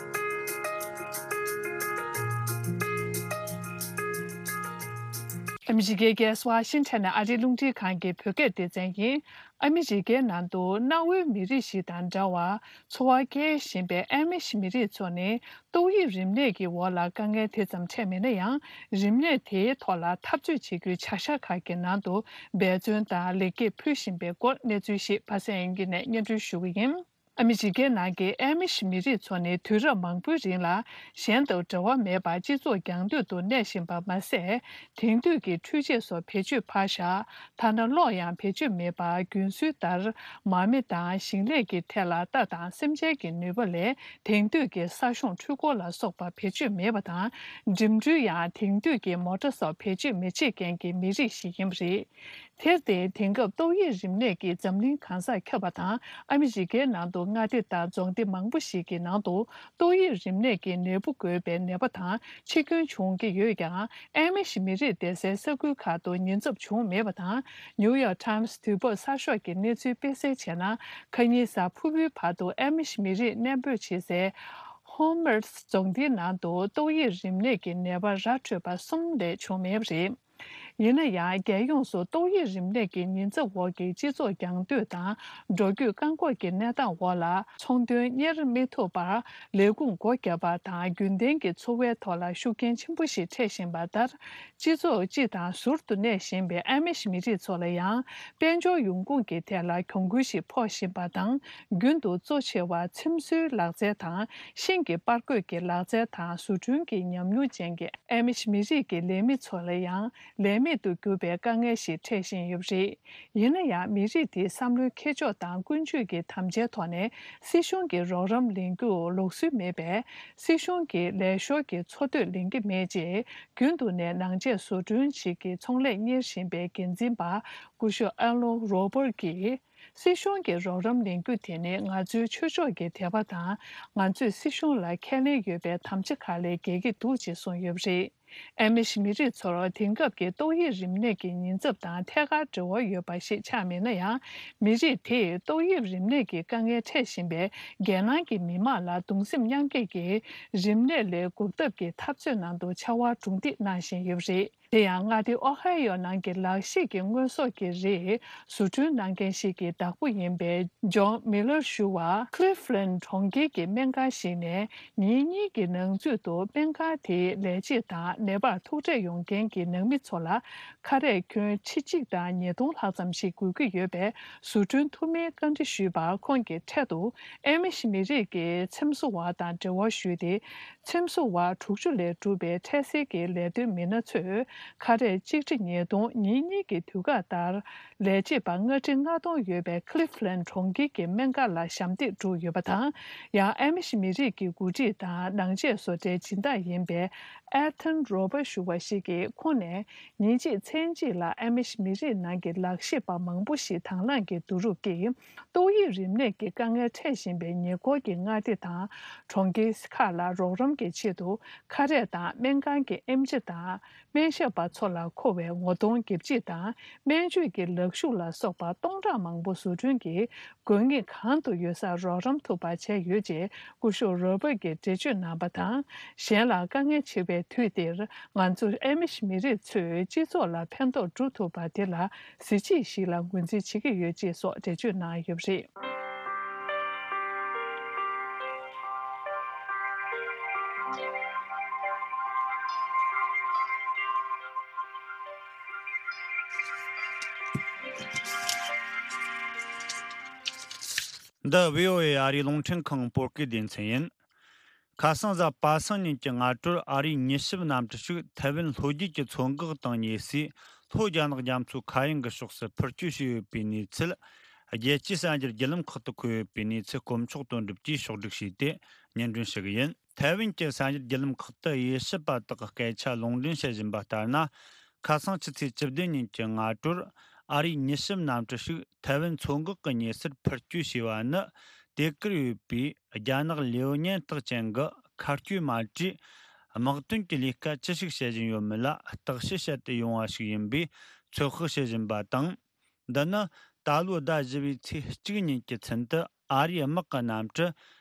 ཨ་མི་རི་ཀའི་རྒྱལ་ས་ཝ་ཤིང་ཊོན་ནས་ཨ་རིའི་རླུང་འཕྲིན་ཁང་གི་བོད་སྐད་སྡེ་ཚན་ཡིན། ཨ་མི་རི་ཀའི་ནང་དུ་གནའ་བོའི་མི་རིགས་ཤིག་དང་འདྲ་བར་འཚོ་བ་སྐྱེལ་བཞིན་པའི་ཨ་མི་ཤི་མི་རིགས་ཚོ་ནི་ཏོག་དབྱིབས་རིམས་ནད་ཀྱི་འོག་ལ་དཀའ་ངལ་དེ་ཙམ་འཕྲད་མེད་ན་ཡང་། རིམས་ནད་དེའི་ཐོག་ལ་འཐབ་རྩོད་བྱེད་རྒྱུའི་བྱ་གཞག་ཁག་གི་ནང་དུ་འབད་བརྩོན་དང་ལེགས་སྐྱེས་ཕུལ་བཞིན་པའི་སྐོར་གནས་ཚུལ་ཞིག་ཕ་སན་ཡན་གྱི་ནས་སྙན་སྒྲོན་ཞུ་གི་ཡིན། ཨ་མི་རི་ཀའི་ནང་གི་ཨ་མི་ཤི་མི་རིགས་ཚོ་ནི་དུས་རབས་མང་པོའི་རིང་ལ་གཞན་དང་འབྲེལ་བ་མེད་པར་སྤྱི་ཚོགས་རྒྱང་སྟོད་དུ་གནས་བཞིན་པ་མ་ཟད། དེང་དུས་ཀྱི་འཕྲུལ་ཆས་སོགས་བེད་སྤྱོད་ཕར་བཞག་ཐ་ན་གློག་ཡང་བེད་སྤྱོད་མེད་པར་རྒྱུན་སྲོལ་ལྟར་མ་རྨོས་དང་། ཞིང་ལས་ཀྱི་ཐད་ལ་རྟ་དང་སེམས་ཅན་གྱི་ནུས་པ་ལས་དེང་དུས་ཀྱི་ས་གཤོང་འཕྲུལ་འཁོར་ལ་སོགས་པ་བེད་སྤྱོད་མེད་པ་དང་། འགྲིམ་འགྲུལ་ཡང་དེང་དུས་ཀྱི་མོ་ཊ་སོགས་བེད་སྤྱོད་མི་བྱེད་མཁན་གྱི་མི་རིགས་ཤིག་ཡིན་པ་རེད། དེར་བརྟེན། དེང་སྐབས་ཏོག་དབྱིབས་རིམས་ནད་ཀྱིས་འཛམ་གླིང་གང་སར་ཁྱབ་པ་དང་། ཨ་མི་རི་ཀའི་ནང་དུ་མངའ་སྡེ་དང་རྫོང་སྡེ་མང་པོ་ཞིག་གི་ནང་དུ་ཏོག་དབྱིབས་རིམས་ནད་ཀྱི་ནད་འབུ་འགོས་པའི་ནད་པ་དང་འཆི་སྐྱོན་བྱུང་གི་ཡོད་ཀྱང་། ཨ་མི་ཤི་མི་རིགས་སྡོད་སའི་ས་ཁུལ་ཁག་ཏུ་ཉེན་ཚབས་བྱུང་མེད་པ་དང་། ནིའུ་ཡོག་ཊའིམ་སི་དུས་བབ་གསར་ཤོག་གི་གནས་ཚུལ་དཔེ་གསལ་བྱས་ན། ཁ་ཉིན་གཟའ་ཕུར་བུའི་བར་དུ་ཨ་མི་ཤི་མི་རིགས་གནས་སྤོས་བྱེད་སའི་ཧོམ་མར་རྫོང་སྡེའི་ནང་དུ་ཏོག་དབྱིབས་རིམས་ནད་ཀྱི་ནད་པ་ར་འཕྲོད་པ་གསུམ་ལས་བྱུང་མེད་པ་རེད། ཡིན་ན་ཡང་། རྒྱལ་ཡོངས་སུ་ཏོག་དབྱིབས་རིམས་ནད་ཀྱི་ཉེན་ཚབས་འོག་གི་སྤྱི་ཚོགས་རྒྱང་སྡོད་དང་། འགྲོ་སྐྱོད་བཀག་འགོག་གི་གནས་སྟངས་འོག་ལ། ཚོང་དོན་གཉེར་མི་ཐུབ་པར། ལས་ཁུངས་སྒོ་བརྒྱབ་པ་དང་། རྒྱུན་ལྡན་གྱི་འཚོ་བའི་ཐོག་ལ་ཤུགས་རྐྱེན་ཆེན་པོ་ཞིག་འཕྲད་བཞིན་པ་ལྟར། སྤྱི་ཚོགས་སྤྱི་དང་ཟུར་དུ་གནས་བཞིན་པའི་ཨ་མི་ཤི་མི་རིགས་ཚོ་ལ་ཡང་། དཔལ་འབྱོར་ཡོང་ཁུངས་ཀྱི་ཐད་ལ་གྱོང་གུན་ཞིག་ཕོག་བཞིན་པ་དང་། རྒྱུན་དུ་གཙོ་ཆེ་བ་ཚེམ་བཟོའི་ལག་རྩལ་དང་། ཤིང་གི་པར་བརྐོས་ཀྱི་ལག་རྩལ་དང་། བཟོ་སྐྲུན་གྱི་ཉམས་མྱོང་ཅན་གྱི་ཨ་མི་ཤི་མི་རིགས་ཀྱི་ལས་མི་ཚོ་ལ་ཡང་། ལས་མེད་དུ་གྱུར་པའི་དཀའ་ངལ་ཞིག་འཕྲད་བཞིན་ཡོད་པ་རེད། ཡིན་ན་ཡང་། མི་རིགས་དེའི་བསམ་བློའི་འཁྱེར་ཕྱོགས་དང་ཀུན་སྤྱོད་ཀྱི་དམ་བཅའི་ཐོག་ནས་སྲིད་གཞུང་གི་རོགས་རམ་ལེན་རྒྱུར་ལུགས་སྲོལ་མེད་པས། སྲིད་གཞུང་གི་ལས་ཤོར་གྱི་འཚོ་སྡོད་ལེན་གྱི་མེད་ཅེས། རྒྱུན་དུ་ནས་ནང་ཆས་བཟོ་སྐྲུན་བྱེད་ཀྱི་ཚོང་ལས་གཉེར་བཞིན་པའི་འགན་འཛིན་པ་སྐུ་ཞབས་ཨ་ལོན་རོ་པར་གྱིས། སྲིད་གཞུང་གི་རོགས་རམ་ལེན་རྒྱུ་དེ་ནི་ང་ཚོའི་ཆོས་ཕྱོགས་ཀྱི་དད་པ་དང་། ང་ཚོས་སྲིད་གཞུང་ལ་ཁས་ལེན་ཡོད་པའི་དམ་བཅའ་ཁག་ལས་འགལ་གྱི་འདུག་ཅེས་གསུངས་ཡོད་པ་རེད། ཨ་མི་ཤི་མི་རིགས་ཚོར་དེང་སྐབས་ཀྱི་ཏོག་དབྱིབས་རིམས་ནད་ཀྱི་ཉེན་ཚབས་དང་ཐད་ཀར་འབྲེལ་བ་ཡོད་པ་ཞིག་ཆགས་མེད་ན་ཡང་། མི་རིགས་དེས་ཏོག་དབྱིབས་རིམས་ནད་ཀྱི་དཀའ་ངལ་འཕྲད་བཞིན་པའི་རྒྱལ་ནང་གི་མི་མང་ལ་གདུང་སེམས་མཉམ་སྐྱེད་ཀྱིས། རིམས་ནད་ལས་འགོག་ཐབས་ཀྱི་འཐབ་རྩོད་ནང་དུ་ཕྱར་བ་གྲུ་འདེགས་གནང་བཞིན་ཡོད་པ་རེད། དེ་ཡང་། མངའ་སྡེ་ཨོ་ཧའེ་ཡོ་ནང་གི་ལག་ཤེས་ཀྱི་དངོས་ཟོག་གི་རིགས་བཟོ་སྐྲུན་གནང་མཁན་ཞིག་གི་བདག་པོ་ཡིན་པའི་ཇོན་མི་ལར་ཞུ་བ། ཁི་ལིབ་ལན་གྲོང་ཁྱེར་གྱི་སྨན་ཁང་ཞིག་ནས། ཉིན་གཉིས་ཀྱི་ནང་ཚུད་དུ་སྨན་ཁང་དེའི་ལས་བྱེད་དང་། ནད་པར་ཐུག་འཕྲད་ཡོང་མཁན་གྱི་ནང་མི་ཚོ་ལ། ཁ་རས་གྱོན་ཁྲི་གཅིག་དང་ཉིས་སྟོང་ལྷག་ཙམ་ཞིག་དགོས་ཀྱི་ཡོད་པས། བཟོ་སྐྲུན་ཐུབ་མིན་བཀའ་འདྲི་ཞུས་པར། ཁོང་གིས་འཕྲལ་དུ་ཨ་མི་ཤི་མི་རིགས་ཀྱི་ཚེམ་བཟོ་བ་དང་འབྲེལ་བ་ཞུས་ཏེ། ཚེམ་བཟོ་བ་དྲུག་ཅུ་ལས་གྲུབ་པའི་འཕྲལ་སེལ་གྱི་ལས་དོན་མི་སྣ་ཚོས། ཁ་རས་གཅིག་ཁྲི་ཉིས་སྟོང་། ཉིན་གཉིས་ཀྱི་དུས་བཀག་ལྟར། ལས་བྱེད་པ་ལྔ་ཁྲི་ལྔ་སྟོང་ཡོད་པའི་ཁི་ལིབ་ལན་གྲོང་ཁྱེར་གྱི་སྨན་ཁང་ལ་ཞབས་འདེགས་བསྒྲུབས་ཡོད་པ་དང་། ཡང་། ཨ་མི་ཤི་མི་རིགས་ཀྱི་འགོ་ཁྲིད་དང་ནང་ཆས་བཟོ་གྲྭའི་སྦྱིན་བདག་ཡིན་པའི་ཨེ་ཐན་རོ་པར་ཞུ་བ་ཞིག་གིས། ཁོང་ནས་ཉིན་གཅིག་མཚན་གཅིག་ལ་ཨ་མི་ཤི་མི་རིགས་ནང་གི་ལག་ཤེས་པ་མང་པོ་ཞིག་དང་བླངས་ཀྱིས་བསྡུ་རུབ་ཀྱིས། ཏོག་དབྱིབས་རིམས་ནད་ཀྱི་དཀའ་ངལ་འཕྲད་བཞིན་པའི་ཉེ་འཁོར་གྱི་མངའ་སྡེ་དང་གྲོང་ཁྱེར་ཁག་ལ་རོགས་རམ་གྱི་ཆེད་དུ། ཁ་རས་དང་སྨན་ཁང་གི་ཨེམ་ཆི་དང་སྨན་ཞབས་པ་ཚོ་ལ་མཁོ་བའི་ངོ་གདོང་འགེབས་བྱེད་དང་སྨན་བཅོས་ཀྱི་ལག་ཤུབས་ལ་སོགས་པ་སྟོང་ཕྲག་མང་པོ་བཟོ་སྐྲུན་གྱིས། དགོས་ངེས་གང་དུ་ཡོད་སར་རོགས་རམ་ཐུབ་པ་བྱས་ཡོད་ཅེས་སྐུ་ཞབས་རོ་པར་གྱིས་འགྲེལ་བརྗོད་གནང་བ་དང་། གཞན་ལ་དཀའ་ངལ་ཆེ་བའི་དུས་འདིར། ང་ཚོ་ཨ་མི་ཤི་མི་རིགས་ཚོས་སྤྱི་ཚོགས་ལ་ཕན་ཐོགས་སྒྲུབ་ཐུབ་པ་དེ་ལ་གཟི་བརྗིད་ཞིག་ལ་ངོས་འཛིན་བྱེད་ཀྱི་ཡོད་ཅེས་སོགས་འགྲེལ་བརྗོད་གནང་ཡོད་པ་རེད། འདི་བྷི་ཨོ་ཨེ་ཨ་རིའི་རླུང་འཕྲིན་ཁང་བོད་སྐད་སྡེ་ཚན་ཡིན། ཁ་སང་གཟའ་པ་སངས་ཉིན་གྱི་སྔ་དྲོར་ཨ་རིའི་མྱི་ཞིབ་གནམ་གྲུ་ཞིག་ཐའེ་ཝན་ལྷོ་རྒྱུད་ཀྱི་མཚོ་འགག་དང་ཉེ་སའི་ལྷོ་རྒྱ་ནག་རྒྱ་མཚོའི་མཁའ་དབྱིངས་ཀྱི་ཕྱོགས་སུ་འཕུར་སྐྱོད་བྱས་ཡོད་པའི་གནས་ཚུལ། རྒྱལ་སྤྱིའི་གསར་འགྱུར་བརྒྱུད་ལམ་ཁག་ཏུ་འཁོད་ཡོད་པའི་གནས་ཚུལ་དཀོན་མཆོག་དོན་གྲུབ་ཀྱིས་ཕྱོགས་སྒྲིག་བྱས་ཏེ་སྙན་སྒྲོན་ཞུ་གི་ཡིན། ཐའེ་ཝན་གྱི་གསར་འགྱུར་བརྒྱུད་ལམ་ཁག་ཏུ་དབྱེ་ཞིབ་པ་དག་གིས་སྐད་ཆ་ལུང་འདྲེན་བྱེད་བཞིན་པ་ལྟར་ན། ཁ་སང་ཕྱི་ཚེས་བཅུ་བདུན་ཉིན་གྱི་སྔ་དྲོར་ཨ་རིའི་མྱི་ཞིབ་གནམ་གྲུ་ཞིག་ཐའེ་ཝན་མཚོ་འགག་གི་ཉེ་སར་འཕུར་སྐྱོད་བྱས་པ་ནི། དེ་གར་ཡོད་པའི་རྒྱ་ནག་ལེའོ་ཉན་རྟགས་ཅན་གྱི་མཁའ་སྐྱོད་མ་གྲོས་དམག་དོན་གྱི་ལས་ཀ་ཅི་ཞིག་བྱེད་བཞིན་ཡོད་མེད་ལ་བརྟག་དཔྱད་བྱེད་དུ་ཡོང་བ་ཞིག་ཡིན་པས་ཚོད་དཔག་བྱེད་བཞིན་པ་དང་། འདི་ནི་ད་ལོའི་ཟླ་བཞི་པའི་ཚེས་གཅིག་ཉིན་གྱི་ཚུན་དུ་ཨ་རིའི་དམག་གི་གནམ་གྲུ་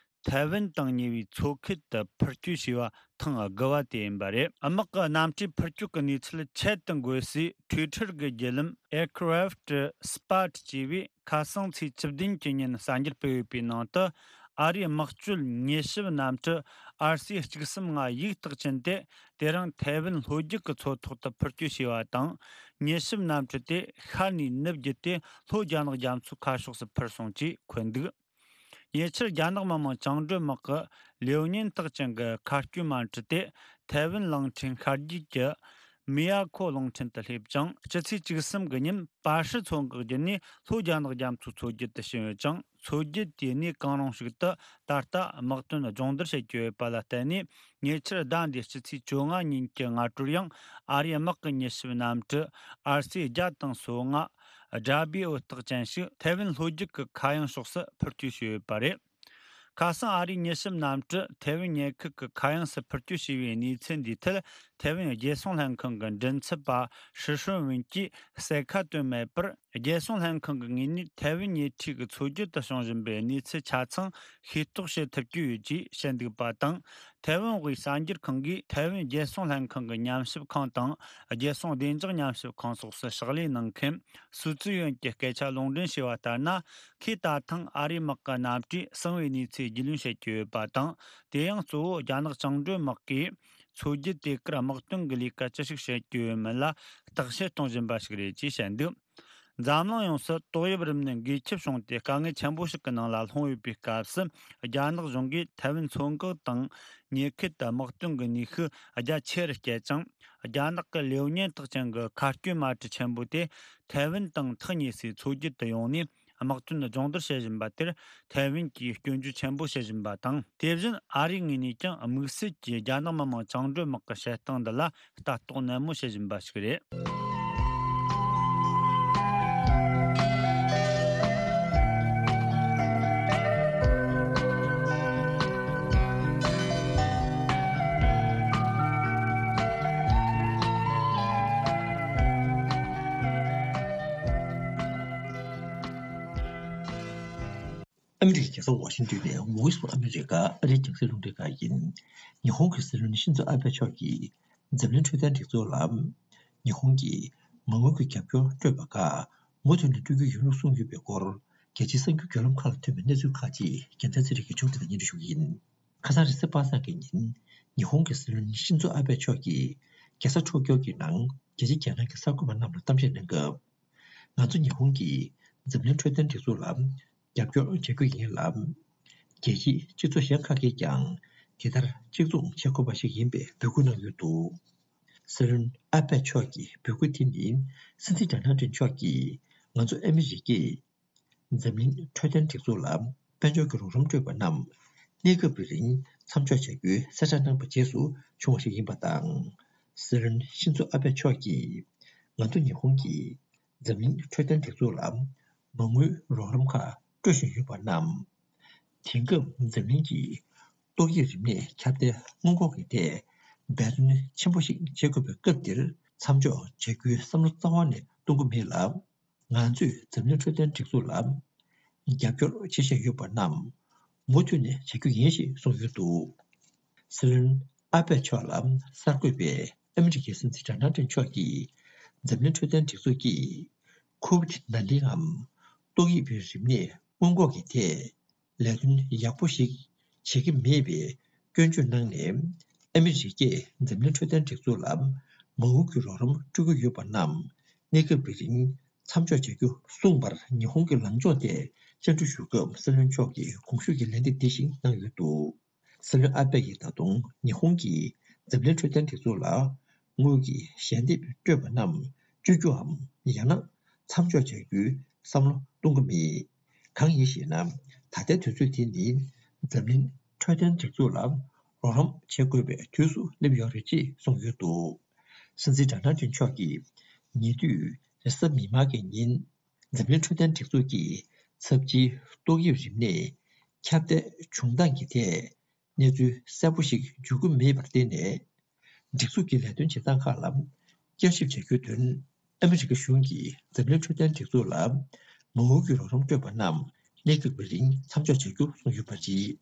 ཐའེ་ཝན་དང་ཉེ་བའི་མཚོ་ཁུལ་དུ་འཕུར་སྐྱོད་བྱས་པ་ཐེངས་དགུ་པ་དེ་ཡིན་པ་རེད། དམག་གི་གནམ་གྲུའི་འཕུར་སྐྱོད་ཀྱི་གནས་ཚུལ་ཆེད་དུ་འགོད་སའི་Twitter་གི་བརྒྱུད་ལམ་Aircraft Spot་ཅེས་པས་ཁ་སང་ཚེས་བཅུ་བདུན་གྱི་ཉིན་གསར་འགྱུར་སྤེལ་ཡོད་པའི་ནང་དུ། ཨ་རིའི་དམག་སྤྱོད་མྱུལ་ཞིབ་གནམ་གྲུ་ཨར་སི་གཅིག་གསུམ་ལྔ་ཡིག་རྟགས་ཅན་དེ། དེ་རིང་ཐའེ་ཝན་ལྷོ་རྒྱུད་ཀྱི་མཚོ་ཐོག་ཏུ་འཕུར་སྐྱོད་བྱས་པ་དང་། མྱུལ་ཞིབ་གནམ་གྲུ་དེ་ཤར་ནས་ནུབ་བརྒྱུད་དེ་ལྷོ་རྒྱ་ནག་རྒྱ་མཚོའི་ཁ་ཕྱོགས་སུ་འཕུར་སོང་ཅེས་འཁོད་འདུག་ཉེ་ཆར་རྒྱ་ནག་མི་དམངས་བཅིངས་འགྲོལ་དམག་གི་ལེའོ་ཉིན་རྟགས་ཅན་གྱི་མཁའ་སྐྱོད་མ་གྲུ་དེ་ཐའེ་ཝན་གླིང་ཕྲན་ཤར་རྒྱུད་ཀྱི་མི་ཡ་ཁོ་གླིང་ཕྲན་དུ་སླེབས་ཀྱང་། སྤྱི་ཚེས་བཅུ་གསུམ་གྱི་ཉིན་པ་ཧྲི་མཚོ་འགག་བརྒྱུད་ནས་ལྷོ་རྒྱ་ནག་རྒྱ་མཚོའི་མཚོ་རྒྱུད་དུ་ཕྱིན་ཡོད་ཅིང་། མཚོ་རྒྱུད་དེའི་གནས་གང་རུང་ཞིག་ཏུ་ད་ལྟ་དམག་དོན་སྦྱོང་བརྡར་བྱེད་ཀྱི་ཡོད་པ་ལ་བརྟེན་ནས། ཉེ་ཆར་ཟླ་འདིའི་སྤྱི་ཚེས་བཅོ་ལྔ་ཉིན་གྱི་སྔ་དྲོར་ཡང་ཨ་རིའི་དམག་གི་མྱུལ་ཞིབ་གནམ་གྲུ་ཨར་སི་བརྒྱ་དང་སོ་ལྔ་སྦྲ་བྷི་འོད་རྟགས་ཅན་ཞིག་ཐའེ་ཝན་ལྷོ་རྒྱུད་ཀྱི་མཁའ་དབྱིངས་ཕྱོགས་སུ་འཕུར་སྐྱོད་བྱས་ཡོད་པ་རེད། ཁ་སང་ཨ་རིའི་མྱུལ་ཞིབ་གནམ་གྲུ་ཐའེ་ཝན་ཉེ་ཁུལ་གྱི་མཁའ་དབྱིངས་སུ་འཕུར་སྐྱོད་བྱས་པའི་གནས་ཚུལ་འདིའི་ཐད། ཐའེ་ཝན་རྒྱལ་སྲུང་ལྷན་ཁང་གི་མགྲིན་ཚབ་པ་ཧྲི་ཧྲོན་ཝུན་གྱིས་གསལ་ཁ་བཏོན་མེད་པར། རྒྱལ་སྲུང་ལྷན་ཁང་གི་ངོས་ནས་ཐའེ་ཝན་ཉེ་འཁྲིས་ཀྱི་མཚོ་རྒྱུད་དུ་བྱུང་བཞིན་པའི་གནས་ཚུལ་ཆ་ཚང་ཤེས་རྟོགས་བྱེད་ཐུབ་ཀྱི་ཡོད་ཅེས་བཤད་འདུག་པ་དང་། ཐའེ་ཝན་དབུས་གསར་འགྱུར་ཁང་གིས་ཐའེ་ཝན་རྒྱལ་སྲུང་ལྷན་ཁང་གི་ཉམས་ཞིབ་ཁང་དང་། རྒྱལ་སྲུང་བདེ་འཇགས་ཉམས་ཞིབ་ཁང་སོགས་སུ་ཕྱག་ལས་གནང་མཁན་སུའུ་ཙི་ཡོན་གྱི་སྐད་ཆ་ལུང་འདྲེན་བྱས་པ་ལྟར་ན། ཁོས་ད་ཐེངས་ཨ་རིའི་དམག་གི་གནམ་གྲུས་གསང་བའི་གནས་ཚུལ་རྒྱུས་ལོན་བྱེད་ཀྱི་ཡོད་པ་དང་། དེ་ཡང་གཙོ་བོ་རྒྱ་ནག་བཅིངས་འགྲོལ་དམག་གིས་མཚོ་རྒྱུད་དེ་གར་དམག་དོན་གྱི་ལས་ཀ་ཅི་ཞིག་བྱེད་ཀྱི་ཡོད་མེད་ལ་བརྟག་དཔྱད་གཏོང་བཞིན་པ་ཞིག་རེད་ཅེས་བཤད་འདུག་འཛམ་གླིང་ཡོངས་སུ་ཏོག་དབྱིབས་རིམས་ནད་འགོས་ཁྱབ་བྱུང་སྟེ། དཀའ་ངལ་ཆེན་པོ་ཞིག་གི་ནང་ལ་ལྷུང་ཡོད་པའི་སྐབས་སུ། རྒྱ་ནག་གཞུང་གིས་ཐའེ་ཝན་མཚོ་འགག་དང་ཉེ་ཁུལ་དུ་དམག་དོན་གྱི་ནུས་ཤུགས་རྒྱ་ཆེ་རུ་བསྐྱེད་ཅིང་། རྒྱ་ནག་གི་ལེའོ་ཉིན་རྟགས་ཅན་གྱི་མཁའ་སྐྱོད་མ་གྲུ་ཆེན་པོ་དེ་ཐའེ་ཝན་དང་ཐག་ཉེ་སའི་མཚོ་རྒྱུད་དུ་ཡོང་ནས། དམག་དོན་སྦྱོང་བརྡར་བྱེད་བཞིན་པ་དེར་ཐའེ་ཝན་གྱིས་སྐྱོན་བརྗོད་ཆེན་པོ་བྱེད་བཞིན་པ་དང་། དེ་བཞིན་ཨ་རིའི་ངོས་ནས་ཀྱང་དམིགས་བསལ་གྱིས་རྒྱ་ནག་མི་དམངས་བཅིངས་འགྲོལ་དམག་གི་བྱེད་སྟངས་འདི་ལ་ལྟ་རྟོག་ནན་མོ་བྱེད་བཞིན་པ་ཞིག་རེད། ཨ་མི་རི་ཀའི་རྒྱལ་ས་ཝ་ཤིང་ཏོན་ནས་Voice of America ཨ་རིའི་རྒྱང་སྲིང་རླུང་འཕྲིན་ཁང་ཡིན། ཉི་ཧོང་གི་སྲིད་བློན་ཤིན་ཛོ་ཨ་བྷེ་མཆོག་གིས་འཛམ་གླིང་འཕྲོད་བསྟེན་སྒྲིག་འཛུགས་ལ་ཉི་ཧོང་གིས་མ་དངུལ་གྱི་རྒྱབ་སྐྱོར་སྤྲོད་པ་ཁག་མུ་མཐུད་ནས་སྤྲོད་རྒྱུ་ཡིན་ལུགས་གསུངས་ཡོད་པའི་སྐོར། རྒྱལ་སྤྱིའི་གསར་འགྱུར་བརྒྱུད་ལམ་ཁག་ལ་ཐོན་པའི་གནས་ཚུལ་ཁག་ཅིག་རྒྱལ་མཚན་ཚེ་རིང་གིས་ཕྱོགས་སྒྲིག་དང་སྙན་སྒྲོན་ཞུ་གི་ཡིན། ཁ་སང་རེས་གཟའ་པ་སངས་ཀྱི་ཉིན། ཉི་ཧོང་གི་སྲིད་བློན་ཤིན་ཛོ་ཨ་བྷེ་མཆོག་གིས་རྒྱལ་ས་ཊོ་ཀྱོ་གི་ནང་རྒྱལ་སྤྱིའི་རྒྱལ་ནང་གི་གསར་འགོད་པ་རྣམས་ལ་གཏམ་བཤད་གནང་སྐབས། ང་ཚོ་ཉི་ཧོང་གིས་འཛམ་གླིང་འཕྲོད་བསྟེན་སྒྲིག་འཛུགས་ལ་རྒྱབ་སྐྱོར་བྱ་རྒྱུ་ཡིན་ལ། རྒྱལ་སྤྱིའི་སྤྱི་ཚོགས་གཞན་ཁག་གིས་ཀྱང་དེ་ལྟར་གཅིག་མཚུངས་བྱེད་དགོས་པ་ཞིག་ཡིན་པའི་འབོད་སྐུལ་གནང་ཡོད་འདུག་སྲིད་བློན་ཨ་བྷེ་མཆོག་གི་འབོད་སྐུལ་དེ་ནི་སྲིད་འཛིན་ཌོ་ནལ་ཊམ་མཆོག་གིས་ང་ཚོ་ཨ་མི་རི་ཀས་འཛམ་གླིང་འཕྲོད་བསྟེན་སྒྲིག་འཛུགས་ལ་དཔལ་འབྱོར་གྱི་རོགས་རམ་སྤྲོད་པ་རྣམས་གནས་སྐབས་ཀྱི་རིང་མཚམས་འཇོག་བྱ་རྒྱུའི་གསལ་བསྒྲགས་གནང་བའི་རྗེས་སུ་བྱུང་བ་ཞིག་ཡིན་པ་དང་། སྲིད་བློན་ཤིན་ཛོ་ཨ་བྷེ་མཆོག་གིས་ང་ཚོ་ཉི་ཧོང་གིས་འཛམ་གླིང་འཕྲོད་བསྟེན་སྒྲིག་འཛུགས་ལ་མ་དངུལ་རོགས་རམ་ཁག་སྤྲོད་བཞིན་ཡོད་པ་རྣམས། དེང་སྐབས་འཛམ་གླིང་གི་ཏོག་དབྱིབས་རིམས་ནད་ཁྱབ་གདལ་སྔོན་འགོག་གི་ཐད་འབད་བརྩོན་ཆེན་པོ་ཞིག་བྱེད་དགོས་པའི་སྐབས་འདིར་མཚམས་འཇོག་བྱ་རྒྱུའི་བསམ་བློ་རྩ་བ་ནས་གཏོང་གི་མེད་ལ། ང་ཚོས་འཛམ་གླིང་འཕྲོད་བསྟེན་སྒྲིག་འཛུགས་ལ་རྒྱབ་སྐྱོར་བྱེད་བཞིན་ཡོད་པ་རྣམས་མུ་མཐུད་ནས་བྱ་རྒྱུ་ཡིན་ཞེས་གསུངས་ཡོད་འདུག་སྲིད་བློན་ཨ་པད་མཆོག་ལ་གསར་འགོད་པས་ཨ་མི་རི་ཀའི་སྲིད་འཛིན་ཌོ་ནལ་ཊམ་མཆོག་གིས་འཛམ་གླིང་འཕྲོད་བསྟེན་སྒྲིག་འཛུགས་ཀྱིས་ཁོ་ཝིད་ནཱ་ཏིན་ངམ་ཏོག་དབྱིབས་རིམས་ནད་སྔོན་འགོག་གི་ཐད་ལས་དོན་ཡག་པོ་ཞིག་བྱེད་ཀྱི་མེད་པའི་སྐྱོན་བརྗོད་གནང་ནས། ཨ་མི་རི་ཀས་འཛམ་གླིང་འཕྲོད་བསྟེན་སྒྲིག་འཛུགས་ལ་མ་དངུལ་གྱི་རོགས་རམ་སྤྲོད་ཀྱི་ཡོད་པ་རྣམས་གནས་སྐབས་ཀྱི་རིང་མཚམས་འཇོག་བྱ་རྒྱུ་གསུངས་པར། ཉི་ཧོང་གི་ལངས་ཕྱོགས་ཐད་བཅར་འདྲི་ཞུ་སྐབས་སྲིད་བློན་མཆོག་གིས་གོང་ཞུས་ཀྱི་ལན་འདེབས་འདི་བཞིན་གནང་ཡོད་འདུག་སྲིད་བློན་ཨ་པད་ཀྱིས་ད་དུང་ཉི་ཧོང་གིས་འཛམ་གླིང་འཕྲོད་བསྟེན་སྒྲིག་འཛུགས་ལ་དངུལ་གྱི་ཞལ་འདེབས་སྤྲོད་པ་རྣམས་གཅོད་རྒྱུའམ་ཡང་ན་མཚམས་འཇོག་བྱ་རྒྱུའི་བསམ་བློ་གཏོང་གི་མེད། གང་ཡིན་ཞེ་ན། ད་ལྟའི་དུས་ཚོད་དེ་ནི་འཛམ་གླིང་འཕྲོད་བསྟེན་སྒྲིག་འཛུགས་ལ་རོགས་རམ་བྱེད་དགོས་པའི་དུས་སུ་སླེབས་ཡོད་རེད་ཅེས་གསུངས་ཡོད་འདུག་སྲིད་འཛིན་ཌོ་ནལ་ཏྲམ་མཆོག་གིས་ཉེ་དུས་རེས་གཟའ་མིག་དམར་གྱི་ཉིན་འཛམ་གླིང་འཕྲོད་བསྟེན་སྒྲིག་འཛུགས་ཀྱི་ཚབས་ཆེའི་ཏོག་དབྱིབས་རིམས་ནད་ཁྱབ་གདལ་བྱུང་སྟངས་ཀྱི་ཐད་གནས་ཚུལ་གསལ་པོ་ཞིག་འཇུག་གི་མེད་པར་བརྟེན་ནས། སྒྲིག་འཛུགས་ཀྱི་ལས་དོན་བྱེད་སྟངས་ཁག་ལ་བསྐྱར་ཞིབ་བྱ་རྒྱུའི་དོན། ཨ་མི་རི་ཀ་གཞུང་གིས་འཛམ་གླིང་འཕྲོད་བསྟེན་སྒྲིག་འཛུགས་ལ་མ་དངུལ་གྱི་རོགས་རམ་སྤྲོད་པ་རྣམས་གནས་སྐབས་ཀྱི་རིང་མཚམས་འཇོག་བྱ་རྒྱུ་གསུངས་ཡོད་པ་རེད།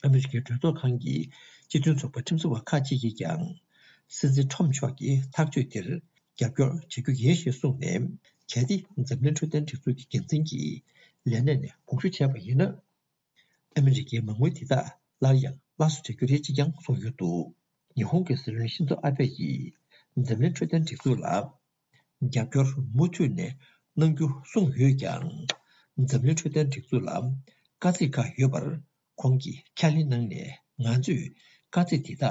ཨ་མི་རི་ཀའི་གྲོས་ཚོགས་ཁང་གི་སྤྱི་མཐུན་ཚོགས་པའི་ཁྲིམས་བཟོ་བ་ཁག་ཅིག་གིས་ཀྱང་། སྲིད་འཛིན་ཁྲོམ་མཆོག་གི་ཐག་གཅོད་དེར་རྒྱབ་སྐྱོར་བྱ་རྒྱུ་ཡིན་ཞེས་གསུངས་ནས། གལ་ཏེ་འཛམ་གླིང་འཕྲོད་བསྟེན་སྒྲིག་འཛུགས་ཀྱི་འགན་འཛིན་གྱིས་ལས་གནས་ནས་དགོངས་ཞུ་བྱས་པ་ཡིན་ན། ཨ་མི་རི་ཀའི་མ་དངུལ་དེ་དག་སླར་ཡང་སླར་གསོ་བྱ་རྒྱུ་རེད་ཅེས་ཀྱང་གསུངས་ཡོད་འདུག་ཉི་ཧོང་གི་སྲིད་བློན་ཤིན་ཛོ་ཨ་བྷེ་ཡིས་འཛམ་གླིང་འཕྲོད་བསྟེན་སྒྲིག་འཛུགས་ལ་རྒྱབ་སྐྱོར་མུ་མཐུད་ནས་གནང་རྒྱུ་གསུངས་ཡོད་ཀྱང་། འཛམ་གླིང་འཕྲོད་བསྟེན་སྒྲིག་འཛུགས་ལ་དཀའ་ཚེགས་ཁག་ཡོད་པར་ཁོང་གིས་ཁས་ལེན་གནང་ནས། ང་ཚོས་དཀའ་ཚེགས་དེ་དག་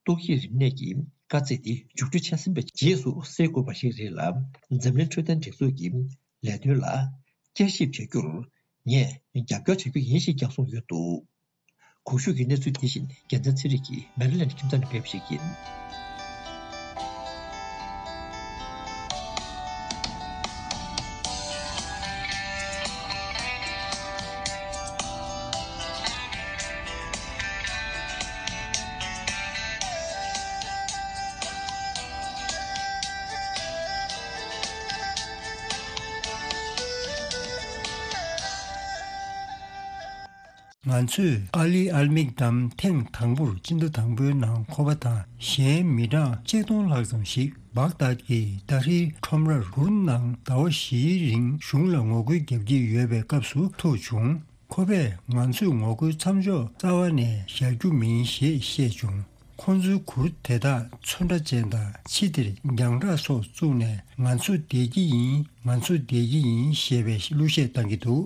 ཏོག་དབྱིབས་རིམས་ནད་ཀྱི་དཀའ་ཚེགས་དེ་མཇུག་སྒྲིལ་བྱས་ཟིན་པའི་རྗེས་སུ་སེལ་དགོས་པ་ཞིག་རེད་ལ། འཛམ་གླིང་འཕྲོད་བསྟེན་སྒྲིག་འཛུགས་ཀྱི་ལས་དོན་ལ་བསྐྱར་ཞིབ་བྱ་རྒྱུར་ངས་རྒྱབ་སྐྱོར་བྱ་རྒྱུ་ཡིན་ཞེས་ཀྱང་གསུངས་ཡོད་འདུག་གོང་ཞུས་ཀྱི་གནས་ཚུལ་དེ་བཞིན་རྒྱལ་མཚན་ཚེ་རིང་གིས་མེ་རི་ལེན་ཌི་ཁྱིམ་ཚང་ནས་སྤེལ་བ་ཞིག་ཡིན། ང་ཚོས་ཨ་ལི་ཨལ་མིག་དམ་ཐེངས་དང་པོར་སྤྱི་ཟླ་དང་པོའི་ནང་ཁོ་པ་དང་གཞན་མི་གྲངས་ཆིག་སྟོང་ལྷག་ཙམ་ཞིག་བག་དཱད་ཀྱི་ཏཱ་ཧྲིར་ཁྲོམ་རར་གུར་ནང་ཟླ་བ་བཞིའི་རིང་གཞུང་ལ་ངོ་རྒོལ་བརྒྱབ་ཀྱི་ཡོད་པའི་སྐབས་སུ་ཐུག་བྱུང་། ཁོ་པས་ང་ཚོས་ངོ་རྒོལ་མཚམས་འཇོག་རྩ་བ་ནས་བཞག་རྒྱུ་མིན་ཞེས་བཤད་བྱུང་། ཁོ་ཚོའི་གུར་དེ་དག་ཚོན་ཁྲ་ཅན་དང་ཕྱི་དེར་རྒྱང་གྲགས་སོགས་བཙུགས་ནས། ང་ཚོ་བསྡད་ཀྱི་ཡིན། ང་ཚོ་བསྡད་ཀྱི་ཡིན་ཞེས་པའི་གླུ་གཞས་བཏང་གི་འདུག་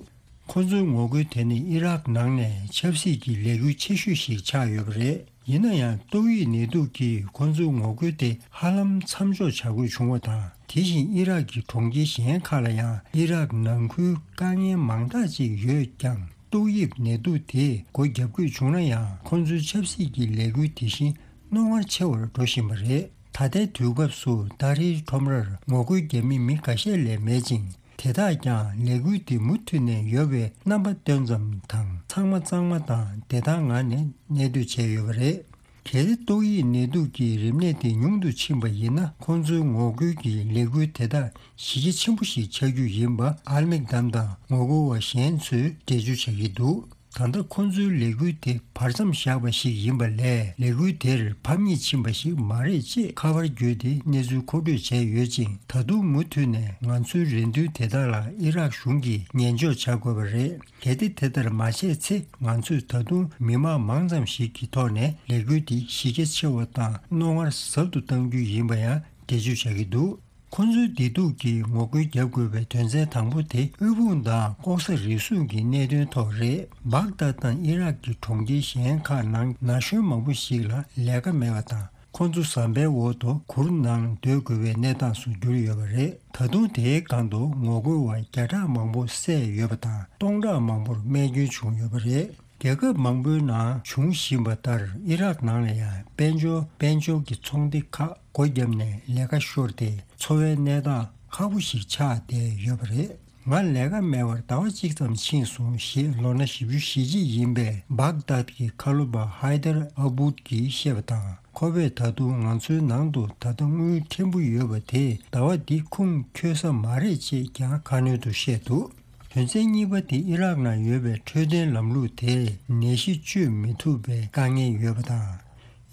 ཁོ་ཚོའི་ངོ་རྒོལ་དེ་ནི་ཨི་རག་ནང་ནས་ཆབ་སྲིད་ཀྱི་ལས་འགུལ་ཆེ་ཤོས་ཤིག་ཆགས་ཡོད་པ་རེད། ཡིན་ན་ཡང་ཏོག་དབྱིབས་ནད་དུག་གིས་ཁོ་ཚོའི་ངོ་རྒོལ་དེ་ཧ་ལམ་མཚམས་འཇོག་བྱ་དགོས་བྱུང་བ་དང་། དེ་བཞིན་ཨི་རག་གི་གྲོང་ཁྱེར་གཞན་ཁག་ལ་ཡང་ཨི་རག་ནང་ཁུལ་དཀའ་ངལ་མང་དག་ཅིག་ཡོད་ཀྱང་། ཏོག་དབྱིབས་ནད་དུག་དེས་སྒོ་བརྒྱབ་དགོས་བྱུང་ན་ཡང་། ཁོ་ཚོའི་ཆབ་སྲིད་ཀྱི་ལས་འགུལ་དེ་བཞིན་རྣོ་ངར་ཆེ་བར་འགྲོ་བཞིན་པ་རེད། ད་ལྟའི་དུས་སྐབས་སུ་ཏཱ་ཧྲིར་ཁྲོམ་རར་ངོ་རྒོལ་བརྒྱབ་མི་མི་འགའ་ཤས་ལས་མེད་ཅིང་། དེ་དག་ཀྱང་ལས་འགུལ་འདི་མུ་མཐུད་ནས་ཡོད་པའི་རྣམ་པ་སྟོན་ཙམ་དང་། ཚང་མ་གཙང་མ་དང་བདེ་ཐང་ངང་ནས་གནས་སྡོད་བྱས་ཡོད་པ་རེད། གལ་ཏེ་ཏོག་དབྱིབས་ནད་དུག་གི་རིམས་ནད་དེ་ཉུང་དུ་ཕྱིན་པ་ཡིན་ན། ཁོང་ཚོའི་ངོ་རྒོལ་གྱི་ལས་འགུལ་དེ་དག་གཞི་རྒྱ་ཆེན་པོ་ཞིག་ཆགས་རྒྱུ་ཡིན་པ་ཨལ་མིག་དམ་དང་ངོ་རྒོལ་བ་གཞན་ཚོས་འགྲེལ་བརྗོད་བྱ་གི་འདུག་ད་ལྟ་ཁོང་ཚོའི་ལས་འགུལ་དེ་བར་མཚམས་བཞག་པ་ཞིག་ཡིན་པ་ལས། ལས་འགུལ་དེར་ཕམ་ཉེས་ཕྱིན་པ་ཞིག་མ་རེད་ཅེས་ཁ་པར་བརྒྱུད་དེ་གནས་ཚུལ་མཁོ་སྤྲོད་བྱས་ཡོད་ཅིང་། ད་དུང་མུ་མཐུད་ནས་ང་ཚོའི་རེ་འདུན་དེ་དག་ལ་ཨི་རག་གཞུང་གིས་ཉན་འཇོག་བྱ་དགོས་པ་རེད། གལ་ཏེ་དེ་ལྟར་མ་བྱས་ཚེ། ང་ཚོས་ད་དུང་མི་མང་མང་ཙམ་ཞིག་གི་ཐོག་ནས་ལས་འགུལ་འདི་གཞི་རྒྱ་ཆེ་བ་དང་རྣོ་ངར་ཟབ་ཏུ་གཏང་རྒྱུ་ཡིན་པ་ཡང་འགྲེལ་བརྗོད་བྱ་གི་འདུག་ཁོ་ཚོའི་བདེ་སྡུག་གི་ངོ་རྒོལ་བརྒྱབ་དགོས་པའི་དོན་ཚན་དང་པོ་དེ། དབུལ་ཕོངས་དང་ལྐོག་ཟ་རུལ་སུངས་ཀྱི་གནད་དོན་ཐོག་རེད། སྦག་དཱད་དང་ཨི་རག་གི་གྲོང་ཁྱེར་གཞན་ཁག་ནང་ན་གཞོན་མང་པོ་ཞིག་ལ་ལས་ཀ་མེད་པ་དང་། ཁོ་ཚོ་ཟམ་པའི་འོག་ཏུ་གུར་ནང་སྡོད་དགོས་པའི་གནས་སྟངས་སུ་གྱུར་ཡོད་པ་རེད། ད་དུང་དེའི་སྒང་དུ་ངོ་རྒོལ་བ་བརྒྱ་ཕྲག་མང་པོ་བསད་ཡོད་པ་དང་། སྟོང་ཕྲག་མང་པོར་རྨས་སྐྱོན་བྱུང་ཡོད་པ་རེད། རྒྱལ་ཁབ་མང་པོའི་ནང་བྱུང་བཞིན་པ་ལྟར། ཨི་རག་ནང་ལ་ཡང་དཔལ་འབྱོར་དཔལ་འབྱོར་གྱི་ཚོང་སྡེ་ཁག་སྒོ་བརྒྱབ་ནས་ལས་ཀ་ཤོར་ཏེ། འཚོ་བའི་གནས་སྟངས་ཁག་པོ་ཞིག་ཆགས་བསྡད་ཡོད་པ་རེད། ང་ལས་ཀ་མེད་པར་ཟླ་བ་གཅིག་ཙམ་ཕྱིན་སོང་ཞེས། ལོ་ན་བཞི་བཅུ་ཞེ་གཅིག་ཡིན་པའི་སྦག་དཱད་ཀྱི་ཁ་ལོ་པ་ཧའི་དར་ཨ་བུད་ཀྱིས་བཤད་པ་དང་། ཁོ་པས་ད་དུང་ང་ཚོའི་ནང་དུ་ད་ལྟ་དངུལ་ཕྲན་བུ་ཡོད་པ་དེས་ཟླ་བ་འདི་ཁུངས་འཁྱོལ་ས་མ་རེད་ཅེས་ཀྱང་ཁ་སྣོན་དུ་བཤད་འདུག་དོན་ཚན་གཉིས་པ་དེ། ཨི་རག་ནང་ཡོད་པའི་འཕྲོད་བསྟེན་ལམ་ལུགས་དེ་ནད་གཞི་བཅོས་མི་ཐུབ་པའི་དཀའ་ངལ་ཡོད་པ་དང་།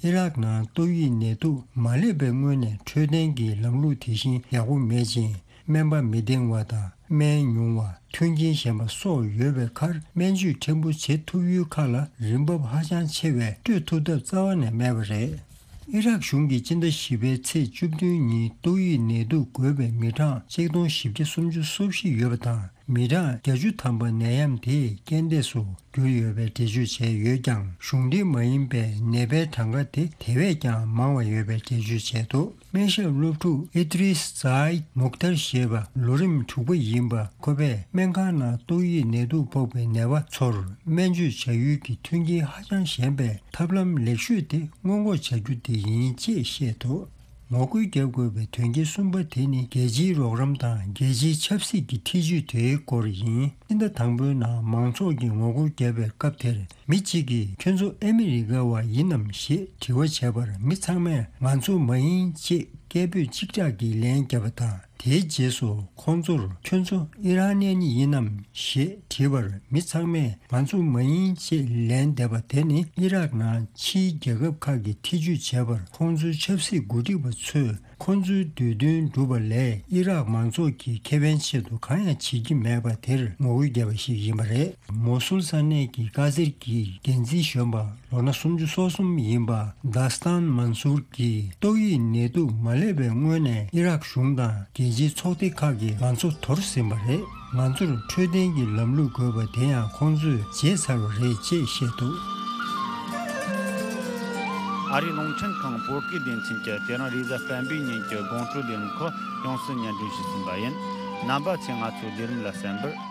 ཨི་རག་ནང་ཏོག་དབྱིབས་ནད་དུག་མ་སླེབས་པའི་སྔོན་ནས་འཕྲོད་བསྟེན་གྱི་ལམ་ལུགས་དེ་བཞིན་ཡག་པོ་མེད་ཅིང་། སྨན་པ་མི་འདང་བ་དང་། སྨན་ཉུང་བ། མཐུན་རྐྱེན་ཞན་པ་སོགས་ཡོད་པའི་ཁར། སྨན་བཅོས་ཕྲན་བུ་བྱེད་ཐུབ་ཡུལ་ཁག་ལ་རིན་འབབ་ཧ་ཅང་ཆེ་བས་སྤྲོད་ཐུབ་ཐབས་རྩ་བ་ནས་མེད་པ་རེད། ཨི་རག་གཞུང་གིས་སྤྱི་ཟླ་བཞི་པའི་ཚེས་བཅུ་བདུན་ཉིན་ཏོག་དབྱིབས་ནད་དུག་འགོས་པའི་མི་གྲངས་ཆིག་སྟོང་བཞི་བརྒྱ་སུམ་ཅུ་སོ་བཞི་ཡོད་པ་དང་། མི་གྲངས་བརྒྱད་ཅུ་ཐམ་པ་ནད་ཡམས་དེས་རྐྱེན་འདས་སུ་གྱུར་ཡོད་པའི་འགྲེལ་བརྗོད་བྱས་ཡོད་ཀྱང་། གཞུང་འབྲེལ་མ་ཡིན་པའི་ནད་པའི་གྲངས་ཀ་དེ་དེ་བས་ཀྱང་མང་བ་ཡོད་པའི་འགྲེལ་བརྗོད་བྱས་འདུག་སྨན་ཞབས་སློབ་ཕྲུག་ཨི་ཏྲིས་ཛའིད་མུག་ཐར་ཞེས་པ་ལོ་རིམ་དྲུག་པ་ཡིན་པ་ཁོ་པས། སྨན་ཁང་ནང་ཏོག་དབྱིབས་ནད་དུག་ཕོག་པའི་ནད་པ་ཚོར་སྨན་བཅོས་བྱ་ཡུལ་གྱི་མཐུན་རྐྱེན་ཧ་ཅང་ཞན་པས། ཐབས་ལམ་ལེགས་ཤོས་དེ་སྔོན་འགོག་བྱ་རྒྱུ་དེ་ཡིན་ཅེས་བཤད་འདུག་ངོ་རྒོལ་བརྒྱབ་དགོས་པའི་དོན་རྐྱེན་གསུམ་པ་དེ་ནི། རྒྱལ་སྤྱིའི་རོགས་རམ་དང་རྒྱལ་སྤྱིའི་ཆབ་སྲིད་ཀྱི་ཐེ་ཇུས་དེའི་སྐོར་ཡིན། སྤྱི་ཟླ་དང་པོའི་ནང་མང་ཚོགས་ཀྱིས་ངོ་རྒོལ་བརྒྱབ་པའི་སྐབས་དེར། མི་གཅིག་གིས། ཁྱོད་ཚོ་ཨ་མི་རི་ཀ་བ་ཡིན་ནམ་ཞེས་དྲི་བ་བྱས་པར། མི་ཚང་མས་ང་ཚོ་མ་ཡིན་ཅེས་སྐད་འབོད་གཅིག་གྲགས་ཀྱིས་ལན་བརྒྱབ་པ་དང་། དེའི་རྗེས་སུ་ཁོང་ཚོར་ཁྱོད་ཚོ་ཨི་རན་ནི་ཡིན་ནམ་ཞེས་དྲིས་པར། མི་ཚང་མས་ང་ཚོ་མ་ཡིན་ཅེས་ལན་འདེབས་པ་དེ་ནི་ཨི་རག་ནང་ཕྱིའི་རྒྱལ་ཁབ་ཁག་གིས་ཐེ་ཇུས་བྱས་པར། ཁོང་ཚོའི་ཆབ་སྲིད་འགོ་ཁྲིད་པ་ཚོས་ཁོང་ཚོའི་འདོད་འདུན་བསྒྲུབས་པ་ལས་ཨི་རག་མང་ཚོགས་ཀྱི་ཁེ་ཕན་ཆེད་དུ་གང་ཡང་བྱེད་ཀྱི་མེད་པ་དེར་ངོ་རྒོལ་བརྒྱབ་པ་ཞིག་ཡིན་པ་རེད། མོ་སུལ་ས་གནས་ཀྱི་དཀའ་སེལ་གྱི་འགན་འཛིན་གཞོན་པ་ལོ་ན་སུམ་ཅུ་སོ་གསུམ་ཡིན་པ་དཱ་སྟན་མན་སུར་གྱིས་ཏོག་དབྱིབས་ནད་དུག་མ་སླེབས་པའི་སྔོན་ནས་ཨི་རག་གཞུང་དང་རྒྱལ་སྤྱིའི་ཚོགས་སྡེ་ཁག་གིས་ང་ཚོ་དོར་ཟིན་པ་རེད། ང་ཚོར་འཕྲོད་བསྟེན་གྱི་ལམ་ལུགས་དགོས་པ་དེ་ཡང་ཁོང་ཚོས་བརྗེད་ཚར་བ་རེད་ཅེས་བཤད་འདུག། ཨ་རིའི་རླུང་འཕྲིན་ཁང་བོད་སྐད་སྡེ་ཚན་གྱིས་དེ་རིང་རེས་གཟའ་སྤེན་པའི་ཉིན་གྱི་དགོང་དྲོའི་ལས་རིམ་ཁག་ཡོངས་སུ་སྙན་སྒྲོན་ཞུས་ཟིན་པ་ཡིན། རྣམ་པ་ཚོས་ང་ཚོའི་ལས་རིམ་ལ་གསན་པར་